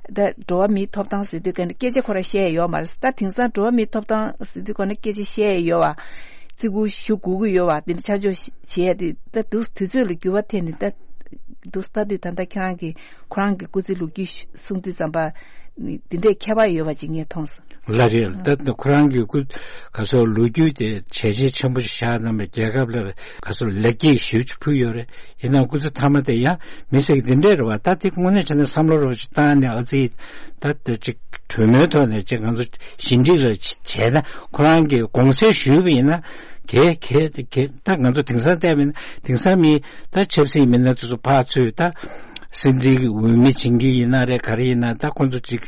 ད་འགྲོ་བ་མིའི་ཐོབ་ཐང་ཟེར་དུས་ག་ནས་སྐད་ཆ་ཁོ་རང་བཤད་ཡོད་མ་རེད། ད་དེང་སང་འགྲོ་བ་མིའི་ཐོབ་ཐང་ཟེར་དུས་ག་ནས་སྐད་ཆ་བཤད་ཡོད་བ། བརྩི་བཀུར་ཞུ་དགོས་ཀྱི་ཡོད་བ། དེ་འདྲ་ཆ་འཇོག་བྱེད་ཡ་དེ་ད་དུས་དུས་ཚོད་ལ་འགྱུར་བ་ཐེབས་ནས་ད་དུས་ད་དུས་ད་ལྟ་ཁྱེད་རང་གི་ཁོ་རང་གི་སྐུ་ཚེ་ལོ་རྒྱུས་གསུང་དུས་ཙམ་པ་འདི་འདྲའི་ཁྱད་པར་ཡོད་པ་ཅིག་ངས་མཐོང་སོང་། ལགས་རེད། ད་ཁོ་རང་གི་སྐུ་ག་སོགས་ལོ་རྒྱུས་དེ་བྱས་རྗེས་ཆེན་པོ་ཞིག་བཞག་གནང་བའི་རྒྱལ་ཁབ་ལ་ག་སོགས་ལེགས་སྐྱེས་ཞེ་པོ་ཅིག་ཕུལ་ཡོད་རེད། ཡིན་ནའང་སྐུ་ཚེ་མཐའ་མ་དེ་ཡང་མི་ཟེར་གི་འདི་འདྲས་རེད་བ། ད་དེ་དངོས་གནས་བྱས་ན་བསམ་བློ་རེ་བ་ཅིག་བཏང་ནས་ཨ་ཙི་ད་དེ་ཅིག་གྲོས་མོལ་ཐོག་ནས་ཅིག་ང་ཚོ་ཞི་འགྲིག་རེ་བྱས་ན་ཁོ་རང་གིས་དགོངས་སེལ་ཞུས་པ་ཡིན་ན་གལ་གལ་གལ་ད་ང་ཚོ་དེང་སང་བལྟས་པ་ཡིན་ན་དེང་སང་མི་ད་ཆབ་སྲིད་མི་སྣ་དེ་ཚོ་ཕར་ཚུར་ད། སྲིད་འཛིན་གྱི་འོས་མི་བྱེད་མཁན་ཡིན་ན་རེད། ག་རེ་ཡིན་ན་ད་ཁོང་ཚོ་ཅིག་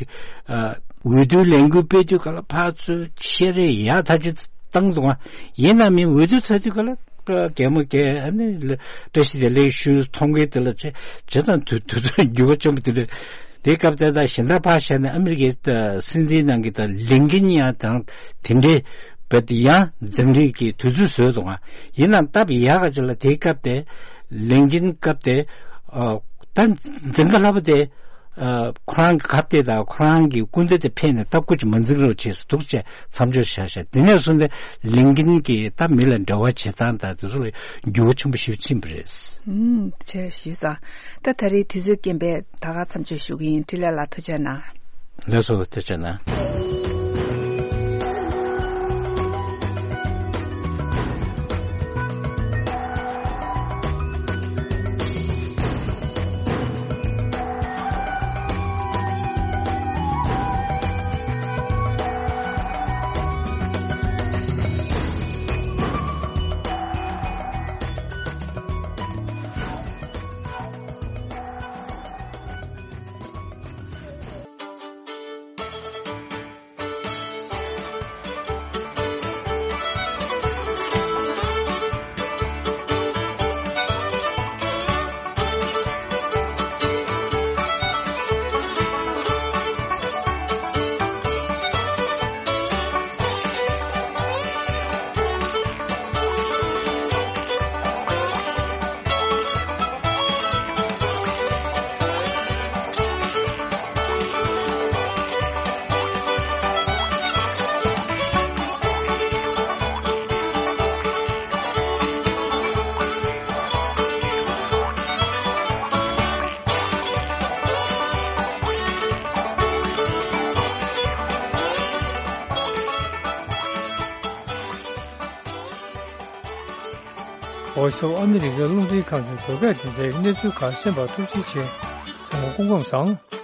ཨ་འོས་བསྡུའི་ལས་འགུལ་སྤེལ་དུས་ག་ལ་ཕར་ཚུར་ཆེ་རེ་ཡག་ཐག་ཆོད་བཏང་འདུག་ཨ། ཡིན་ན་མིན་འོས་བསྡུ་ཚར་དུས་ག་ལ་རྒན་མོ་རྒན་ཨ་ནི་བཀྲ་ཤིས་བདེ་ལེགས་ཞུ་མཐོང་གི་དེ་ལ་བྱས་བྱས་ཙང་དུས་དུས་ཚོད་འགྱུར་བ་བྱུང་བ་དེ་འདྲ། དེའི་སྐབས་དེ་ད་གཞན་དག་ཕར་བཞག་ནས་ཨ་མི་རི་ཀའི་སྲིད་འཛིན་ནང་གི་ད་ལིན་ཀིན་ཡང་དང་དེ་འདྲའི་བ་དེ་ཡང་འཛིང་རེས་ཀྱི་དུས་ཚོད་བཟོས་འདུག་ཨ། ཡིན་ནའང་སྟབས་ཡག་ག་ཅིག་ལ་དེའི་སྐབས་དེ་ལིན་ཀིན་སྐབས་དེ་ཨ་ད་འཛིང་ག་ལྷག་པ་དེ། ཨ་ཁོ་རང་གི་ཁ་གཏད་དང་ཁོ་རང་གི་སྐུ་ཚེ་དེ་ཕན་ནས་ད་སྐུ་ཅིག་མ་འཛིང་རོགས་བྱས་སུ་འདུག་ཅེས་མཚམས་འཇོག་བྱས་ཤག་དེ་ནས་བཟུང་སྟེ་ལིན་ཀིན་གྱིས་ད་མི་ལ་འབྲེལ་བ་བྱེད་སྟངས་དང་དེ་ཚོ་ལ་འགྱུར་བ་ཆེན་པོ་ཞིག་ཕྱིན་པ་རེད། ཨུམ་བྱས་ཞུས་ཙང་ད་ད་རེས་དུས་ཚོད་རྐྱེན་པས་ད་ག་མཚམས་འཇོག་ཞུ་གི་ཡིན། འཕྲིན་ལས་ལགས་ཐུགས་རྗེ་གནང་། ལགས་སོ་ཐུགས་རྗེ་གནང་། Voice of America རླུང་འཕྲིན་ཁང་གི་བོད་སྐད་སྡེ་ཚན་གྱི་གནས་ཚུལ་ཁག་གསན་པར་ཐུགས་རྗེ་ཆེ། ཚང་མ་སྐུ་ཁམས་བཟང་།